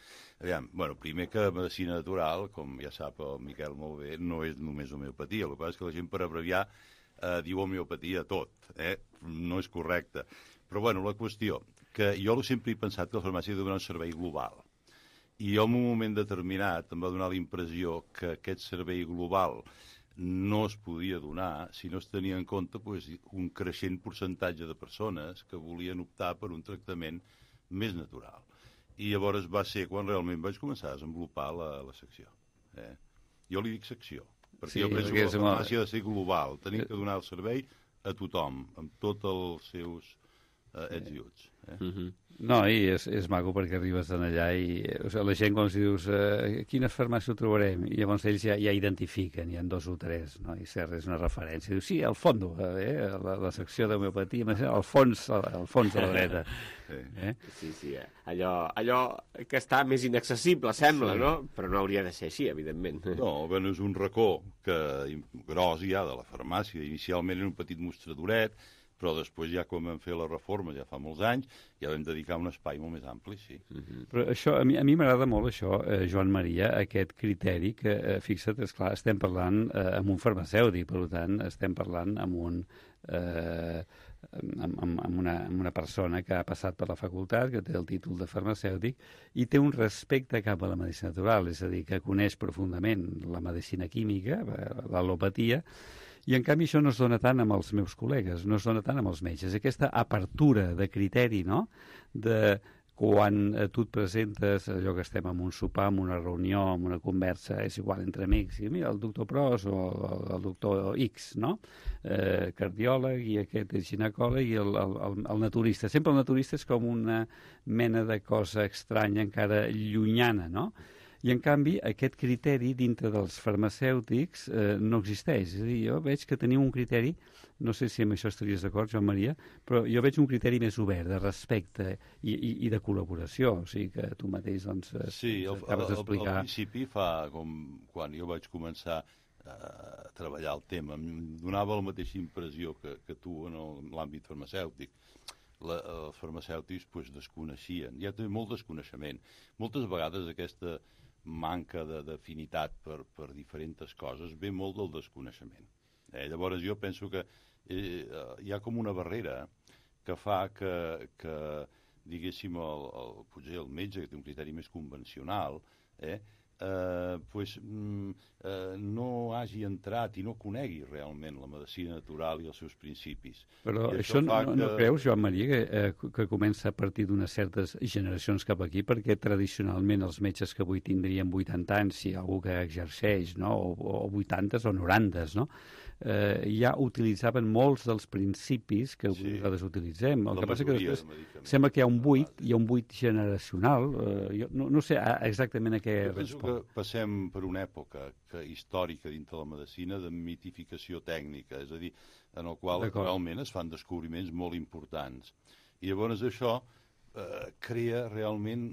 Speaker 14: Aviam, bueno, primer que medicina natural, com ja sap el Miquel molt bé, no és només homeopatia. El que passa és que la gent, per abreviar, eh, diu homeopatia a tot. Eh? No és correcte. Però, bueno, la qüestió, que jo sempre he pensat que la farmàcia ha de donar un servei global. I jo, en un moment determinat, em va donar la impressió que aquest servei global no es podia donar si no es tenia en compte pues, un creixent percentatge de persones que volien optar per un tractament més natural. I llavors va ser quan realment vaig començar a desenvolupar la, la secció. Eh? Jo li dic secció, perquè sí, jo penso que la farmàcia ha de ser global. Tenim que donar el servei a tothom, amb tots els seus eh, ets i uts. Eh?
Speaker 13: Uh-huh. No, i és, és maco perquè arribes en allà i o sigui, la gent quan els dius eh, quina farmàcia ho trobarem? I llavors ells ja, ja identifiquen, hi ha dos o tres, no? I Serra és una referència. Diu, sí, al fondo, eh, la, la secció d'homeopatia, al fons, al fons de la dreta.
Speaker 2: Sí, eh? sí, sí eh? allò, allò que està més inaccessible, sembla, sí. No? Però no hauria de ser així, evidentment.
Speaker 14: No, bueno, és un racó que, gros ja de la farmàcia. Inicialment era un petit mostradoret, però després ja quan vam fer la reforma, ja fa molts anys, ja vam dedicar un espai molt més ampli, sí.
Speaker 13: Uh-huh. Però això, a mi, a mi m'agrada molt això, eh, Joan Maria, aquest criteri que, eh, fixa't, esclar, estem parlant eh, amb un farmacèutic, per tant, estem parlant amb un... Eh, amb, amb, amb, una, amb una persona que ha passat per la facultat, que té el títol de farmacèutic i té un respecte cap a la medicina natural, és a dir, que coneix profundament la medicina química, l'al·lopatia, i en canvi això no es dona tant amb els meus col·legues, no es dona tant amb els metges. Aquesta apertura de criteri, no?, de quan tu et presentes, allò que estem en un sopar, en una reunió, en una conversa, és igual entre amics, i mira, el doctor Pros o el doctor X, no?, eh, cardiòleg, i aquest és ginecòleg, i el, el, el naturista. Sempre el naturista és com una mena de cosa estranya, encara llunyana, no?, i, en canvi, aquest criteri dintre dels farmacèutics eh, no existeix. És a dir, jo veig que teniu un criteri, no sé si amb això estaries d'acord, Joan Maria, però jo veig un criteri més obert, de respecte i, i, i de col·laboració, o sigui que tu mateix doncs,
Speaker 14: sí,
Speaker 13: acabes d'explicar.
Speaker 14: Al principi, fa com quan jo vaig començar a treballar el tema, em donava la mateixa impressió que, que tu en l'àmbit farmacèutic. La, els farmacèutics pues, desconeixien, hi ha molt desconeixement. Moltes vegades aquesta manca d'afinitat per, per diferents coses ve molt del desconeixement. Eh, llavors jo penso que eh, hi ha com una barrera que fa que, que diguéssim, el, el, potser el metge, que té un criteri més convencional, eh, eh, pues, mm, eh, no hagi entrat i no conegui realment la medicina natural i els seus principis.
Speaker 13: Però
Speaker 14: I
Speaker 13: això, això no,
Speaker 14: que...
Speaker 13: no creus, Joan Maria, que, eh, que comença a partir d'unes certes generacions cap aquí, perquè tradicionalment els metges que avui tindrien vuitanta anys, si hi ha algú que exerceix, no?, o, o vuitanta o noranta, no?, eh, ja utilitzaven molts dels principis que avui nosaltres sí. utilitzem. El la que passa que després sembla que hi ha un buit, hi ha un buit generacional. Eh, jo no, no sé exactament a què
Speaker 14: jo penso
Speaker 13: respon.
Speaker 14: Que passem per una època que, històrica dintre la medicina de mitificació tècnica, és a dir, en el qual realment es fan descobriments molt importants. I llavors això eh, crea realment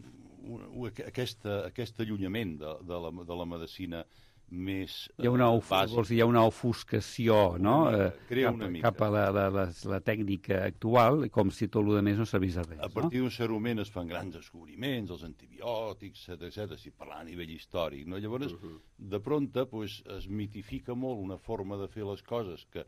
Speaker 14: un, un, aquesta, aquest allunyament de, de, la, de la medicina més
Speaker 13: hi ha una, vols dir, hi ha una ofuscació, no?
Speaker 14: Una mica, crea una
Speaker 13: cap,
Speaker 14: mica.
Speaker 13: cap a la, la, la, la tècnica actual, com si tot el més no servís a res.
Speaker 14: A partir d'un cert moment es fan grans descobriments, els antibiòtics, etcètera, etcètera, si parlar a nivell històric, no? Llavors, uh -huh. de pronte, pues, es mitifica molt una forma de fer les coses que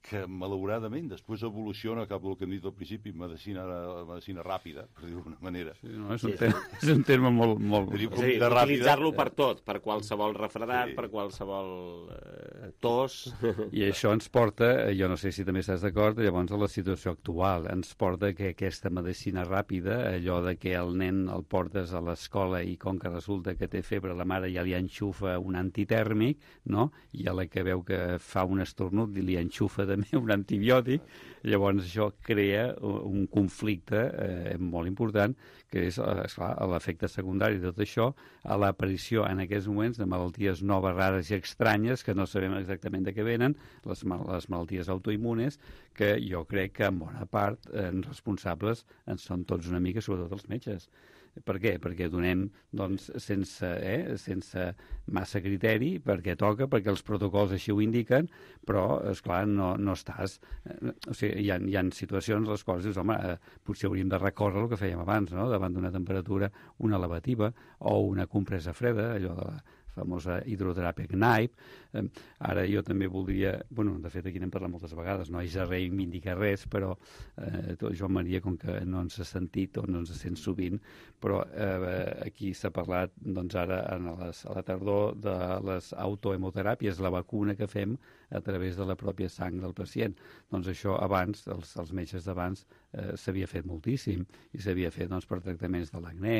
Speaker 14: que malauradament després evoluciona cap al que hem dit al principi, medicina, medicina ràpida, per dir-ho d'alguna manera.
Speaker 13: Sí, no, és, un terme, és un terme molt... molt...
Speaker 2: És a dir, utilitzar-lo per tot, per qualsevol refredat, sí. per qualsevol eh, tos...
Speaker 13: I això ens porta, jo no sé si també estàs d'acord, llavors a la situació actual, ens porta que aquesta medicina ràpida, allò de que el nen el portes a l'escola i com que resulta que té febre, la mare ja li enxufa un antitèrmic, no? I a la que veu que fa un estornut li enxufa de un antibiòtic, llavors això crea un conflicte eh, molt important, que és, esclar, l'efecte secundari de tot això, a l'aparició en aquests moments de malalties noves, rares i estranyes, que no sabem exactament de què venen, les, mal les malalties autoimmunes, que jo crec que en bona part eh, responsables en són tots una mica, sobretot els metges. Per què? Perquè donem, doncs, sense, eh, sense massa criteri, perquè toca, perquè els protocols així ho indiquen, però, esclar, no, no estàs... Eh, o sigui, hi ha, hi ha situacions en les quals dius, home, eh, potser hauríem de recórrer el que fèiem abans, no?, davant d'una temperatura, una lavativa o una compresa freda, allò de la famosa hidroteràpia C N A I P. Eh, ara jo també voldria, bueno, de fet aquí n'hem parlat moltes vegades, no haig de reivindicar res, però eh, Joan Maria, com que no ens ha sentit o no ens sent sovint, però eh, aquí s'ha parlat doncs ara en les, a la tardor de les autohemoteràpies, la vacuna que fem a través de la pròpia sang del pacient. Doncs això abans, els, els metges d'abans, eh, s'havia fet moltíssim, i s'havia fet doncs, per tractaments de l'acné,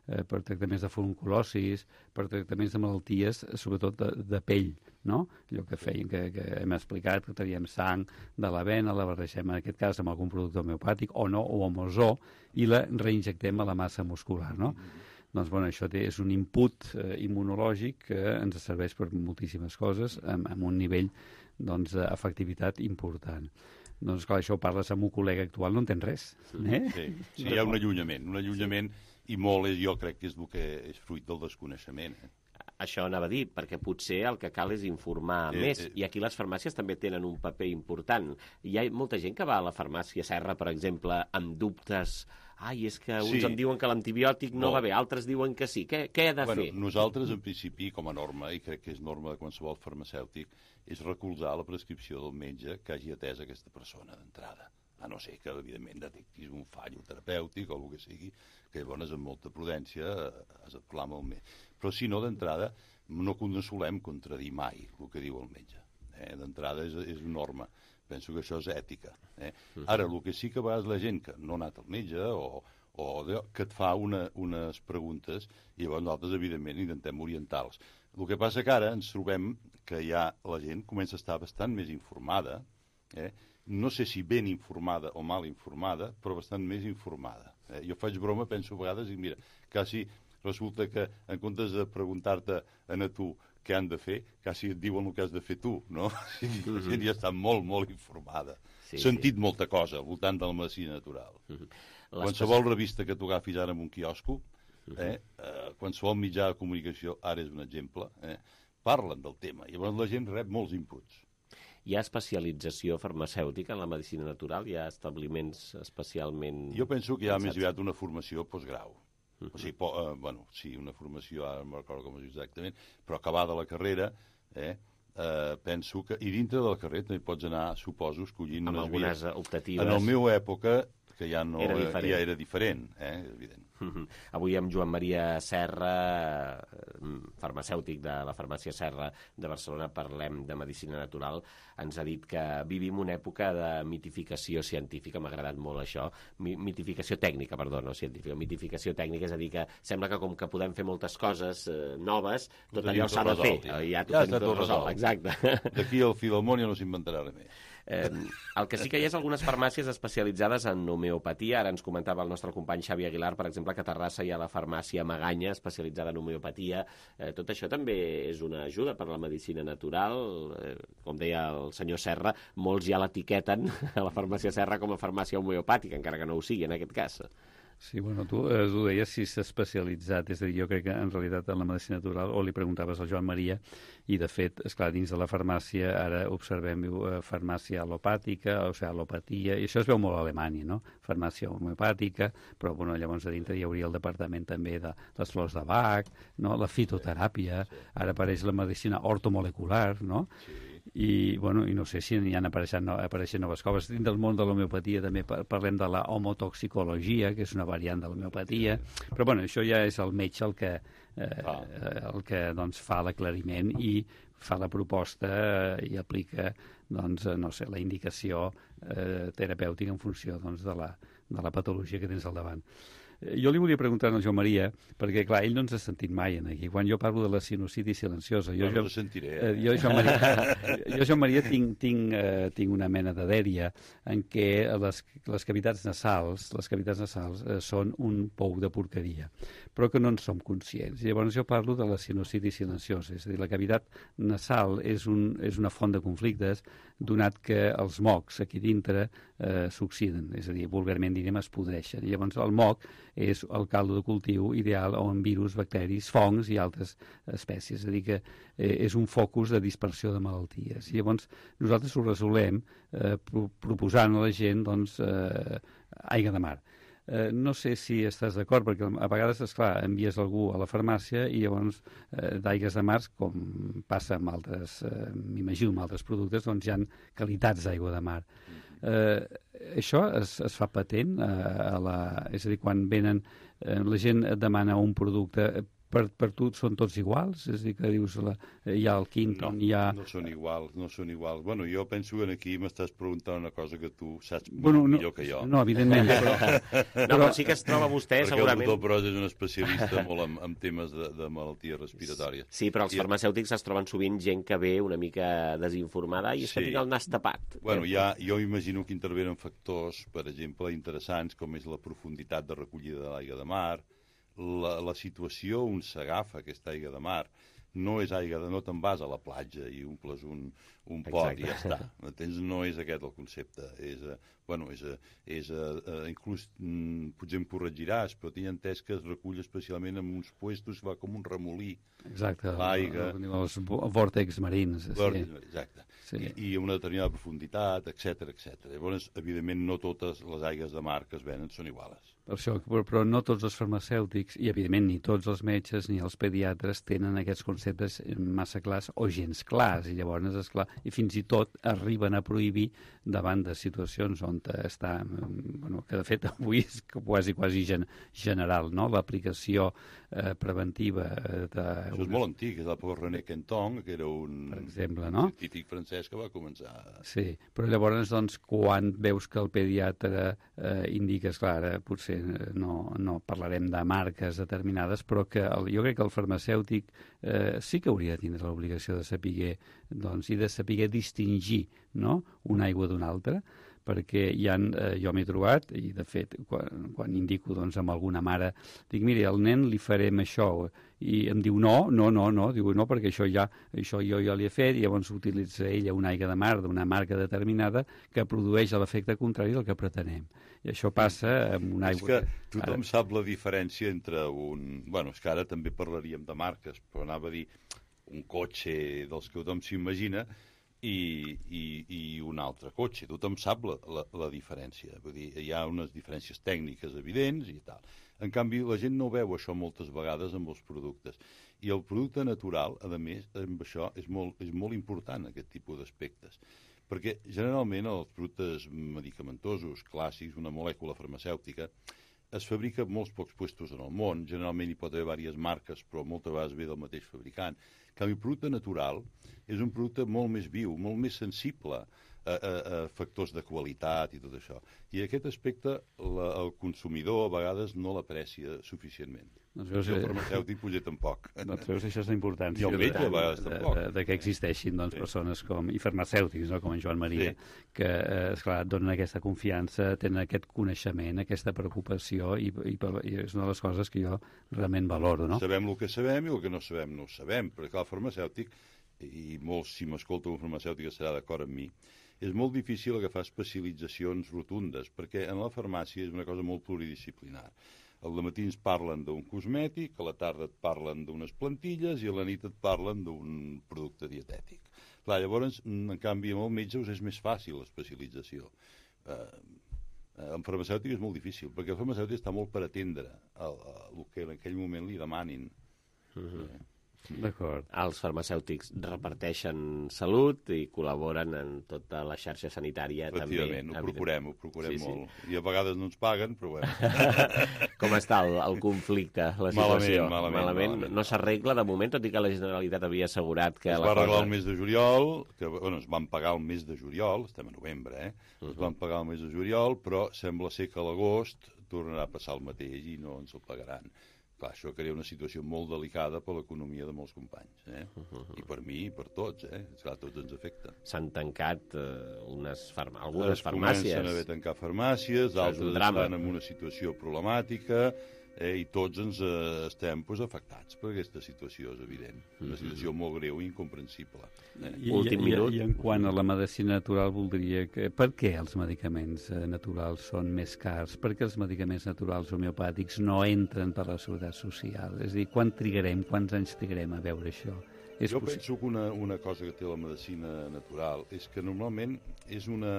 Speaker 13: eh, per tractaments de furunculosis, per tractaments de malalties, sobretot de, de pell, no? Allò que feien, que, que hem explicat, que teníem sang de la vena, la barregem en aquest cas amb algun producte homeopàtic o no, o amb ozó, i la reinjectem a la massa muscular, no? Mm-hmm. Doncs, bueno, això té, és un input eh, immunològic que ens serveix per moltíssimes coses, amb, amb un nivell doncs, d'efectivitat important. Doncs, clar, això ho parles amb un col·lega actual, no entens res. Eh?
Speaker 14: Sí, sí, hi ha un allunyament, un allunyament, i molt, és, jo crec que és el que és fruit del desconeixement. Eh?
Speaker 2: Això anava a dir, perquè potser el que cal és informar eh, més, eh. i aquí les farmàcies també tenen un paper important. Hi ha molta gent que va a la farmàcia Serra, per exemple, amb dubtes. Ai, és que uns sí. em diuen que l'antibiòtic no, no va bé, altres diuen que sí. Què, què he de
Speaker 14: bueno,
Speaker 2: fer?
Speaker 14: Nosaltres, en principi, com a norma, i crec que és norma de qualsevol farmacèutic, és recolzar la prescripció del metge que hagi atès aquesta persona d'entrada. A no ser que, evidentment, detectis un fallo terapèutic o el que sigui, que llavors, amb molta prudència, has de parlar amb el metge. Però, si no, d'entrada, no solem contradir mai el que diu el metge. Eh? D'entrada és, és norma. Penso que això és ètica. Eh? Ara, el que sí que a vegades la gent que no ha anat al metge o, o que et fa una, unes preguntes i llavors nosaltres, evidentment, intentem orientar-los. El que passa que ara ens trobem que ja la gent comença a estar bastant més informada, eh? No sé si ben informada o mal informada, però bastant més informada. Eh? Jo faig broma, penso a vegades, i mira, quasi resulta que en comptes de preguntar-te a tu què han de fer, quasi et diuen el que has de fer tu, no? La gent ja està molt, molt informada. Sí, sentit sí. molta cosa al voltant de la medicina natural. Uh-huh. Qualsevol revista que tu agafis ara en un quiosco, uh-huh. eh, eh, qualsevol mitjà de comunicació, ara és un exemple, eh, parlen del tema. I llavors la gent rep molts inputs.
Speaker 2: Hi ha especialització farmacèutica en la medicina natural? Hi ha establiments especialment...
Speaker 14: Jo penso que hi ha més aviat una formació postgrau. Uh-huh. O sigui, po, eh, bueno, sí, una formació, ara no recordo com és exactament, però acabada la carrera, eh, eh, penso que... I dintre de la carrera també pots anar, suposo, escollint
Speaker 2: amb
Speaker 14: unes
Speaker 2: algunes
Speaker 14: vies.
Speaker 2: optatives.
Speaker 14: En la meva època, que ja no
Speaker 2: era diferent,
Speaker 14: ja era diferent eh, evident.
Speaker 2: Uh-huh. Avui amb Joan Maria Serra, farmacèutic de la farmàcia Serra de Barcelona, parlem de medicina natural. Ens ha dit que vivim una època de mitificació científica, m'ha agradat molt això, mitificació tècnica, perdó, no científica, mitificació tècnica, és a dir, que sembla que com que podem fer moltes coses eh, noves, tot allò s'ha de fer. Ja, ja,
Speaker 14: ja està tot resolt.
Speaker 2: Exacte.
Speaker 14: D'aquí al fi del món ja no s'inventarà res més.
Speaker 2: Eh, el que sí que hi ha és algunes farmàcies especialitzades en homeopatia. Ara ens comentava el nostre company Xavi Aguilar, per exemple, que a Terrassa hi ha la farmàcia Maganya, especialitzada en homeopatia. Eh, tot això també és una ajuda per a la medicina natural. Eh, com deia el senyor Serra, molts ja l'etiqueten a la farmàcia Serra com a farmàcia homeopàtica, encara que no ho sigui en aquest cas.
Speaker 13: Sí, bueno, tu eh, ho deies si s'ha especialitzat, és a dir, jo crec que en realitat en la medicina natural, o li preguntaves al Joan Maria, i de fet, esclar, dins de la farmàcia ara observem eh, farmàcia al·lopàtica, o sigui, al·lopatia, i això es veu molt a Alemanya, no? Farmàcia homeopàtica, però bueno, llavors a dintre hi hauria el departament també de les flors de Bach, no? La fitoteràpia, ara apareix la medicina ortomolecular, no? Sí. I, bueno, i no sé si n'hi han apareixent, no, apareixent noves coses. Dins del món de l'homeopatia també parlem de la homotoxicologia, que és una variant de l'homeopatia, però bueno, això ja és el metge el que, eh, ah. el que doncs, fa l'aclariment i fa la proposta eh, i aplica doncs, no sé, la indicació eh, terapèutica en funció doncs, de, la, de la patologia que tens al davant. Jo li volia preguntar al Joan Maria, perquè, clar, ell no ens ha sentit mai en aquí. Quan jo parlo de la sinusitis silenciosa... Jo,
Speaker 14: no, no jo, sentiré. Eh?
Speaker 13: Jo, Joan Maria, jo, Joan Maria tinc, tinc, eh, tinc una mena de dèria en què les, les cavitats nasals, les cavitats nasals eh, són un pou de porqueria, però que no en som conscients. I llavors jo parlo de la sinusitis silenciosa, és a dir, la cavitat nasal és, un, és una font de conflictes, donat que els mocs aquí dintre eh, s'oxiden, és a dir, vulgarment direm es podreixen. I llavors el moc és el caldo de cultiu ideal on virus, bacteris, fongs i altres espècies. És a dir, que eh, és un focus de dispersió de malalties. I llavors nosaltres ho resolem eh, pro proposant a la gent doncs, eh, aigua de mar. eh, no sé si estàs d'acord, perquè a vegades, esclar, envies algú a la farmàcia i llavors eh, d'aigues de mar, com passa amb altres, eh, m'imagino, amb altres productes, doncs hi ha qualitats d'aigua de mar. Eh, això es, es fa patent eh, a la... És a dir, quan venen, eh, la gent et demana un producte... Per, per tu són tots iguals? És a dir, que dius, la, hi ha el Quinton,
Speaker 14: no,
Speaker 13: hi ha...
Speaker 14: No són iguals, no són iguals. Bueno, jo penso que aquí m'estàs preguntant una cosa que tu saps
Speaker 13: bueno, no,
Speaker 14: millor que jo.
Speaker 13: No, evidentment. Però...
Speaker 2: no, però sí que es troba vostè,
Speaker 14: perquè
Speaker 2: segurament...
Speaker 14: Perquè el doctor Pros és un especialista molt en, en temes de, de malalties respiratòries.
Speaker 2: Sí, però els I... farmacèutics es troben sovint gent que ve una mica desinformada i es sí. que tinc el nas tapat.
Speaker 14: Bueno, ja, jo imagino que intervenen factors, per exemple, interessants, com és la profunditat de recollida de l'aigua de mar, La, la situació on s'agafa aquesta aigua de mar no és aigua de... no te'n vas a la platja i omples un, un pot i ja està. Entens? No és aquest el concepte. És, uh, bueno, és, uh, és uh, uh, inclús, mm, potser em corregiràs, però tinc entès que es recull especialment en uns puestos que va com un remolí.
Speaker 13: Exacte,
Speaker 14: l'aigua.
Speaker 13: Els vòrtex marins.
Speaker 14: Vòrtex, sí. Exacte.
Speaker 13: Sí.
Speaker 14: I, I una determinada profunditat, etcètera, etcètera. Llavors, evidentment, no totes les aigues de mar que es venen són iguals.
Speaker 13: Per això, però no tots els farmacèutics, i evidentment ni tots els metges ni els pediatres tenen aquests conceptes massa clars o gens clars, i llavors, esclar, i fins i tot arriben a prohibir davant de situacions on està, bueno, que de fet avui és quasi, quasi gen, general, no?, l'aplicació eh, preventiva de...
Speaker 14: Això és molt antic, és l'època René Quinton, que era un,
Speaker 13: per exemple, no?
Speaker 14: un científic francès que va començar...
Speaker 13: Sí, però llavors, doncs, quan veus que el pediatre eh, indica, esclar, ara potser no, no parlarem de marques determinades, però que el, jo crec que el farmacèutic eh, sí que hauria de tindre l'obligació de saber, doncs, i de saber distingir, no?, una aigua d'una altra, perquè hi ha, eh, jo m'he trobat, i de fet, quan, quan indico doncs, amb alguna mare, dic, mira, al nen li farem això, i em diu, no, no, no, no, diu, no, perquè això ja, això jo ja li he fet, i llavors utilitza ella una aigua de mar d'una marca determinada que produeix l'efecte contrari del que pretenem. I això passa amb una aigua...
Speaker 14: És que tothom ara... sap la diferència entre un... Bueno, és que ara també parlaríem de marques, però anava a dir un cotxe dels que tothom s'imagina, I, i, i un altre cotxe. Tothom sap la, la, la diferència. Vull dir, hi ha unes diferències tècniques evidents i tal. En canvi, la gent no veu això moltes vegades amb els productes. I el producte natural, a més, amb això és molt, és molt important, aquest tipus d'aspectes. Perquè, generalment, els productes medicamentosos clàssics, una molècula farmacèutica, es fabrica en molts pocs puestos en el món. Generalment hi pot haver diverses marques, però moltes vegades ve del mateix fabricant. En canvi, el producte natural és un producte molt més viu, molt més sensible a, a, a factors de qualitat i tot això. I aquest aspecte la, el consumidor a vegades no l'aprecia suficientment.
Speaker 13: Doncs veus,
Speaker 14: I el farmacèutic potser tampoc.
Speaker 13: Doncs veus, això és la importància.
Speaker 14: I el metge a vegades
Speaker 13: de,
Speaker 14: tampoc.
Speaker 13: De, de que existeixin doncs, sí. persones com, i farmacèutics, no? Com en Joan Maria,
Speaker 14: sí.
Speaker 13: que eh, esclar, donen aquesta confiança, tenen aquest coneixement, aquesta preocupació, i, i, i és una de les coses que jo realment valoro. No?
Speaker 14: Sabem el que sabem i el que no sabem no ho sabem, perquè el farmacèutic, i molts, si m'escolta un farmacèutic estarà d'acord amb mi, és molt difícil agafar especialitzacions rotundes, perquè en la farmàcia és una cosa molt pluridisciplinar. Al matí ens parlen d'un cosmètic, a la tarda et parlen d'unes plantilles i a la nit et parlen d'un producte dietètic. Clar, llavors, en canvi, amb el metge us és més fàcil l'especialització. Eh, en farmacèutic és molt difícil, perquè el farmacèutic està molt per atendre el, el que en aquell moment li demanin.
Speaker 2: Uh-huh.
Speaker 14: eh.
Speaker 13: D'acord.
Speaker 2: Els farmacèutics reparteixen salut i col·laboren en tota la xarxa sanitària.
Speaker 14: Efectivament,
Speaker 2: també,
Speaker 14: ho procurem, ho procurem
Speaker 2: sí,
Speaker 14: molt.
Speaker 2: Sí.
Speaker 14: I a vegades no ens paguen, però bueno.
Speaker 2: Com està el, el conflicte, la situació?
Speaker 14: Malament, malament. malament, malament.
Speaker 2: No s'arregla de moment, tot i que la Generalitat havia assegurat que...
Speaker 14: Es
Speaker 2: la
Speaker 14: va arreglar
Speaker 2: cosa...
Speaker 14: el mes de juliol, que bueno, es van pagar el mes de juliol, estem a novembre, eh? Uh-huh. Es van pagar el mes de juliol, però sembla ser que a l'agost tornarà a passar el mateix i no ens el pagaran. Clar, això crea una situació molt delicada per l'economia de molts companys, eh? Uh-huh. I per mi i per tots, eh? Esclar, tots ens afecta.
Speaker 2: S'han tancat eh, unes farma... algunes
Speaker 14: es
Speaker 2: farmàcies.
Speaker 14: Comencen a haver tancar farmàcies, altres estan en una situació problemàtica, eh? I tots ens eh, estem pues, afectats per aquesta situació, és evident. Una situació uh-huh. molt greu i incomprensible. Eh?
Speaker 13: I, Últim i, minut. I, I en quant a la medicina natural, voldria que... Per què els medicaments eh, naturals són més cars? Per què els medicaments naturals homeopàtics no entren per la seguretat social? És a dir, quan trigarem, quants anys trigarem a veure això? És
Speaker 14: jo
Speaker 13: possible?
Speaker 14: penso que una, una cosa que té la medicina natural és que normalment és una...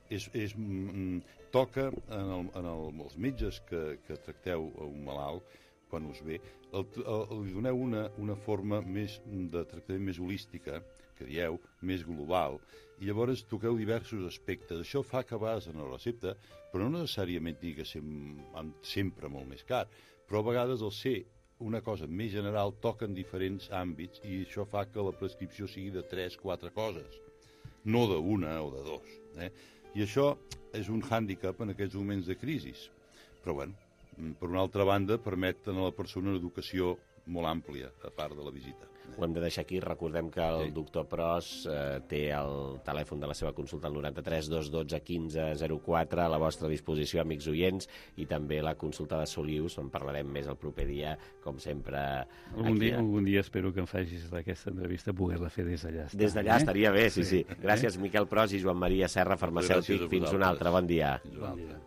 Speaker 14: és, és, mm, toca en, el, en el, els metges que, que tracteu a un malalt, quan us ve, el, el, li doneu una, una forma més de tractament més holística, que dieu, més global, i llavors toqueu diversos aspectes. Això fa que a vegades en la recepta, però no necessàriament tingui que ser sempre molt més car, però a vegades el ser una cosa més general toca en diferents àmbits i això fa que la prescripció sigui de tres, quatre coses, no d'una o de dos. Eh? I això és un hàndicap en aquests moments de crisi. Però, bueno, per una altra banda, permet a la persona una educació molt àmplia, a part de la visita.
Speaker 2: Ho hem de deixar aquí. Recordem que el sí. doctor Pros eh, té el telèfon de la seva consulta al noranta-tres dos dotze quinze zero quatre a la vostra disposició, amics oients, i també la consulta de Solius, on parlarem més el proper dia, com sempre.
Speaker 13: Algun, aquí, dia, algun dia espero que em facis aquesta entrevista poder-la fer des d'allà.
Speaker 2: Des d'allà eh? estaria bé, sí, sí. sí. Gràcies, eh? Miquel Pros i Joan Maria Serra, farmacèutic. Fins un altre. Bon dia. Fins un altre.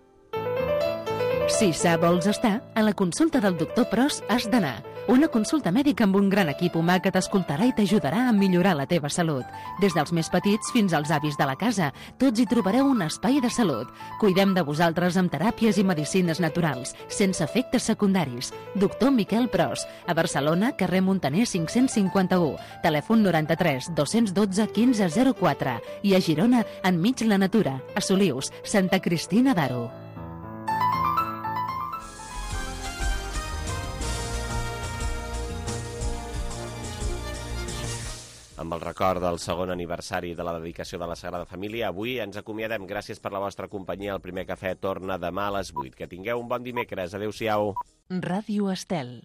Speaker 1: Si sa vols estar, a la consulta del doctor Pros has d'anar. Una consulta mèdica amb un gran equip humà que t'escoltarà i t'ajudarà a millorar la teva salut. Des dels més petits fins als avis de la casa, tots hi trobareu un espai de salut. Cuidem de vosaltres amb teràpies i medicines naturals, sense efectes secundaris. Doctor Miquel Pros, a Barcelona, carrer Montaner cinc-cents cinquanta-u, telèfon noranta-tres dos dotze quinze zero quatre, i a Girona, enmig la natura, a Solius, Santa Cristina d'Aro.
Speaker 2: Amb el record del segon aniversari de la dedicació de la Sagrada Família, avui ens acomiadem. Gràcies per la vostra companyia. El primer cafè torna demà a les vuit. Que tingueu un bon dimecres. Adéu-siau.
Speaker 1: Ràdio Estel.